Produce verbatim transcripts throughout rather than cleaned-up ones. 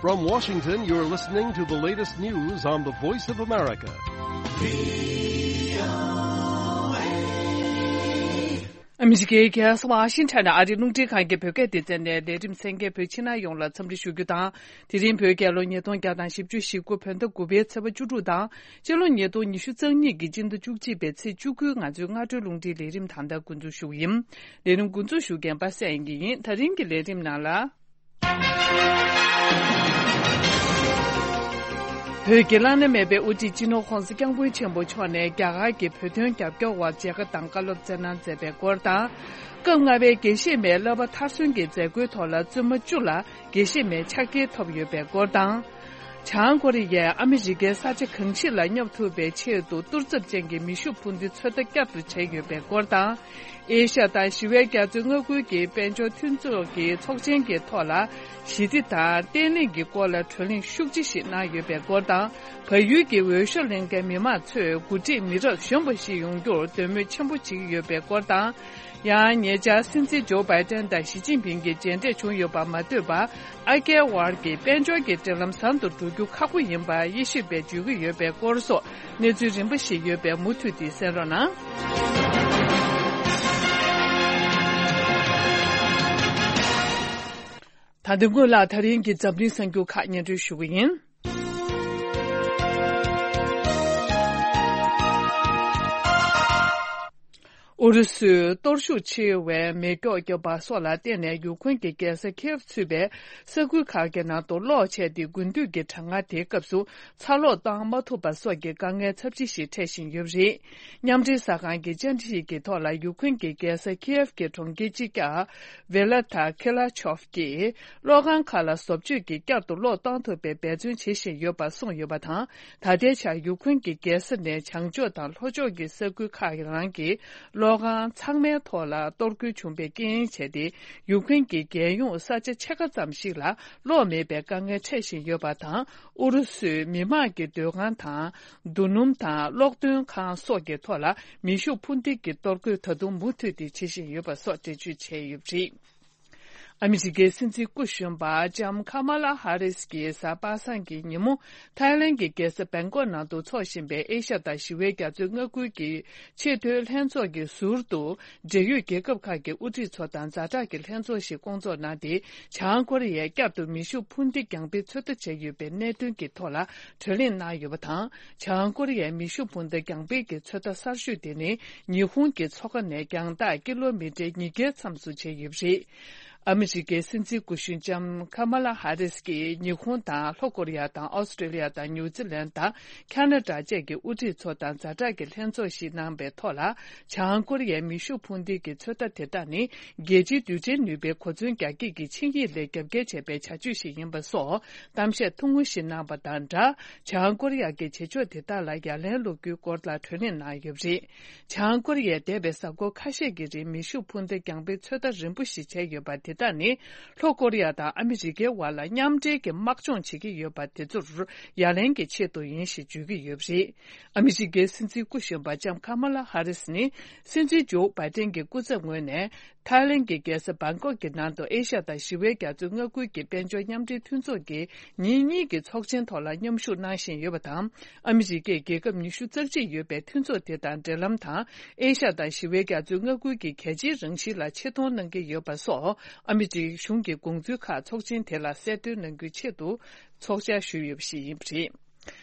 From Washington, you're listening to the latest news on the Voice of America. ཨ་མི་རི་ཀའི་རྒྱལ་ས་ཝ་ཤིང་ཊོན་ནས་ཨ་རིའི་རླུང་འཕྲིན་ཁང་གི་བོད་སྐད་སྡེ་ཚན་ནས་ལས་རིམ་གསན་མཁན་བོད་ཕྱི་ནང་ཡོངས་ལ་འཚམས་འདྲི་ཞུ་རྒྱུ་དང་། དེ་རིང་བོད་རྒྱལ་ལོ་ཉིས་སྟོང་བརྒྱ་དང་བཞི་བཅུ་ཞེ་དགུ་བོད་ཟླ་དགུ་པའི་ཚེས་པ་བཅུ་དྲུག་དང་། སྤྱི་ལོ་ཉིས་སྟོང་ཉི་ཤུ་རྩ་གཉིས་ཀྱི་སྤྱི་ཟླ་བཅུ་གཅིག་པའི་ཚེས་བཅུ་དགུའི་ང་ཚོའི་སྔ་དྲོའི་རླུང་འཕྲིན་ལས་རིམ་ད་ལྟ་འགོ་འཛུགས་ཞུ་གི་ཡིན། ལས་རིམ་འགོ་འཛུགས་ཞུ་མཁན་པ་སངས་དབྱངས་སྐྱིད་ཡིན། ད་རིང་གི་ལས་རིམ་ནང་ལ། བོད་ཀྱི་བླ་ན་མེད་པའི་དབུ་ཁྲིད་སྤྱི་ནོར་༧གོང་ས་༧སྐྱབས་མགོན་ཆེན་པོ་མཆོག་ནས་རྒྱ་གར་གྱི་བོད་དོན་རྒྱབ་སྐྱོར་བར་མཇལ་ཁ་དང་བཀའ་སློབ་སྩལ་གནང་མཛད་པའི་སྐོར་དང་། སྐབས་ལྔ་པའི་དགེ་བཤེས་མའི་བསླབ་པ་མཐར་སོན་གྱི་མཛད་སྒོའི་ཐོག་ལ་བཙུན་མ་བཅུ་ལ་དགེ་བཤེས་མའི་ཕྱག་འཁྱེར་ཐོབ་ཡོད་པའི་སྐོར་དང་། བྱང་ཀོ་རི་ཡས་ཨ་མི་རི་ཀའི་ས་ཆ་གང་ཞིག་ལ་བསྙབ་ཐུབ་པའི་ཆེད་དུ་གཏོར་ཚབས་ཅན་གྱི་མེ་ཤུགས་འཕུར་མདེལ་ཚོད་ལྟ་བསྐྱར་དུ་བྱས་ཡོད་པའི་སྐོར་དང་། ཨེ་ཤ་ཡ་དང་ཞི་བའི་རྒྱ་མཚོའི་མངའ་ཁུལ་གྱི་དཔལ་འབྱོར་མཐུན་ཚོགས་ཀྱི་ཚོགས་ཆེན་གྱི་ཐོག་ལ་ཞི་བདེ་དང་བརྟན་ལྷིང་གི་སྐོར་ལ་གྲོས་གླེང་ཤུགས་ཆེ་ཞིག་གནང་ཡོད་པའི་སྐོར་དང་། བལ་ཡུལ་གྱི་འོས་ཤོག་ལེན་མཁན་མི་མང་ཚོས་འགོ་ཁྲིད་མི་རབས་གཞོན་པ་ཞིག་ཡོང་རྒྱུར་འདོད་མོས་ཆེན་པོ་བྱེད་ཀྱི་ཡོད་པའི་སྐོར་དང་། ཡང་ཉེ་ཆར་སྲིད་འཛིན་ཇོ་བྷའི་ཏན་དང་ཞི་ཅིན་ཕིང་གི་མཇལ་འཕྲད་བྱུང་ཡོད་པ་མ་ལྟོས་པར། ཨ་རྒྱའི་དབར་གྱི་དཔལ་འབྱོར་གྱི་འབྲེལ་ལམ་བཟང་དུ་འགྲོ་རྒྱུ་ཁག་པོ་ཡིན་པ་དབྱེ་ཞིབ་པས་བརྗོད་ཀྱི་ཡོད་པའི་སྐོར་སོགས་གནས་ཚུལ་རིམ་པ་ཞིག་ཡོད་པས་མུ་མཐུད་དེ་གསན་རོགས་གནང་། ད་ལྟ་སྔོན་ལ་ད་རིང་གི་འཛམ་གླིང་གསར་འགྱུར་ཁག་སྙན་སྒྲོན་ཞུ་གི་ཡིན། ཨུ་རུ་སུས་གཏོར་ཤུགས་ཆེ་བའི་མེ་སྒྱོགས་བརྒྱབ་པ་སོགས་ལ་བརྟེན་ནས་ཡུ་ཁུན་གྱི་རྒྱལ་ས་ཁིའེབ་ཚུད་པའི་ས་ཁུལ་ཁག་གི་ནང་དུ་གློག་ཆད་དེ་དགུན་དུས་ཀྱི་གྲང་ངར་དེའི་སྐབས་སུ་ཚ་གློག་བཏང་མ་ཐུབ་པ་སོགས་ཀྱི་དཀའ་ངལ་ཚབས་ཆེ་ཞིག་འཕྲད་བཞིན་ཡོད་པ་རེད། མཉམ་འབྲེལ་གསར་ཁང་གི་བཅར་འདྲི་ཞིག་གི་ཐོག་ལ་ཡུ་ཁུན་གྱི་རྒྱལ་ས་ཁིའེབ་ཀྱི་གྲོང་ཁྱེར་སྤྱི་ཁྱབ་ཝེ་ལ་ཐ་ཁེ་ལ་ཆོབ་ཀྱིས། གློག་ཁང་ཁག་ལ་བཟོ་བཅོས་ཀྱིས་བསྐྱར་དུ་གློག་གཏོང་ཐུབ་པའི་འབད་བརྩོན་བྱེད་བཞིན་ཡོད་པ་གསུངས་ཡོད་པ་དང་། ད་ལྟའི་ཆར་ཡུ་ཁུན་གྱི་རྒྱལ་ས་ནས་བྱང་ཕྱོགས་དང་ལྷོ་ཕྱོགས་ཀྱི་ས་ཁུལ་ཁག་གི་ནང་གི་གློག་ཁང་ཚང་མའི་ཐོག་ལ་གཏོར་རྒོལ་བྱུང་བའི་རྐྱེན་བྱས་ཏེ། ཡུ་ཁུན་གྱི་རྒྱལ་ཡོངས་ས་ཆ་ཕྱེད་ཀ་ཙམ་ཞིག་ལ་གློག་མེད་པའི་དཀའ་ངལ་འཕྲད་བཞིན་ཡོད་པ་དང་། ཨུ་རུ་སུས་མི་དམངས་ཀྱི་སྡོད་ཁང་དང་། རྡོ་སྣུམ་དང་གློག་འདོན་ཁང་སོགས་ཀྱི་ཐོག་ལ་མེ་ཤུགས་འཕུར་མདེལ་གྱི་གཏོར་རྒོལ་ད་དུང་མུ་མཐུད་དེ་བྱེད་བཞིན་ཡོད་པ་སོགས་འགྲེལ་བརྗོད་བྱས་ཡོད་པ་རེད། ཨ་མི་རི་ཀའི་སྲིད་འཛིན་སྐུ་གཞོན་པ་ལྕམ་ཁ་མ་ལ་ཧ་རིས་ཀྱིས་གཟའ་པ་སངས་ཀྱི་ཉིན་མོ་ཐའི་ལན་གྱི་རྒྱལ་ས་བེང་ཀོག་ནང་དུ་འཚོགས་བཞིན་པའི་ཨེ་ཤ་ཡ་དང་ཞི་བའི་རྒྱ་མཚོའི་མངའ་ཁུལ་གྱི་ཆེས་མཐོའི་ལྷན་ཚོགས་ཀྱི་ཟུར་དུ་འབྲེལ་ཡོད་རྒྱལ་ཁབ་ཁག་གི་དབུ་ཁྲིད་ཚོ་དང་ཛ་དྲག་གི་ལྷན་ཚོགས་ཤིག་བསྐོང་ཚོགས་གནང་སྟེ། བྱང་ཀོ་རི་ཡས་བསྐྱར་དུ་མེ་ཤུགས་འཕུར་མདེལ་རྒྱང་འཕེན་ཚོད་ལྟ་བྱས་ཡོད་པའི་གནད་དོན་གྱི་ཐོག་ལ་གྲོས་གླེང་གནང་ཡོད་པ་དང་། བྱང་ཀོ་རི་ཡས་མེ་ཤུགས་འཕུར་མདའ་རྒྱང་འཕེན་གྱི་ཚོད་ལྟ་གསར་ཤོས་དེ་ནི་ཉི་ཧོང་གི་མཚོ་ཁ་ནས་རྒྱང་ཐག་ཀི་ལོ་མི་ཊར་ཉིས་བརྒྱའི་མཚམས་སུ་བྱས་ཡོད་པ་རེད། ཨ་མི་རི་ཀའི་སྲིད་འཛིན་སྐུ་གཞོན་ལྕམ་ཁ་མ་ལ་ཧ་རིས་ཀྱིས་ཉི་ཧོང་དང་ལྷོ་ཀོ་རི་ཡ་དང་ཨོ་སི་ཀྲི་ལི་ཡ་དང་ནིའུ་ཛི་ལན་དང་ཁ་ན་ཌ་བཅས་ཀྱི་དབུ་ཁྲིད་ཚོ་དང་ཛ་དྲག་གི་ལྷན་ཚོགས་ཤིག་གནང་པའི་ཐོག་ལ། བྱང་ཀོ་རི་ཡའི་མེ་ཤུགས་འཕུར་མདེལ་གྱི་ཚོད་ལྟ་དེ་དག་ནི་རྒྱལ་སྤྱིའི་རྡུལ་ཕྲན་ནུས་པའི་གོ་མཚོན་རྒྱ་སྐྱེད་ཀྱི་ཆིངས་ཡིག་ལས་རྒྱབ་འགལ་བྱས་པའི་བྱ་སྤྱོད་ཞིག་ཡིན་པ་སོགས་གཏམ་བཤད་ཐུང་ངུ་ཞིག་གནང་པ་དང་སྦྲགས། བྱང་ཀོ་རི་ཡ་གི་བྱེད་ཕྱོགས་དེ་དག་ལ་ཡ་ལན་སློག་རྒྱུའི་སྐོར་ལ་གྲོས་གླེང་གནང་ཡོད་པ་རེད། བྱང་ཀོ་རི་ཡས་འདས་པའི་གཟའ་འཁོར་ཁ་ཤས་ཀྱི་རིང་མེ་ཤུགས་འཕུར་མདའ་རྒྱང་འཕེན་ཚོད་ལྟ་རིམ་པོ་ཞིག་བྱས་ཡོད་པ་དེ་དག་ནི་ལྷོ་ཀོ་རི་ཡ་དང་ཨ་མི་རི་ཀའི་དབར་ལ་མཉམ་འབྲེལ་གྱི་དམག་སྦྱོང་བྱེད་ཀྱི་ཡོད་པ་དེ་ཚོར་ཡ་ལན་གྱི་ཆེད་དུ་ཡིན་ཞེས་བརྗོད་ཀྱི་ཡོད་པ་རེད། ཨ་མི་རི་ཀའི་སྲིད་འཛིན་སྐུ་གཞོན་པ་ལྕམ་ཁ་མ་ལ་ཧ་རིས་ནི་སྲིད་འཛིན་ཇོ་བྷའི་ཏན་གྱི་སྐུ་ཚབ་ངོས་ནས་ཐའི་ལན་གྱི་རྒྱལ་ས་བྷང་ཀོག་གི་ནང་དུ་ཨེ་ཤ་ཡ་དང་ཞི་བའི་རྒྱ་མཚོའི་མངའ་ཁུལ་གྱི་དཔལ་འབྱོར་མཉམ་འབྲེལ་མཐུན་ཚོགས་ཀྱི་ཉིན་གཉིས་ཀྱི་ཚོགས་ཆེན་ཐོག་ལ་མཉམ་ཞུགས་གནང་བཞིན་ཡོད་པ་དང་། ཨ་མི་རི་ཀས་རྒྱལ་ཁབ་ཉི་ཤུ་རྩ་གཅིག་ཡོད་པའི་མཐུན་ཚོགས་དེ་དང་འབྲེལ་ལམ་དང་། ཨེ་ཤ་ཡ་དང་ཞི་བའི་རྒྱ་མཚོའི་མངའ་ཁུལ་གྱི་གལ་ཆེའི་རང་བཞིན་ལ་ཆེ་མཐོང་གནང་གི་ཡོད་པ་སོགས། ཨ་མི་རི་ཀའི་གཞུང་གི་དགོངས་ཚུལ་ཁག་ཚོགས་ཆེན་དེ་ལ་གསལ་སྟོན་གནང་རྒྱུའི་ཆེད་དུ་ཚོགས་བཅར་ཞུས་ཡོད་པ་ཞིག་ཡིན་པ་རེད།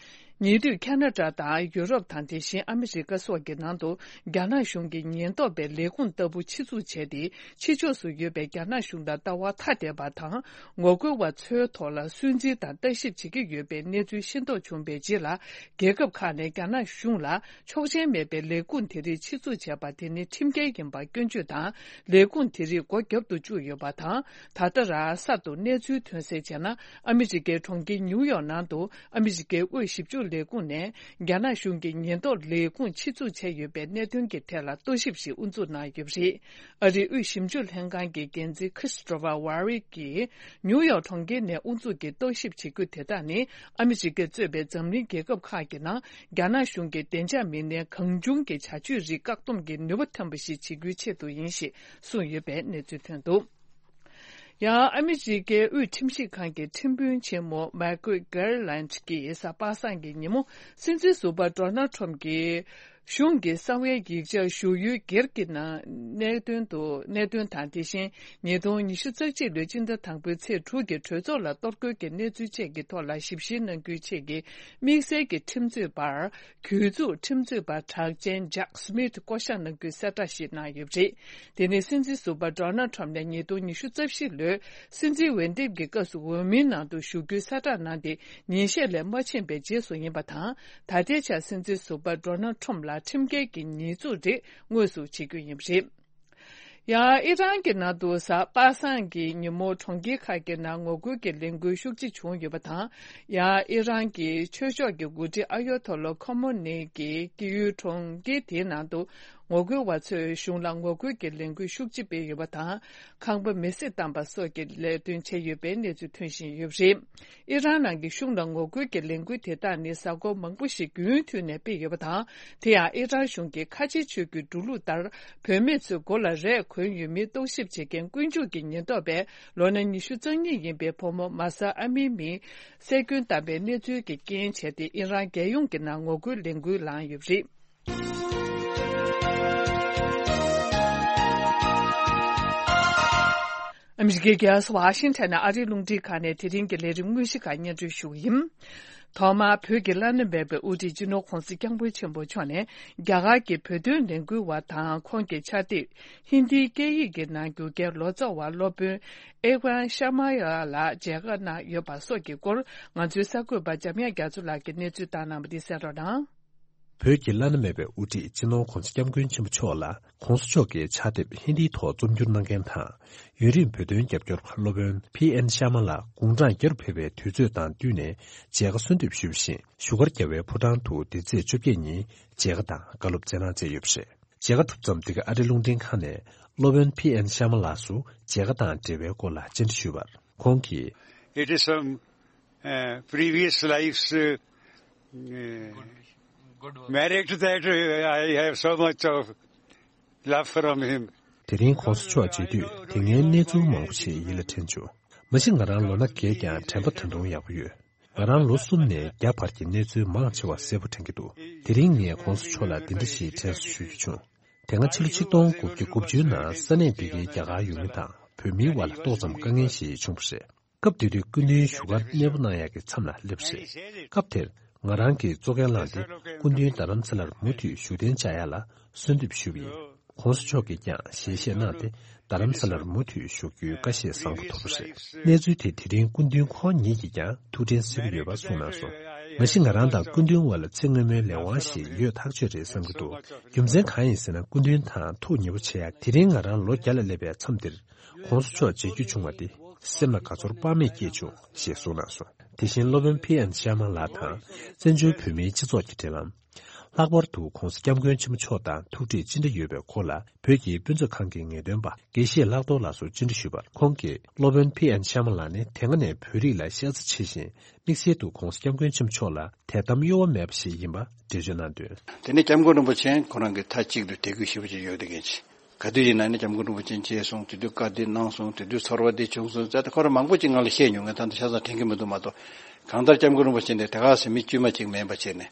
ཉེ་དུས་ཁ་ན་ཌ་དང་ཡུ་རོབ་དང་དེ་བཞིན་ཨ་མི་རི་ཀ་སོགས་ཀྱི་ནང་དུ་རྒྱ་ནག་གཞུང་གི་ཉེན་རྟོག་པའི་ལས་ཁུངས་ལྟ་བུ་ཆེད་འཛུགས་བྱས་ཏེ། ཕྱི་ཕྱོགས་སུ་ཡོད་པའི་རྒྱ་ནག་གཞུང་ལ་ལྟ་བ་ཐ་དད་པ་དང་ངོ་རྒོལ་བ་ཚོའི་ཐོག་ལ་སུན་གཙེར་དང་ལྟ་ཞིབ་བྱེད་ཀྱི་ཡོད་པའི་གནས་ཚུལ་ཤེས་རྟོགས་བྱུང་བའི་རྗེས་ལ། རྒྱལ་ཁབ་ཁག་ནས་རྒྱ་ནག་གཞུང་ལ་ཆོག་མཆན་མེད་པའི་ལས་ཁུངས་དེ་རིགས་ཆེད་འཛུགས་བྱས་པ་དེ་ནི་ཁྲིམས་འགལ་ཡིན་པ་སྐྱོན་བརྗོད་དང་། ལས་ཁུངས་དེ་རིགས་སྒོ་བརྒྱབ་ཏུ་བཅུག་ཡོད་པ་དང་། ད་ལྟ་རང་སར་དུ་གནས་ཚུལ་ཐོན་གསལ་བྱས་ན། ཨ་མི་རི་ཀའི་གྲོང་ཁྱེར་ནིའུ་ཡོག་ནང་དུ་ཨ་མི་རི་ཀའི་དབུས་ཞིབ་འཇུག་ལས་ཁུངས་ནས་རྒྱ་ནག་གཞུང་གི་ཉེན་རྟོག་ལས་ཁུངས་ཆེད་འཛུགས་བྱས་ཡོད་པའི་གནད་དོན་གྱི་ཐད་ལ་རྟོག་ཞིབ་ཞིག་དབུ་འཛུགས་གནང་ཡོད་པ་རེད། ཨ་རིའི་དབུས་ཞིབ་འཇུག་ལྷན་ཁང་གི་འགན་འཛིན་Christopher Waring་གིས་ནིའུ་ཡོག་གྲོང་ཁྱེར་ནས་དབུ་འཛུགས་ཀྱི་རྟོག་ཞིབ་བྱེད་རྒྱུ་དེ་དག་ནི་ཨ་མི་རི་ཀས་གཙོས་པའི་འཛམ་གླིང་རྒྱལ་ཁབ་ཁག་གི་ནང་རྒྱ་ནག་གཞུང་གི་བདེ་འཇགས་མི་སྣའི་གང་བྱུང་གི་བྱ་སྤྱོད་རིགས་བཀག་སྡོམ་གྱི་ནུས་པ་ཐོན་པ་ཞིག་བྱེད་རྒྱུའི་ཆེད་དུ་ཡིན་ཞེས་གསུངས་ཡོད་པའི་གནས་ཚུལ་ཐོན་འདུག་ཡང་ཨ་མི་རི་ཀའི་དབུས་ཁྲིམས་ཞིབ་ཁང་གི་ཁྲིམས་དཔོན་ཆེན་མོ་མཱི་ཀལ་གྷར་ལན་གྱིས་གཟའ་པ་སངས་ཀྱི་ཉིན་མོ་སྲིད་འཛིན་ཟུར་པ་ཌོ་ནལ་ཁྲོམ་གྱིས་གཞུང་གི་གསང་བའི་ཡིག་ཆ་ཞུ་ཡུལ་སྒེར་གྱི་ནང་གནད་དོན་དུ་གནད་དོན་དང་། དེ་བཞིན་ཉིས་སྟོང་ཉི་ཤུ་རྩ་གཅིག་ལོའི་སྤྱི་ཟླ་དང་པོའི་ཚེས་དྲུག་གི་གྲོས་ཚོགས་ལ་གཏོར་རྒོལ་གྱི་གནས་ཚུལ་བཅས་ཀྱི་ཐོག་ལ་ཞིབ་བཤེར་གནང་རྒྱུའི་ཆེད་ཀྱི་དམིགས་བསལ་གྱི་ཁྲིམས་རྩོད་པར། གྱོད་འཛུགས་ཁྲིམས་རྩོད་པ་གྲགས་ཅན་ཇག་སི་མིད་བསྐོ་གཞག་གནང་རྒྱུའི་གསལ་བསྒྲགས་ཤིག་གནང་ཡོད་པ་རེད། དེ་ནི་སྲིད་འཛིན་ཟུར་པ་ཌོ་ནལ་ཁྲོམ་ནས་ཉིས་སྟོང་ཉི་ཤུ་རྩ་བཞི་ལོའི་སྲིད་འཛིན་འོས་འདེམས་ཀྱི་སྐབས་སུ་འོས་མིའི་ནང་དུ་ཞུགས་རྒྱུའི་གསལ་བསྒྲགས་གནང་སྟེ་ཉིན་ཤས་ལས་མ་ཕྱིན་པའི་རྗེས་སུ་ཡིན་པ་དང་། ད་ལྟའི་ཆར་སྲིད་འཛིན་ཟུར་པ་ཌོ་ནལ་ཁྲོམ་ལ་ཁྲིམས་འགལ་གྱི་ཉེས་འཛུགས་རེ་དངོས་སུ་བྱེད་རྒྱུ་ཡིན་པ་རེད། ཡང་ཨི་རན་གྱི་ནང་དུ་གཟའ་པ་སངས་ཀྱི་ཉིན་མོ་གྲོང་ཁྱེར་ཁག་གི་ནང་ངོ་རྒོལ་གྱི་ལས་འགུལ་ཤུགས་ཆེ་བྱུང་ཡོད་པ་དང་། ཡང་ཨི་རན་གྱི་ཆོས་ཕྱོགས་ཀྱི་འགོ་ཁྲིད་ཨ་ཡོ་ཐོ་ལོ་ཁོ་མོ་ནི་གྱི་སྐྱེས་ཡུལ་གྲོང་ཁྱེར་དེའི་ནང་དུ་ངོ་རྒོལ་བ་ཚོས་གཞུང་ལ་ངོ་རྒོལ་གྱི་ལས་འགུལ་ཤུགས་ཆེ་སྤེལ་ཡོད་པ་དང་། ཁང་པ་མེ་བསྲེགས་བཏང་པ་སོགས་ཀྱི་ལས་དོན་བྱས་ཡོད་པའི་གནས་ཚུལ་ཐོན་བཞིན་ཡོད་པ་རེད། ཨི་རན་ནང་གི་གཞུང་ལ་ངོ་རྒོལ་གྱི་ལས་འགུལ་དེ་དག་ནི་གཟའ་འཁོར་མང་པོ་ཞིག་རྒྱུན་མཐུད་ནས་སྤེལ་ཡོད་པ་དང་། དེ་ཡང་ཨི་རན་གཞུང་གིས་ཁ་ཆེའི་ཆོས་བརྒྱུད་འགྲོ་ལུགས་ལྟར་བུད་མེད་ཚོའི་མགོ་ལ་རས་གོན་ཡོད་མིན་རྟོག་ཞིབ་བྱེད་མཁན་ཀུན་སྤྱོད་ཀྱི་ཉེན་རྟོག་པས་ལོ་ན་ཉི་ཤུ་རྩ་གཉིས་ཡིན་པའི་བུ་མོ་མཱ་ས་ཨ་མི་མི་བསད་སྐྱོན་བཏང་པའི་གནས་ཚུལ་གྱི་རྐྱེན་བྱས་ཏེ་ཨི་རན་རྒྱལ་ཡོངས་ཀྱི་ནང་ངོ་རྒོལ་ལས་འགུལ་ལངས་ཡོད་པ་རེད། ཨ་མི་རི་ཀའི་རྒྱལ་ས་ཝ་ཤིང་ཊོན་ནས་ཨ་རིའི་རླུང་འཕྲིན་ཁང་ནས་དེ་རིང་གི་ལས་རིམ་དངོས་གཞི་ཁག་སྙན་སྒྲོན་ཞུ་གི་ཡིན། ཐོག་མར་བོད་ཀྱི་བླ་ན་མེད་པའི་དབུ་ཁྲིད་སྤྱི་ནོར་༧གོང་ས་༧སྐྱབས་མགོན་ཆེན་པོ་མཆོག་ནས་རྒྱ་གར་གྱི་བོད་དོན་ལས་འགུལ་བ་དང་ཁོང་གི་ཕྱག་དེབ་ཧིན་དིའི་སྐད་ཡིག་གི་ནང་བསྒྱུར་མཁན་ལོ་ཙཱ་བ་སློབ་དཔོན་ཨེ་ཝན་ཤར་མ་ཡ་ལགས་མཇལ་ཁ་གནང་ཡོད་པ་སོགས་ཀྱི་སྐོར་ང་ཚོའི་གསར་འགོད་པ་འཇམ་དབྱངས་རྒྱ་མཚོ་ལགས་ཀྱིས་གནས་ཚུལ་བཏང་གནང་བ་འདི་གསན་རོགས་གནང་། བོད་ཀྱི་བླ་ན་མེད་པའི་དབུ་ཁྲིད་སྤྱི་ནོར་༧གོང་ས་༧སྐྱབས་མགོན་ཆེན་པོ་མཆོག་ལ་༧གོང་ས་མཆོག་གི་ཕྱག་དེབ་ཧིན་དིའི་ཐོག་རྩོམ་བསྒྱུར་གནང་མཁན་དང་། ཡུན་རིང་བོད་དོན་རྒྱབ་སྐྱོར་བ་སློབ་དཔོན་ཕི་ཨེན་ཤར་མ་ལགས་དགུང་གྲངས་བརྒྱར་ཕེབས་པའི་དུས་ཚོད་དང་བསྟུན་ནས་མཇལ་ཁ་གསོལ་འདེབས་ཞུས་པ་བཞིན། བཞུགས་སྒར་རྒྱལ་བའི་ཕོ་བྲང་དུ་འདི་ཚེས་བཅོ་བརྒྱད་ཉིན་མཇལ་ཁ་དང་བཀའ་སློབ་སྩལ་གནང་མཛད་ཡོད་པ་རེད། མཇལ་ཁ་གྲུབ་མཚམས། འདི་ག་ཨ་རིའི་རླུང་འཕྲིན་ཁང་ནས་སློབ་དཔོན་ཕི་ཨེན་ཤར་མ་ལགས་སུ་མཇལ་ཁ་དང་འབྲེལ་བའི་སྐོར་ལ་བཅར་འདྲི་ཞུས་པར། ཁོང་གིས། It is some uh, previous life's uh, uh, merit that uh, I have so much of love from him. དེ་རིང་༧གོང་ས་མཆོག་མཇལ་དུས་དེ་སྔའི་གནས་ཚུལ་མང་པོ་ཞིག་ཡིད་ལ་དྲན་བྱུང་། མ་གཞི་ང་རང་ལོ་ན་རྒས་ཀྱང་དྲན་པ་ད་དུང་ཡག་པོ་ཡོད། ང་རང་ལོ་གསུམ་ནས་བརྒྱ་བར་གྱི་གནས་ཚུལ་མང་ཆེ་བ་གསལ་པོ་དྲན་གྱི་འདུག་དེ་རིང་ངས་༧གོང་ས་མཆོག་ལ་འདི་འདྲ་ཞིག་དྲན་གསོ་ཞུ་རྒྱུ་བྱུང་། དེ་སྔ་ཕྱི་ལོ་ཆིག་སྟོང་དགུ་བརྒྱ་དགུ་བཅུ་ནང་ས་གནས་འདི་གའི་རྒྱ་གར་ཡུལ་མི་དང་བོད་མིའི་དབར་ལ་ཏོག་ཙམ་དཀའ་ངལ་ཞིག་བྱུང་བ་རེད། སྐབས་དེ་དུས་སྐུ་མདུན་བཞུགས་སྒར་གནས་སྤོ་གནང་ཡག་གི་མཚམས་ལ་སླེབས་པ་རེད། སྐབས་དེར་ང་རང་གིས་གཙོ་འགན་བླངས་ཏེ་སྐུ་མདུན་རྡ་རམ་ས་ལར་མུ་མཐུད་བཞུགས་གདན་འཇགས་ཡག་ལ་གསོལ་འདེབས་ཞུས་པ་ཡིན། ༸གོང་ས་མཆོག་གིས་ཀྱང་ཞལ་བཞེས་གནང་སྟེ་རྡ་རམ་ས་ལར་མུ་མཐུད་བཞུགས་རྒྱུའི་བཀའ་བཞེས་བཟང་པོ་ཐོབ་པ་རེད། གནས་ཚུལ་དེ་དེ་རིང་སྐུ་མདུན་ཁོང་ཉིད་ཀྱིས་ཀྱང་ཐུགས་དྲན་གསོས་ཀྱི་ཡོད་པ་གསུངས་གནང་སོང་། མ་གཞི་ང་རང་དང་སྐུ་མདུན་དབར་ལ་ཚེ་སྔོན་མའི་ལས་དབང་ཞིག་ཡོད་ཐག་ཆོད་རེད་བསམ་གྱི་འདུག་རྒྱུ་མཚན་གང་ཡིན་ཟེར་ན། སྐུ་མདུན་དང་ཐུགས་ཉེ་པོ་བྱེད་ཡག་དེ་རིང་ང་རང་ལོ་བརྒྱ་ལ་སླེབས་པའི་མཚམས་འདིར་༸གོང་ས་མཆོག་མཇལ་རྒྱུ་བྱུང་བ་དེ་སེམས་ལ་དགའ་ཚོར་དཔག་མེད་སྐྱེས་བྱུང་ཞེས་གསུངས་གནང་སོང་། དེ་བཞིན་སློབ་དཔོན་ཕི་ཨེན་ཤར་མ་ལགས་དང་བཙན་བྱོལ་བོད་མིའི་སྤྱི་ཚོགས་ཀྱི་འབྲེལ་ལམ། ལྷག་པར་དུ་༸གོང་ས་༸སྐྱབས་མགོན་ཆེན་པོ་མཆོག་དང་ཐུགས་འདྲིས་ཅི་འདྲ་ཡོད་པའི་སྐོར་ལ་བོད་ཀྱི་དཔེ་མཛོད་ཁང་གི་ངེས་སྟོན་པ་དགེ་བཤེས་ལྷག་རྡོར་ལགས་སུ་བཅར་འདྲི་ཞུས་པར། ཁོང་གིས་སློབ་དཔོན་ཕི་ཨེན་ཤར་མ་ལགས་ནི་དེ་སྔ་ནས་བོད་རིགས་ལ་ཤ་ཚ་ཆེ་ཞིང་། དམིགས་བསལ་དུ་༸གོང་ས་༸སྐྱབས་མགོན་ཆེན་པོ་མཆོག་ལ་དད་དམ་གཡོ་བ་མེད་པ་ཞིག་ཡིན་པ་འགྲེལ་བརྗོད་གནང་དོན། དེ་ནས་༸སྐྱབས་མགོན་རིན་པོ་ཆེ་ཁོ་རང་གིས་མཐའ་གཅིག་ཏུ་དད་གུས་ཞེ་པོ་ཅིག་ཡོད་བསྡད་མཁན་ཅིག་ག་དུས་ཡིན་ན་ནི་༸སྐྱབས་མགོན་རིན་པོ་ཆེ་མཇལ་སོང་། དེ་དུས་བཀའ་འདི་གནང་སོང་། དེ་དུས་ཚོར་བ་འདི་བྱུང་སོང་ཟེར་ཏེ་ཁོ་རང་མང་པོ་ཅིག་ང་ལ་བཤད་མྱོང་། ངས་ད་ལྟ་ཆ་ཚང་དྲན་གྱི་མི་འདུག་མ་གཏོགས། གང་ལྟར་༸སྐྱབས་མགོན་རིན་པོ་ཆེ་འདི་དེ་ག་ཟེ་མི་དཀྱུས་མ་ཅིག་མིན་པ་བྱས་ནས་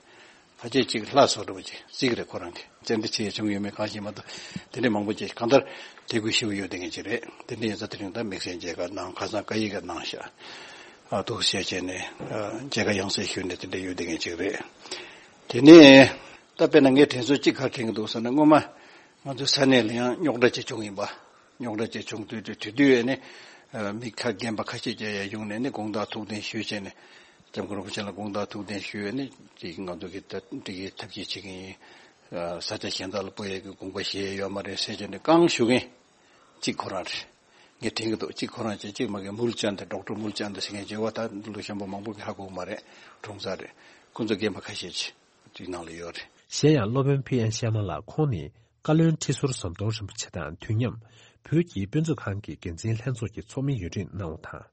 ཕལ་ཆེར་ཅིག་ལྷ་བཟོ་འདྲ་བོ་ཅིག་རྩིས་ཀྱི་རེད། ཁོ་རང་གི་བཙན་འདི་ཆེ་བྱུང་ཡོད་མེད་གང་ཤེས་མ་གཏོགས། དེ་འདྲའི་མང་པོ་ཅིག་གང་ལྟར་དད་གུས་ཞེ་པོ་ཡོད་བསྡད་མཁན་ཅིག་རེད། དེ་འདྲ་ཡིན་ཙང་དེ་རིང་ད་དམིགས་བསལ་མཇལ་ཁ་གནང་། ཁ་སང་བཀའ་ཡིག་ག་གནང་ཤག་ཨ་ཐུགས་རྗེ་ཆེ་བྱས་ནས་ཨ་མཇལ་ཁ་ཡང་སེ་ཞུས་ནས་དེ་འདྲ་ཡོད་བསྡད་མཁན་ཅིག་རེད། དེ་ནས་ད་དཔེར་ན་ངས་དྲན་གསོ་གཅིག་ག་རེ་དྲན་གྱི་འདུག་ཟེར་ན། སྔོན་མ་ང་ཚོའི་ས་གནས་ལ་ཡང་རྙོག་དྲ་ཅིག་བྱུང་ཡིན་པ། རྙོག་དྲ་ཅིག་བྱུང་དུས་དུས་དེ་དུས་ནི་ཨ་མི་ཁ་རྒན་པ་ཁ་ཤས་ཀྱིས་ཡར་ཡོང་ནས་ནི་དགོངས་དག་ཐུགས་གདན་ཞུས་བྱས་ནས་༸སྐྱབས་མགོན་རིན་པོ་ཆེ་ལ་དགོངས་དག་ཐུགས་གདན་ཞུས་ནས་ཅིག་ང་ཚོ་གི་ད་འགྲིག་གི་ཐབས་ཤེས་བྱེད་ཀྱི་ཡིན། ཨ་ས་ཆ་གཞན་དག་ལ་སྤོ་ཡས་ཀྱི་དགོངས་པ་བཞེས་ཡོད་མ་རེད་ཟེར་བྱས་ནས་རྐང་ཞུ་མཁན་གཅིག་ཁོ་རང་རེད། ངས་དྲན་གྱི་འདུག་གཅིག་ཁོ་རང་བྱས། གཅིག་མ་གི་མུལ་ཅན་དེ་ཌོག་ཊར་མུལ་ཅན་དེ་ཟེར་མཁན་བྱས་པ། ད་ལོ་གཞོན་པ་མང་པོ་གིས་ཧ་གོ་གི་མ་རེད། གྲོང་གསེབ་རེད། ཁོ་ཚོ་རྒན་པ་ཁ་ཤས་ཅིག་དེའི་ནང་ལ་ཡོད་རེད། གཞན་ཡང་སློབ་དཔོན་ཕི་ཨེན་ཤར་མ་ལགས་ཁོང་ནི་བཀའ་བློན་ཁྲི་ཟུར་ཟམ་གདོང་རིན་པོ་ཆེ་དང་དུས་མཉམ་བོད་ཀྱི་དཔེ་མཛོད་ཁང་གི་འགན་འཛིན་ལྷན་ཚོགས་ཀྱི་ཚོགས་མི་ཡུན་རིང་གནང་བ་དང་།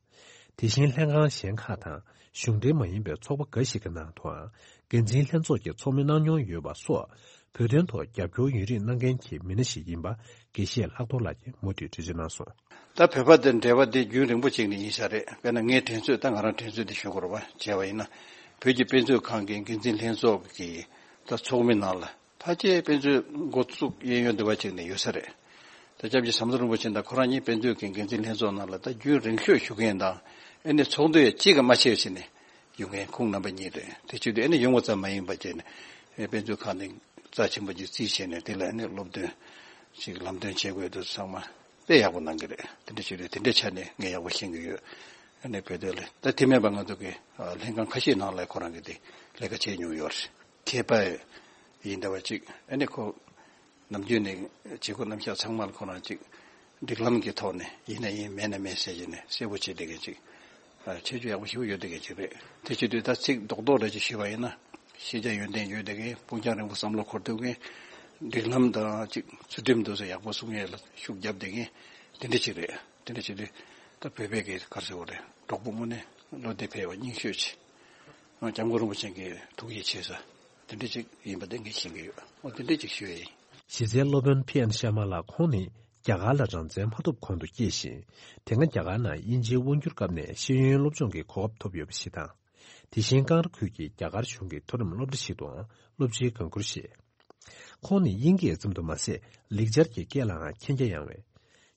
དེ་བཞིན་ལྷན་ཁང་གཞན་ཁག་དང་གཞུང་འབྲེལ་མ་ཡིན་པའི་ཚོགས་པ་འགའ་ཞིག་གི་ནང་དུའང་འགན་འཛིན་ལྷན་ཚོགས་ཀྱི་ཚོགས་མི་གནང་མྱོང་ཡོད་པ་སོགས། བོད་དོན་ཐོག་རྒྱབ་སྐྱོར་ཡུན་རིང་གནང་མཁན་གྱི་མི་སྣ་ཞིག་ཡིན་པ་དགེ་བཤེས་ལྷག་རྡོར་ལགས་ཀྱིས་མུ་མཐུད་འགྲེལ་བརྗོད་གནང་སོང་། ད་བོད་པ་དང་འབྲེལ་བ་དེ་རྒྱུན་རིང་པོ་ཅིག་ནས་ཡིན་ས་རེད། དཔེར་ན་ངའི་དྲན་གསོས། ད་ང་རང་དྲན་གསོས་དེ་ཞུ་དགོས་རེད་པ། བྱས་པ་ཡིན་ན་བོད་ཀྱི་དཔེ་མཛོད་ཁང་གི་འགན་འཛིན་ལྷན་ཚོགས་ཀྱི་ད་ཚོགས་མི་ནང་ལ་ཕལ་ཆེར་དཔེ་མཛོད་འགོ་བཙུགས་གཡས་གཡོན་འདི་པ་ཅིག་ནས་ཡོད་ས་རེད། ད་སྐྱབས་རྗེ་ཟམ་གདོང་རིན་པོ་ཆེ་དང་ཁོ་རང་གཉིས་དཔེ་མཛོད་ཀྱི་འགན་འཛིན་ལྷན་ཚོགས་ནང་ལ་ད་རྒྱུན་རིང་ཤོས་བཞུགས་མཁན་དང་། ཨེ་ནས་ཚོགས་འདུ་ཡང་གཅིག་གིས་མ་ཆད་ཟེར་ནས་ཡོང་མཁན་ཁོང་རྣམ་པ་གཉིས་རེད། དེ་བྱེད་དུས་ཨེ་ནས་ཡོང་བ་ཙམ་མ་ཡིན་པ་བྱས་ནས་ཨེ་དཔེ་མཛོད་ཁང་ནས་རྩ་ཆེན་པོ་ཅིག་རྩིས་བྱས་ནས་དེ་ལ་ཨེ་ནས་སློབ་སྟོན་ཅིག་ལམ་སྟོན་བྱེད་དགོས་འདུག་ཚང་མ་དཔེ་ཡག་པོ་གནང་གི་རེད། དེ་འདྲ་བྱེད་དུས་དེ་འདྲའི་ཆ་ནས་ངས་ཡག་པོ་ཤེས་ཀྱི་ཡོད། ཨེ་ནས་བོད་དོན་ལ་ད་དེ་མིན་པ་ང་ཚོ་གི་ལྷན་ཁང་ཁ་ཤས་ནང་ལ་ཁོ་རང་གིས་དེ་ལས་ཀ་བྱས་མྱོང་ཡོད་རེད། མཁས་པ་ཡིན་འདྲ་བ་ཅིག་ཨེ་ནས་ཁོ་ནམ་རྒྱུན་ནས་བྱེད་སྒོ་རྣམ་གཞག་ཚང་མ་ལ་ཁོ་རང་ཅིག་སྒྲིག་ལམ་གྱི་ཐོག་ནས་ཡིན་ན་ཡིན་མེད་ན་མེད་ཟེར་གྱི་ནས་གསལ་པོ་བྱེད་བསྡད་མཁན་ཅིག་ཨ། ཁྱད་ཆོས་ཡག་པོ་ཞེ་པོ་ཡོད་བསྡད་མཁན་ཅིག་རེད། དེ་བྱེད་དུས་ད་ཚིག་རྡོག་རྡོག་རེ་ཅིག་ཞུས་པ་ཡིན་ན། ཤེས་བྱ་ཡོན་ཏན་ཡོད་བསྡད་མཁན། སྤུངས་རྒྱང་རིང་པོ་བསམ་བློ་འཁོར་ཐུབ་མཁན། སྒྲིག་ལམ་དང་ཅིག་ཚུལ་ཁྲིམས་དེ་ཚོ་ཡག་པོ་སྲུང་ཡས་ལ་ཤུགས་བརྒྱབ་བསྡད་མཁན་དེ་འདྲ་ཅིག་རེད། དེ་འདྲ་བྱེད་དུས་ད་བོད་པའི་གི་ག་རེ་ཟེར་དགོས་རེད། གྲོགས་པོ་དངོས་གནས་བློ་གཏད་ཕེབས་པ་རྙིང་ཤོས་ཅིག་སྐྱབས་མགོན་རིན་པོ་ཆེ་གི་ཐུགས་ཡིད་ཆེས་ས་དེ་འདྲ་ཅིག་ཡིན་པ་དེ་ངས་ཤེས་ཀྱི་ཡོད། འོ་དེ་འདྲ་ཅིག་ཞུ་ཡས་ཡིན། གཞི་རྩའི་སློབ་དཔོན་ཕི་ཨན་ཤར་མ་ལགས་ཁོང་ནི་རྒྱ་གར་ལ་རང་བཙན་མ་ཐོབ་གོང་དུ་སྐྱེས་ཤིང་། དེ་སྔ་རྒྱ་གར་ནང་དབྱིན་ཇིའི་དབང་སྒྱུར་སྐབས་ནས་ཤེས་ཡོན་སློབ་སྦྱོང་གི་གོ་སྐབས་ཐོབ་ཡོད་པ་ཞིག་དང་། དེ་བཞིན་ཀང་ར་ཁུལ་གྱི་རྒྱ་གར་གཞུང་གི་མཐོ་རིམ་སློབ་གྲྭ་ཞིག་ཏུའང་སློབ་སྤྱིའི་འགན་ཁུར་བཞེས། ཁོང་ནི་དབྱིན་སྐད་ཙམ་དུ་མ་ཟད་ལེགས་སྦྱར་གྱི་སྐད་ལའང་མཁྱེན་རྒྱ་ཡངས་པས།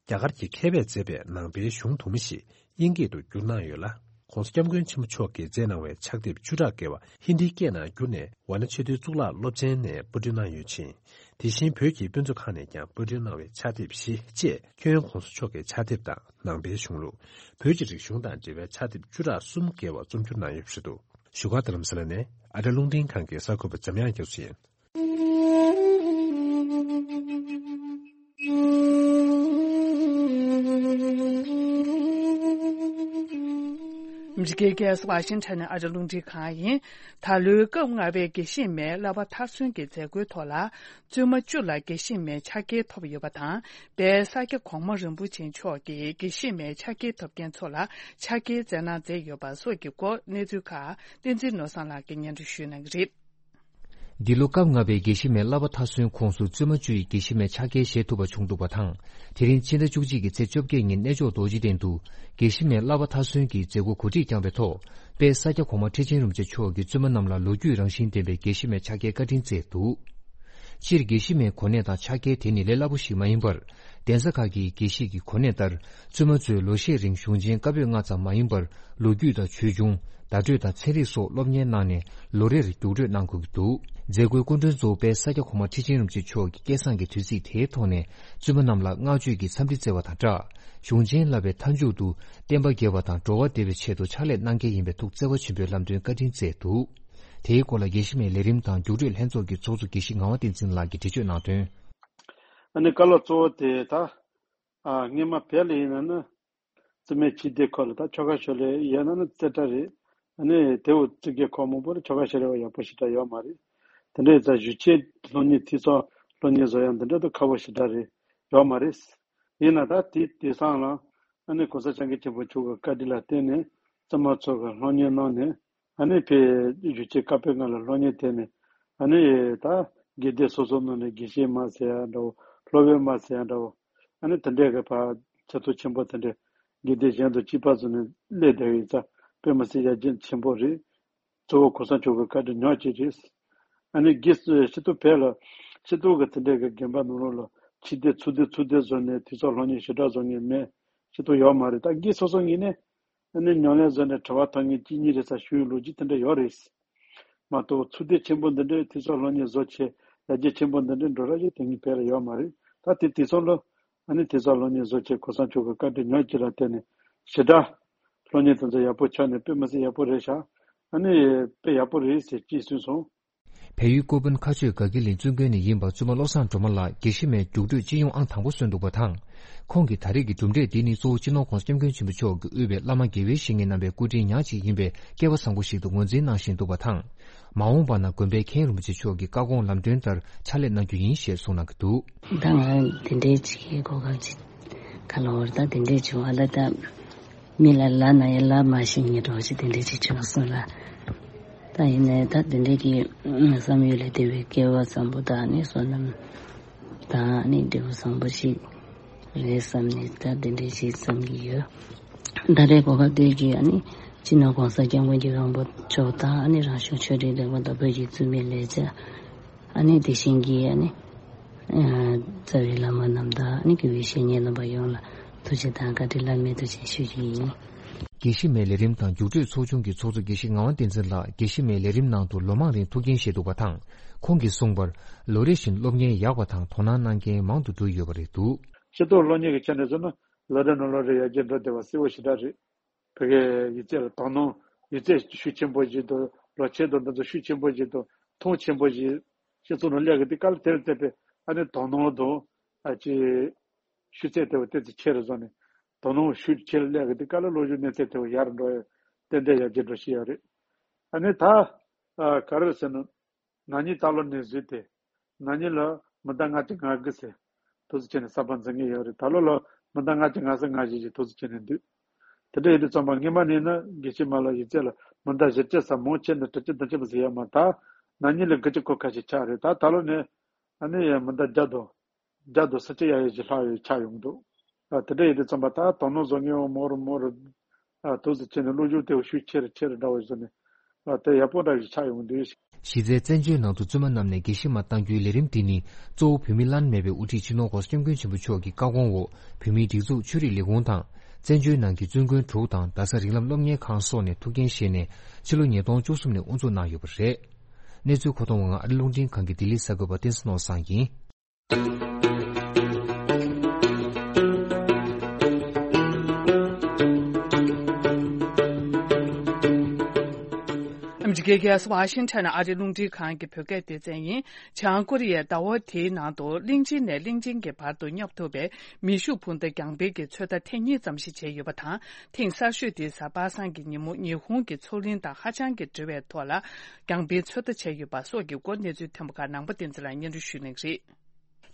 རྒྱ་གར་གྱི་མཁས་པས་མཛད་པའི་ནང་པའི་གཞུང་དུ་མ་ཞིག་དབྱིན་སྐད་དུ་བསྒྱུར་གནང་ཡོད་ལ། ༸གོང་ས་༸སྐྱབས་མགོན་ཆེན་པོ་མཆོག་གིས་མཛད་གནང་བའི་ཕྱག་དེབ་བཅུ་ཕྲག་བརྒལ་བ་ཧིན་དིའི་སྐད་ནང་བསྒྱུར་ནས་ཝཱ་ཎ་ཆོས་སྡེའི་གཙུག་ལག་སློབ་ཚན་ནས་པར་སྐྲུན་གནང་ཡོད་ཅིང་། དེ་བཞིན་བོད་ཀྱི་དཔེ་མཛོད་ཁང་ནས་ཀྱང་པར་སྐྲུན་གནང་བའི་ཕྱག་དེབ་བཞི་བཅས་ཁྱོན་༸གོང་ས་མཆོག་གི་ཕྱག་དེབ་དང་ནང་པའི་གཞུང་ལུགས། བོད་ཀྱི་རིག་གཞུང་དང་འབྲེལ་བའི་ཕྱག་དེབ་བཅུ་ཕྲག་གསུམ་བརྒལ་བ་རྩོམ་སྒྱུར་གནང་ཡོད་པ་རེད་འདུག་བཞུགས་སྒར་རྡ་རམ་ས་ལ་ནས་ཨ་རི་རླུང་འཕྲིན་ཁང་གི་གསར་འགོད་པ་འཇམ་དབྱངས་རྒྱ་མཚོ་ཡིན། ཨ་མི་རི་ཀའི་རྒྱལ་ས་ཝ་ཤིང་ཊོན་ནས་ཨ་རི་རླུང་འཕྲིན་ཁང་ཡིན། ད་ལོའི་སྐབས་ལྔ་པའི་དགེ་བཤེས་མའི་བསླབ་པ་མཐར་སོན་གྱི་མཛད་སྒོའི་ཐོག་ལ། བཙུན་མ་བཅུ་ལ་དགེ་བཤེས་མའི་ཕྱག་འཁྱེར་ཐོབ་ཡོད་པ་དང་། དཔལ་ས་སྐྱ་གོང་མ་རིན་པོ་ཆེ་མཆོག་གིས་དགེ་བཤེས་མའི་ཕྱག་འཁྱེར་ཐོབ་མཁན་ཚོ་ལ་ཕྱག་འཁྱེར་སྩལ་གནང་མཛད་ཡོད་པ་སོགས་ཀྱི་སྐོར་གནས་ཚུལ་ཁག་བསྟན་འཛིན་ནོར་བཟང་ལགས་ཀྱིས་སྙན་སྒྲོན་ཞུ་གནང་གི་རེད། འདི་ལོ་སྐབས་ལྔ་པའི་དགེ་བཤེས་མའི་བསླབ་པ་མཐར་སོན་ཁོངས་སུ་བཙུན་མ་བཅུ་ཡིས་དགེ་བཤེས་མའི་ཕྱག་འཁྱེར་བཞེས་ཐུབ་པ་བྱུང་འདུག་པ་དང་། དེ་རིང་ཕྱི་ཟླ་བཅུ་གཅིག་གི་ཚེས་བཅོ་བརྒྱད་ཉིན་གནས་མཆོག་རྡོ་རྗེ་གདན་དུ་དགེ་བཤེས་མའི་བསླབ་པ་མཐར་སོན་གྱི་མཛད་སྒོ་གོ་སྒྲིག་བསྐྱངས་པའི་ཐོག་དཔལ་ས་སྐྱ་གོང་མ་ཁྲི་ཆེན་རིན་པོ་ཆེ་མཆོག་གིས་བཙུན་མ་རྣམས་ལ་ལོ་རྒྱུས་རང་བཞིན་ལྡན་པའི་དགེ་བཤེས་མའི་ཕྱག་འཁྱེར་བཀའ་དྲིན་སྩལ་འདུག་སྤྱིར་དགེ་བཤེས་མའི་གོ་གནས་དང་ཕྱག་འཁྱེར་དེ་ནི་ལས་སླ་པོ་ཞིག་མ་ཡིན་པར། གདན་ས་ཁག་གི་དགེ་བཤེས་ཀྱི་གོ་གནས་ལྟར། བཙུན་མ་ཚོས་ལོ་ཤས་རིང་གཞུང་ཆེན་བཀའ་པོད་ལྔ་ཙམ་མ་ཡིན་པར། ལོ་རྒྱུས་དང་ཆོས་འབྱུང་། བརྡ་སྤྲོད་དང་ཚན་རིག་སོགས་སློབ་གཉེར་གནང་ནས་ལོ་རེར་རྒྱུགས་སྤྲོད་གནང་དགོས་ཀྱི་འདུག་མཛད་སྒོའི་སྐུ་མགྲོན་གཙོ་བོ་དཔལ་ས་སྐྱ་གོང་མ་ཁྲི་ཆེན་རིན་པོ་ཆེ་མཆོག་གིས་སྐལ་བཟང་གི་དུས་ཚིགས་དེའི་ཐོག་ནས་བཙུན་མ་རྣམས་ལ་བསྔགས་བརྗོད་ཀྱི་འཚམས་འདྲི་སྩལ་བ་དང་སྦྲགས། གཞུང་ཆེན་བསླབ་པའི་མཐའ་མཇུག་ཏུ་བསྟན་པ་རྒྱས་པ་དང་འགྲོ་བ་བདེ་བའི་ཆེད་དུ་ཕྱག་ལས་གནང་གལ་ཡིན་པའི་ཐུགས་བརྩེ་བ་ཆེན་པོས་ལམ་སྟོན་བཀའ་དྲིན་སྩལ་འདུག་དེའི་སྐོར་ལ་དགེ་བཤེས་མའི་ལས་རིམ་དང་རྒྱུགས་སྤྲོད་ལྷན་ཚོགས་ཀྱི་ཚོགས་གཙོ་དགེ་བཤེས་ངག་དབང་བསྟན་འཛིན་ལགས་ཀྱིས་འགྲེལ་བརྗོད་གནང་དོན། ཨ་ནི་བཀའ་སློབ་གཙོ་བོ་དེ་ད། ཨ། སྔོན་མ་བོད་ལ་ཡིན་ན་ནི། བཙུན་མའི་ཕྱི་སྡེ་ཁག་ལ་ད་ཆོ་ག་ཞུ་ལས་ཡོད་ན་ནི་རྩེ་གྲས་རེད། ཨ་ནི་དེ་འུ་བཙུན་རྒྱལ་ཁག་མང་པོ་ལ་ཆོ་ག་ཞུ་ལས་པ་ཡག་པོ་ཞེ་དྲག་ཡོད་མ་རེད། དེ་འདྲའི་ཙང་གཞུང་ཆེན་སློབ་གཉེར་འཐུས་ཚང་སློབ་གཉེར་བཟོ་ཡག་འདི་འདྲ་ད་ཁག་པོ་ཞེ་དྲག་རེད། ཡོད་མ་རེད། ཡིན་ན་ད་དེ་དེང་སང་ལ་ཨ་ནི་གོང་ས་སྐྱབས་མགོན་ཆེན་པོ་མཆོག་གི་བཀའ་དྲིན་ལ་བརྟེན་ནས་བཙུན་མ་ཚོ་གི་སློབ་གཉེར་གནང་ནས། ཨ་ནི་ཕའི་གཞུང་ཆེན་བཀའ་པོད་ལྔ་ལ་སློབ་གཉེར་ཐོབ་ནས། ཨ་ནི་ད་དགེ་སྡེ་སོ་སོ་ནང་ནས་དགེ་བཤེས་མ་ཟེར་ཡག་འདྲ་བོ། སློབ་དཔོན་མ་ཟེར་ཡག་འདྲ་བོ། ཨ་ནི་དེ་འདྲའི་གི་ཕར་ཆེ་མཐོ་ཆེན་པོ་དེ་འདྲའི་དགེ་སྡེ་གཞན་དུ་གཅིག་པ་བཟོས་ནས་སླེབས་བསྡད་ཡོད་ཙང་དཔེ་མི་སྲིད་ཡར་རྒྱས་ཆེན་པོ་རེད། གཙོ་བོ་གོང་ས་མཆོག་གི་བཀའ་དྲིན་ཉག་གཅིག་རེད། ཨ་ནི་དགེ་སྤྱི་འཐུས་བོད་ལ་སྤྱི་འཐུས་གི་དེ་འདྲའི་གི་དགོན་པ་ནང་ལོགས་ལ་ཕྱི་སྡེ་ཚུལ་སྡེ་ཚུལ་སྡེ་བཟོས་ནས་དུས་ཚོད་སློབ་གཉེར་ཞེ་དྲག་བཟོ་མཁན་མེད། སྤྱི་འཐུས་ཡོད་མ་རེད། ད་དགེ་སོ་སོ་ངོས་ནས། ཨ་ནི་ཉམས་ལེན་བཟོས་ནས་དྲི་བ་ཐོན་མཁན་གཅིག་གཉིས་རེད་ས་ཞུ་ཡག་ལོ་རྒྱུས་དེ་འདྲ་ཡོད་རེད། མ་གཏོགས་ཚུལ་སྡེ་ཆེན་པོ་འདི་འདྲའི་དུས་ཚོད་སློབ་གཉེར་བཟོ་བྱས་ཡར་རྒྱས་ཆེན་པོ་འདི་འདྲའི་འགྲོ་ར་ཞིག་དེང་གི་བོད་ལ་ཡོད་མ་རེད། ད་དེ་དུས་ཚོད་ལ་ཨ་ནི་དུས་ཚོད་སློབ་གཉེར་བཟོ་བྱས་གོང་ས་མཆོག་གི་བཀའ་དྲིན་ཉག་གཅིག་ལ་བརྟེན་ནས་ཞེ་དྲག་སློབ་གཉེར་དེ་ཚོ་ཡག་པོ་ཆགས་ནས་དཔེ་མི་སྲིད་ཡག་པོ་རེད་ཤག་ཨ་ནི་དཔེ་ཡག་པོ་རེད་ཟེར་གཅིག་གསུངས་སོང་། བལ་ཡུལ་ཀོ་པན་མཁར་ཆུ་དགའ་སྐྱིད་གླིང་བཙུན་དགོན་ནས་ཡིན་པ་བཙུན་མ་བློ་བཟང་སྒྲོལ་མ་ལགས་དགེ་བཤེས་མའི་རྒྱུགས་སྤྲོད་སྤྱི་ཡོངས་ཨང་དང་པོ་སོན་འདུག་པ་དང་། ཁོང་གིས་ད་རེས་ཀྱི་གྲུབ་འབྲས་འདི་ནི་གཙོ་བོ་སྤྱི་ནོར་༸གོང་ས་༸སྐྱབས་མགོན་ཆེན་པོ་མཆོག་གིས་དབུས་པའི་བླ་མ་དགེ་བའི་བཤེས་གཉེན་རྣམ་པའི་སྐུ་དྲིན་ཉག་གཅིག་ཡིན་པའི་སྐལ་བ་བཟང་པོ་ཞིག་ཏུ་ངོས་འཛིན་གནང་བཞིན་འདུག་པ་དང་། མ་འོངས་པ་ན་དགོན་པའི་མཁན་རིན་པོ་ཆེ་མཆོག་གི་བཀའ་དགོངས་ལམ་སྟོན་ལྟར་ཕྱག་ལས་གནང་རྒྱུ་ཡིན་ཞེས་གསུངས་གནང་གི་འདུག་ད་ང་དེ་འདྲའི་ཅིག་གོ་སྐབས་ཅིག་ག་ལ་བར་ད་དེ་འདྲའི་བྱུང་བ་ལ་ད་མི་ལ་ལབ་ན་ཡང་ལབ་མ་ཤེས་མཁན་འདྲ་བོ་ཅིག་དེ་འདྲའི་ཅིག་བྱུང་སོང་ལ། ད་ ད་ཡིན་ནའི་ད་དེ་འདྲའི་གི་བསམ་ཡུལ་ལས་འདས་པའི་སྐལ་བ་བཟང་པོ་དང་ནི་བསོད་ནམས་དང་ནི་འབྲས་བུ་བཟང་པོ་ཞིག་རེད་བསམ་ནས་ད་དེ་འདྲའི་ཞིག་བསམ་གྱི་ཡོད། ད་རེས་གོ་སྐབས་དེ་གི་ཨ་ནི་སྤྱི་ནོར་༸གོང་ས་༸སྐྱབས་མགོན་རྒྱལ་བའི་དབང་པོ་མཆོག་དང་ཨ་ནི་རང་གཞུང་ཆོས་རིག་ལས་ཁུངས་དང་བོད་ཀྱི་བཙུན་མའི་ལས་བྱ། ཨ་ནི་དེ་བཞིན་གྱི་ཨ་ནི་རྩ་བའི་བླ་མ་རྣམས་དང་ཨ་ནི་དགེ་བའི་བཤེས་གཉེན་རྣམ་པ་ཡོངས་ལ་ཐུགས་རྗེ་དང་བཀའ་དྲིན་བླ་མེད་དུ་ཆེ་ཞུ་རྒྱུ་ཡིན། དགེ་བཤེས་མའི་ལས་རིམ་དང་རྒྱུགས་སྤྲོད་ཚོགས་ཆུང་གི་ཚོགས་གཙོ་དགེ་བཤེས་ངག་དབང་བསྟན་འཛིན་ལགས་དགེ་བཤེས་མའི་ལས་རིམ་ནང་དུ་ལོ་མང་རིང་ཐུགས་འགན་བཞེས་འདུག་པ་དང་། ཁོང་གིས་གསུངས་པར། ལོ་རེ་བཞིན་སློབ་གཉེར་ཡག་པ་དང་དོ་སྣང་གནང་མཁན་མང་དུ་འགྲོ་ཡོད་པ་རེད་འདུག། སྤྱི་ཚོགས་སློབ་གཉེར་གྱི་ཆ་ནས་བཟུང་ན་ལོ་རེ་ནས་ལོ་རེ་ཡར་རྒྱས་འགྲོ་བསྡད་པ་གསལ་བོ་ཞེ་དྲག་རེད། བོད་སྐད་ཡིག་ཚད་ལ་དོ་སྣང་ཡིག་ཚད་ཤུགས་ཆེན་པོ་ཞིག་དང་ལོ་ཆེན་དང་འདི་ཚོ་ཤུགས་ཆེན་པོ་ཞིག་དང་མཐོང་ཆེན་པོ་ཞིག་སྤྱི་ཚོགས་ནང་སླེབས་ཀྱི་འདུག། དཀའ་ལས་དེ་ལ་བརྟེན་པའི་ཨ་ནི་དོ་སྣང་དང་ཨ་ཅེ་ཤུགས་ཚད་དེ་བ་ཏོག་ཙམ་ཆེ་རུ་སོང་ནས་དོ་སྣང་ཤུགས་ཆེ་རུ་སླེབས་ཀྱི་འདུག། དཀའ་ལས་སློབ་སྦྱོང་གནས་ཚད་དེ་བ་ཡར་འགྲོ་ཡ་ཏན་ཏན་ཡར་རྒྱས་འགྲོ་བཞིན་ཡོད་རེད། ཨ་ནི་ད་ཨ་ག་རེ་ཟེར་ན། ན་ནིང་ད་ལོ་ནས་བཟོས་ཏེ། ན་ནིང་ལ་མི་ཟླ་ལྔ་བཅུ་ང་དགུ་ཟེར། དུས་ཚོད་བྱས་ནས་གསར་པ་འཛིན་གྱི་ཡོད་རེད། ད་ལོ་ལ་མི་ཟླ་ལྔ་བཅུ་ང་གསུམ་ང་བཞི་ཞིག་དུས་ཚོད་བྱས་ནས་འདུག། དེ་འདྲ་ཡིན་དུས་ཙམ་པ་སྔོན་མ་ནས་ན་དགེ་བཤེས་མ་ལ་ཡིག་ཚད་ལ་མི་ཟླ་བཞི་བཅུ་ཙམ་མང་ཆེ་ན་དྲུག་ཅུ་བདུན་ཅུ་ཙམ་ཟེར་ཡོད་མ་ད། ན་ནིང་ལ་དགུ་བཅུ་གོ་ཁ་ཞིག་ཆགས་རེད། ད་ད་ལོ་ནས་ཨ་ནི་ཡང་མི་ཟླ་བརྒྱ་དང་བརྒྱ་དང་ས་བཅུ་ཡ་ཡ་ཞིག་ལྷག་ཡོད་ཆགས་ཡོང་འདུག། ཨ་དེ་འདྲ་ཡིན་དུས་ཙམ་པ་ད་དོ་སྣང་བཟོ་མཁན་འོ་མོ་རུ་མོ་རུ། ཨ་དུས་ཚོད་བྱས་ནས་སློབ་སྦྱོང་དེ་ཤུགས་ཆེ་རུ་ཆེ་རུ་འདྲ་བ་བཟོས་ནས། ཨ་དེ་ཡག་པོ་འདྲ་ཞིག་ཆགས་ཡོང་འདུག། གཞི་རྩའི་བཙན་བྱོལ་ནང་དུ་བཙུན་མ་རྣམས་ནས་དགེ་བཤེས་མ་གཏང་རྒྱུའི་ལས་རིམ་འདི་ནི་གཙོ་བོ་བོད་མི་བླ་ན་མེད་པའི་དབུ་ཁྲིད་སྤྱི་ནོར་༸གོང་ས་༸སྐྱབས་མགོན་ཆེན་པོ་མཆོག་གི་བཀའ་དགོངས་འོག་བོད་མིའི་སྒྲིག་འཛུགས་ཆོས་རིག་ལས་ཁུངས་དང་བཙན་བྱོལ་ནང་གི་བཙུན་དགོན་དྲུག་དང་རྡ་ས་རིགས་ལམ་སློབ་གཉེར་ཁང་སོགས་ནས་ཐུགས་འགན་བཞེས་ནས་ཕྱི་ལོ་ཉིས་སྟོང་བཅུ་གསུམ་ནས་དབུ་འཛུགས་གནང་ཡོད་པ་རེད། གནས་ཚུལ་མཁོ་གཏོང་བ་ང་ཨ་རི་རླུང་འཕྲིན་ཁང་གི་ལྡི་ལི་གསར་འགོད་པ་བསྟན་འཛིན་ནོར་བཟང་ཡིན། ཨ་མི་རི་ཀའི་རྒྱལ་ས་ཝ་ཤིང་ཊོན་ཨ་རིའི་རླུང་འཕྲིན་ཁང་གི་བོད་སྐད་སྡེ་ཚན་ཡིན། བྱང་ཀོ་རི་ཡས་ཟླ་བ་དེའི་ནང་དུ་གླིང་ཆེན་ནས་གླིང་ཆེན་གྱི་བར་དུ་སྙོབ་ཐུབ་པའི་མེ་ཤུགས་འཕུར་མདའ་རྒྱང་འཕེན་གྱི་ཚོད་ལྟ་ཐེངས་གཉིས་ཙམ་ཞིག་བྱས་ཡོད་པ་དང་། ཐེངས་གསར་ཤོས་དེ་གཟའ་པ་སངས་ཀྱི་ཉིན་མོ་ཉི་ཧོང་གི་མཚོ་གླིང་དང་ཧ་ཅང་གི་འབྲེལ་བའི་ཐོག་ལ་རྒྱང་འཕེན་ཚོད་ལྟ་བྱས་ཡོད་པ་སོགས་ཀྱི་སྐོར་གནས་ཚུལ་ཐོན་པ་ཁག་ནང་པ་བསྟན་འཛིན་ལགས་སྙན་སྒྲོན་ཞུ་གནང་གི་རེད།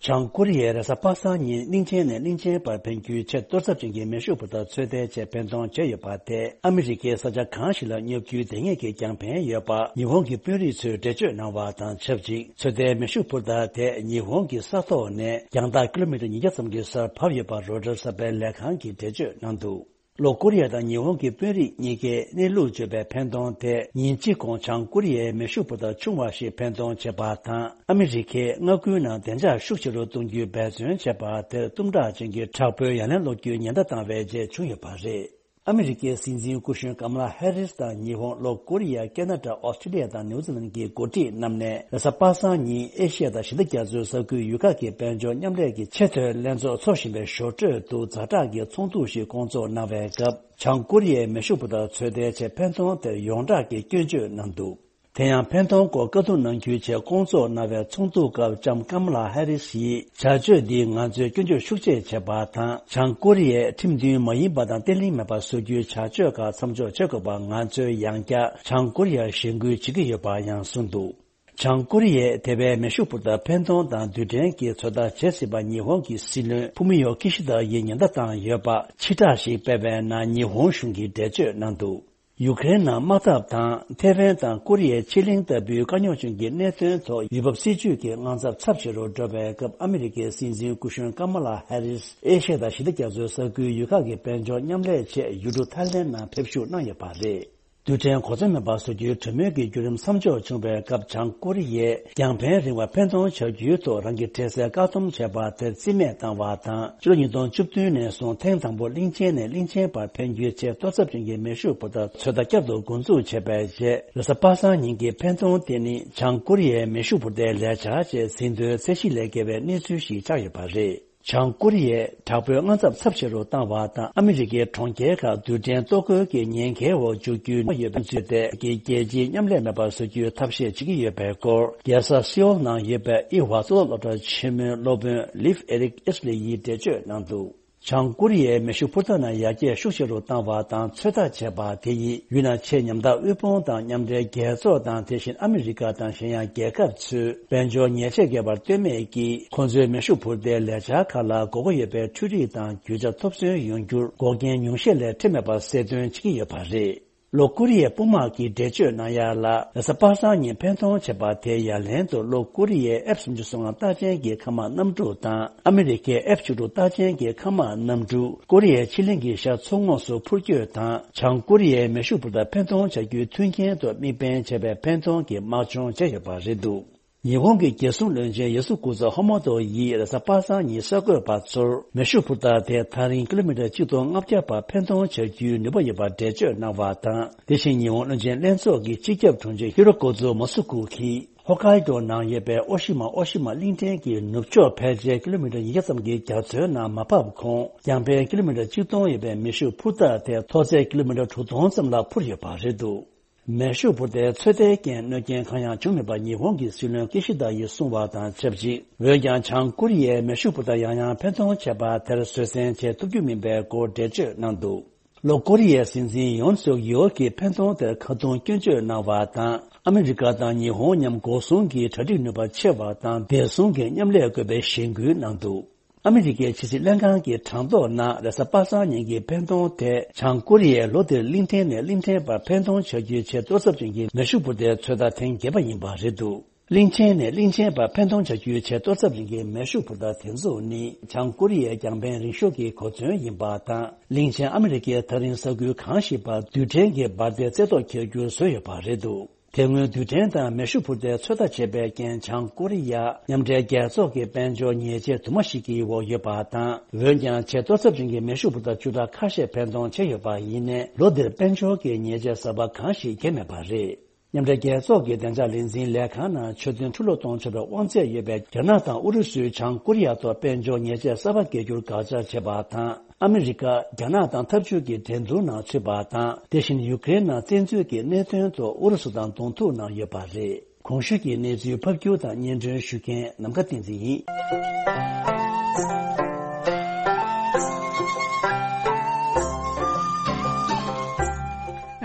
བྱང་ཀོ་རི་ཡས་རེས་གཟའ་པ་སངས་ཉིན་གླིང་ཆེན་ནས་གླིང་ཆེན་བར་འཕེན་རྒྱུའི་ཆེས་གཏོར་ཚབས་ཅན་གྱི་མེ་ཤུགས་འཕུར་མདའ་ཚོད་ལྟའི་ཆེད་འཕེན་གཏོང་བྱས་ཡོད་པ་དེས་ཨ་མི་རི་ཀའི་ས་ཆ་གང་ཞིག་ལ་སྙོབ་རྒྱུའི་དེ་སྔའི་གི་རྒྱང་འཕེན་ཡོད་པ་ཉི་ཧོང་གི་དཔོན་རིགས་ཚོས་འགྲེལ་བརྗོད་གནང་བ་དང་ཆབས་ཅིག་ཚོད་ལྟའི་མེ་ཤུགས་འཕུར་མདའ་དེ་ཉི་ཧོང་གི་ས་ཐོག་ནས་རྒྱང་ཐག་ཀི་ལོ་མི་ཊར་ཉིས་བརྒྱ་ཙམ་གྱི་སར་བབས་ཡོད་པ་རོའི་ཊར་གསར་པའི་ལས་ཁང་གིས་འགྲེལ་བརྗོད་གནང་འདུག། ལྷོ་ཀོ་རི་ཡ་དང་ཉི་ཧོང་གི་དཔོན་རིགས་གཉིས་ཀས་གནས་ལུགས་བརྗོད་པའི་འཕེན་གཏོང་དེ་ཉིན་གཅིག་གོང་བྱང་ཀོ་རི་ཡའི་མེ་ཤུགས་འཕུར་མདའ་ཆུང་བ་ཞིག་འཕེན་གཏོང་བྱས་པ་དང་ཨ་མི་རི་ཁའི་མངའ་ཁུལ་ནང་བདེ་འཇགས་ཤུགས་ཆེ་རུ་གཏོང་རྒྱུའི་འབད་བརྩོན་བྱས་པ་དེར་གཏུམ་དྲག་ཅན་གྱི་དྲག་པོའི་ཡ་ལན་སློག་རྒྱུའི་ཉེན་བརྡ་བཏང་བའི་རྗེས་བྱུང་ཡོད་པ་རེད། ཨ་མི་རི་ཀའི་སྲིད་འཛིན་སྐུ་གཞོན་ཀ་མ་ལ་ཧེ་རིས་དང་ཉི་ཧོང་། ལྷོ་ཀོ་རི་ཡ། ཁེ་ན་ཌ། ཨོ་སི་ཀྲི་ལི་ཡ་དང་ནིའུ་ཛི་ལན་གྱི་འགོ་ཁྲིད་རྣམས་ནས་རེས་གཟའ་པ་སངས་ཉིན་ཨེ་ཤི་ཡ་དང་ཞི་བདེ་རྒྱ་མཚོའི་ས་ཁུལ་ཡུལ་ཁག་གི་དཔལ་འབྱོར་མཉམ་ལས་ཀྱི་ཆེས་མཐོའི་ལྷན་ཚོགས་འཚོགས་བཞིན་པའི་ཞོར་འཕྲོས་དུ་ཛ་དྲག་གི་ཚོགས་འདུ་ཞིག་སྐོང་ཚོགས་གནང་བའི་སྐབས། བྱང་ཀོ་རི་ཡའི་མེ་ཤུགས་འཕུར་མདའ་ཚོད་ལྟའི་ཆེད་འཕེན་གཏོང་དེར་ཡོངས་གྲགས་ཀྱིས་སྐྱོན་བརྗོད་གནང་འདུག། དེ་ཡང་འཕེན་གཏོང་སྐོར་བཀའ་བསྡུར་གནང་རྒྱུའི་ཆེད་སྐོང་ཚོགས་གནང་བའི་ཚོགས་འདུ་སྐབས་ལྕམ་ཀ་མ་ལ་ཧེ་རི་སི་ཡིས་བྱ་སྤྱོད་འདིས་ང་ཚོས་སྐྱོན་བརྗོད་ཤུགས་ཆེ་བྱས་པ་དང་། བྱང་ཀོ་རི་ཡས་ཁྲིམས་མཐུན་མ་ཡིན་པ་དང་བརྟན་ལྷིང་མེད་པ་བཟོ་རྒྱུའི་བྱ་སྤྱོད་ཁག་མཚམས་འཇོག་བྱེད་དགོས་པ་ང་ཚོས་ཡང་བསྐྱར་བྱང་ཀོ་རི་ཡར་གཞེན་སྐུལ་བྱེད་ཀྱི་ཡོད་པ་ཡང་གསུངས་འདུག། བྱང་ཀོ་རི་ཡས་དེ་བས་མེ་ཤུགས་འཕུར་མདའ་འཕེན་གཏོང་དང་རྡུལ་ཕྲན་གྱི་ཚོད་ལྟ་བྱེད་སྲིད་པ་ཉི་ཧོང་གི་སྲིད་བློན་ཕུ་མི་ཡོ་ཁི་ཤི་ད་ཡིས་ཉེན་བརྡ་བཏང་ཡོད་པ། ཕྱི་བསྒྲགས་ཤིག་སྤེལ་བའི་ནང་ཉི་ཧོང་གཞུང་གིས་འགྲེལ་བརྗོད་གནང་འདུག། ཡུ་ཀེ་རེན་ནང་དམག་འཐབ་དང་ཐེ་ཝན་དང་ཀོ་རི་ཡའི་ཕྱེད་གླིང་ལྟ་བུའི་དཀའ་རྙོག་ཅན་གྱི་གནད་དོན་ཐོག་ཡུལ་བབ་སྲིད་ཇུས་ཀྱི་དངངས་འཚབ་ཚབས་ཆེ་རུ་འགྲོ་བའི་སྐབས། ཨ་མི་རི་ཀའི་སྲིད་འཛིན་སྐུ་གཞོན་ཀ་མ་ལ་ཧེ་རིས་ཨེ་ཤ་ཡ་དང་ཞི་བདེ་རྒྱ་མཚོའི་ས་ཁུལ་ཡུལ་ཁག་གི་དཔལ་འབྱོར་མཉམ་ལས་ཆེད་ཡུལ་གྲུ་ཐའི་ལེན་ནང་ཕེབས་ཞུགས་གནང་ཡོད་པ་རེད། རྡུལ་ཕྲན་གོ་མཚོན་མེད་པ་བཟོ་རྒྱུའི་གྲོས་མོལ་གྱི་བརྒྱུད་རིམ་མཚམས་འཇོག་བྱུང་བའི་སྐབས། བྱང་ཀོ་རི་ཡས་རྒྱང་འཕེན་རིང་བ་འཕེན་གཏོང་བྱ་རྒྱུའི་ཐོག་རང་གི་འཕྲལ་སེལ་བཀག་སྡོམ་བྱས་པ་དེར་རྩིས་མེད་བཏང་བ་དང་། ཕྱི་ལོ་ཉིས་སྟོང་བཅུ་བདུན་ནས་བཟུང་ཐེངས་དང་པོ་གླིང་ཆེན་ནས་གླིང་ཆེན་བར་འཕེན་རྒྱུའི་ཆེས་གཏོར་ཚབས་ཅན་གྱི་མེ་ཤུགས་འཕུར་མདའ་ཚོད་ལྟ་བསྐྱར་དུ་འགོ་འཛུགས་བྱས་པའི་རྗེས། རེས་གཟའ་པ་སངས་ཉིན་གྱི་འཕེན་གཏོང་དེ་ནི་བྱང་ཀོ་རི་ཡའི་མེ་ཤུགས་འཕུར་མདའི་ལས་འཆར་ཆེད་ཟིན་ཐོའི་ཚད་གཞི་ལས་བརྒལ་བའི་གནས་ཚུལ་ཞིག་ཆགས་ཡོད་པ་རེད། བྱང་ཀོ་རི་ཡས་དྲག་པོའི་དངངས་འཚབ་ཚབས་ཆེ་རུ་བཏང་བ་དང་། ཨ་མི་རི་ཀའི་གྲོང་ཁྱེར་ཁག་རྡུལ་ཕྲན་གཏོར་རྒོལ་གྱི་ཉེན་ཁའི་འོག་འཇུག་རྒྱུའི་ཡོད་པའི་ཚུལ་ཏེ། རྒྱལ་སྤྱིའི་མཉམ་ལས་མེད་པར་བཟོ་རྒྱུའི་ཐབས་ཤེས་བྱེད་ཀྱི་ཡོད་པའི་སྐོར། རྒྱལ་ས་སེའོལ་ནང་ཡོད་པའི་ཨི་ཧྥ་གཙུག་ལག་སློབ་གྲྭ་ཆེན་མོའི་སློབ་དཔོན་ལིབ་ཨེ་རིག་ཨེས་ལེ་ཡིས་འགྲེལ་བརྗོད་གནང་འདུག། བྱང་ཀོ་རི་ཡའི་མེ་ཤུགས་འཕུར་མདའ་ནང་ཡར་རྒྱས་ཤུགས་ཆེ་རུ་བཏང་བ་དང་ཚོད་ལྟ་བྱས་པ་དེ་ཡིས་ཡུལ་ནང་ཆེས་ཉམ་ཐག་དབུལ་ཕོངས་དང་མཉམ་འབྲེལ་རྒྱལ་ཚོགས་དང་། དེ་བཞིན་ཨ་མི་རི་ཀ་དང་གཞན་ཡང་རྒྱལ་ཁབ་ཚོས་དཔལ་འབྱོར་ཉེས་ཆད་བཀལ་བར་ལྟོས་མེད་ཀྱིས། ཁོ་ཚོའི་མེ་ཤུགས་འཕུར་མདའི་ལས་འཆར་ཁག་ལ་དགོས་མཁོ་ཡོད་པའི་འཕྲུལ་རིག་དང་རྒྱུ་ཆ་ཐོབ་ཚུལ་ཡོང་རྒྱུར་འགོག་རྐྱེན་ཉུང་ཤས་ལས་འཕྲོད་མེད་པར་གསལ་སྟོན་བྱེད་ཀྱི་ཡོད་པ་རེད། ལྷོ་ཀོ་རི་ཡའི་དཔུང་དམག་གིས་འགྲེལ་བརྗོད་གནང་ཡ་ལ། རེས་གཟའ་པ་སངས་ཉིན་འཕེན་གཏོང་བྱས་པ་དེའི་ཡ་ལན་དུ། ལྷོ་ཀོ་རི་ཡའི་ཨེཕ་སུམ་ཅུ་སོ་ལྔ་རྟགས་ཅན་གྱི་མཁའ་དམག་གནམ་གྲུ་དང་། ཨ་མི་རི་ཀའི་ཨེཕ་བཅུ་དྲུག་རྟགས་ཅན་གྱི་མཁའ་དམག་གནམ་གྲུ། ཀོ་རི་ཡའི་ཕྱེད་གླིང་གི་ཤར་མཚོ་ངོགས་སུ་འཕུར་སྐྱོད་དང་། བྱང་ཀོ་རི་ཡའི་མེ་ཤུགས་འཕུར་མདའ་འཕེན་གཏོང་བྱ་རྒྱུའི་མཐུན་རྐྱེན་དུ་དམིགས་འབེན་བྱས་པའི་འཕེན་གཏོང་གི་དམག་སྦྱོང་བྱས་ཡོད་པ་རེད་འདུག་ཉི་ཧོང་གི་རྒྱལ་སྲུང་བློན་ཆེན་ཡ་སུ་ཀུ་ཛ་ཧོ་མོ་ཏོ་ཡིས་རེས་གཟའ་པ་སངས་ཉིན་གསར་འགོད་པ་ཚོར། མེ་ཤུགས་འཕུར་མདའ་དེ་ཐག་རིང་ཀི་ལོ་མི་ཊར་གཅིག་སྟོང་ལྔ་བརྒྱ་བར་འཕེན་གཏོང་བྱ་རྒྱུའི་ནུས་པ་ཡོད་པར་འགྲེལ་བརྗོད་གནང་བ་དང་། དེ་བཞིན་ཉི་ཧོང་བློན་ཆེན་ལྷན་ཚོགས་ཀྱི་སྤྱི་ཁྱབ་དྲུང་ཆེ་ཧི་རོ་ཀོ་ཛུ་མ་སུ་ཀུ་གིས། ཧོ་ཀའི་ཏོ་ནང་ཡོད་པའི་ཨོ་ཤི་མ་ཨོ་ཤི་མ་གླིང་ཕྲན་གྱི་ནུབ་ཕྱོགས་ཕལ་ཆེར་ཀི་ལོ་མི་ཊར་ཉིས་བརྒྱ་ཙམ་གྱི་རྒྱ་མཚོའི་ནང་མ་བབས་གོང་། རྒྱང་འཕེན་ཀི་ལོ་མི་ཊར་གཅིག་སྟོང་ཡོད་པའི་མེ་ཤུགས་འཕུར་མདའ་དེ་མཐོ་ཚད་ཀི་ལོ་མི་ཊར་དྲུག་སྟོང་ཙམ་ལ་འཕུར་ཡོད་པ་རེད་འདུག་མེ་ཤུགས་འཕུར་མདའི་ཚོད་ལྟའི་རྐྱེན་གནོད་རྐྱེན་གང་ཡང་བྱུང་མེད་པ་ཉི་ཧོང་གི་སྲིད་བློན་ཀི་ཤི་ད་ཡིས་གསུངས་པ་དང་ཆབས་ཅིག་འོན་ཀྱང་། བྱང་ཀོ་རི་ཡས་མེ་ཤུགས་འཕུར་མདའ་ཡང་ཡང་འཕེན་གཏོང་བྱས་པ་དེར་བཟོད་བསྲན་བྱེད་ཐུབ་རྒྱུ་མིན་པའི་སྐོར་འགྲེལ་བརྗོད་གནང་འདུག་ལྷོ་ཀོ་རི་ཡའི་སྲིད་འཛིན་ཡོན་སུག་ཡོལ་གྱིས་འཕེན་གཏོང་དེར་ཁ་རྡུང་སྐྱོན་བརྗོད་གནང་བ་དང་། ཨ་མི་རི་ཀ་དང་ཉི་ཧོང་མཉམ་འགོག་སྲུང་གི་གྲ་སྒྲིག་ནུས་པ་ཆེ་བ་དང་བདེ་སྲུང་གི་མཉམ་ལས་དགོས་པའི་གཞེན་སྐུལ་གནང་འདུག་ཨ་མི་རི་ཀའི་ཕྱི་སྲིད་ལྷན་ཁང་གི་གྲངས་ཐོ་ནང་། རེས་གཟའ་པ་སངས་ཉིན་གྱི་འཕེན་གཏོང་དེ་བྱང་ཀོ་རི་ཡས་ལྷོ་འདིར་གླིང་ཕྲན་ནས་གླིང་ཕྲན་བར་འཕེན་གཏོང་བྱ་རྒྱུའི་ཆེས་གཏོར་ཚབས་ཅན་གྱི་མེ་ཤུགས་འཕུར་མདའི་ཚོད་ལྟ་ཐེངས་བརྒྱད་པ་ཡིན་པ་རེད་འདུག་གླིང་ཕྲན་ནས་གླིང་ཕྲན་བར་འཕེན་གཏོང་བྱ་རྒྱུའི་ཆེས་གཏོར་ཚབས་ཅན་གྱི་མེ་ཤུགས་འཕུར་མདའ་དེ་ཚོ་ནི། བྱང་ཀོ་རི་ཡའི་རྒྱང་འཕེན་རིང་ཤོས་ཀྱི་གོ་མཚོན་ཡིན་པ་དང་། གླིང་ཆེན་ཨ་མི་རི་ཀའི་ཐག་རིང་ས་ཁུལ་གང་ཞིག་བར་རྡུལ་ཕྲན་གྱི་འབར་མདེལ་རྩེ་ཐོག་འཁྱེར་རྒྱུར་བཟོས་ཡོད་པ་རེད་འདུག་དེ་སྔོན་རྡུལ་ཕྲན་དང་མེ་ཤུགས་འཕུར་མདའི་ཚོད་ལྟ་བྱས་པའི་རྐྱེན། བྱང་ཀོ་རི་ཡ་མཉམ་འབྲེལ་རྒྱལ་ཚོགས་ཀྱི་དཔལ་འབྱོར་ཉེས་ཆད་དུ་མ་ཞིག་གི་འོག་ཡོད་པ་དང་། འོན་ཀྱང་། ཆེས་གཏོར་ཚབས་ཅན་གྱི་མེ་ཤུགས་འཕུར་མདའ་བཅུ་ཕྲག་ཁ་ཤས་འཕེན་གཏོང་བྱས་ཡོད་པ་ཡིན་ནའི། ལོ་འདིར་དཔལ་འབྱོར་གྱི་ཉེས་ཆད་གསར་པ་གང་ཞིག་བརྒྱབ་མེད་པ་རེད། མཉམ་འབྲེལ་རྒྱལ་ཚོགས་ཀྱི་བདེ་འཇགས་ལས་འཛིན་ལས་ཁང་ནང་ཆོད་དོན་འཁྲུག་ལོག་གཏོང་ཆོག་པའི་དབང་ཚད་ཡོད་པའི་རྒྱ་ནག་དང་ཨུ་རུ་སུས་བྱང་ཀོ་རི་ཡ་ཐོག་དཔལ་འབྱོར་ཉེས་ཆད་གསར་པ་འགེལ་རྒྱུར་དགག་བྱ་བྱས་པ་དང་། ཨ་མི་རི་ཀ་རྒྱ་ནག་དང་འཐབ་ཇུས་ཀྱི་འགྲན་བསྡུར་ནང་ཚུད་པ་དང་། དེ་བཞིན་ཡུ་ཀེ་རེན་ནང་བཙན་འཛུལ་གྱི་གནད་དོན་ཐོག་ཨུ་རུ་སུ་དང་གདོང་ཐུག་གནང་ཡོད་པ་རེད། གོང་ཞུས་ཀྱི་གནས་ཚུལ་ཕབ་སྒྱུར་དང་སྙན་སྒྲོན་ཞུ་མཁན་ནམ་མཁའ་བསྟན་འཛིན་ཡིན།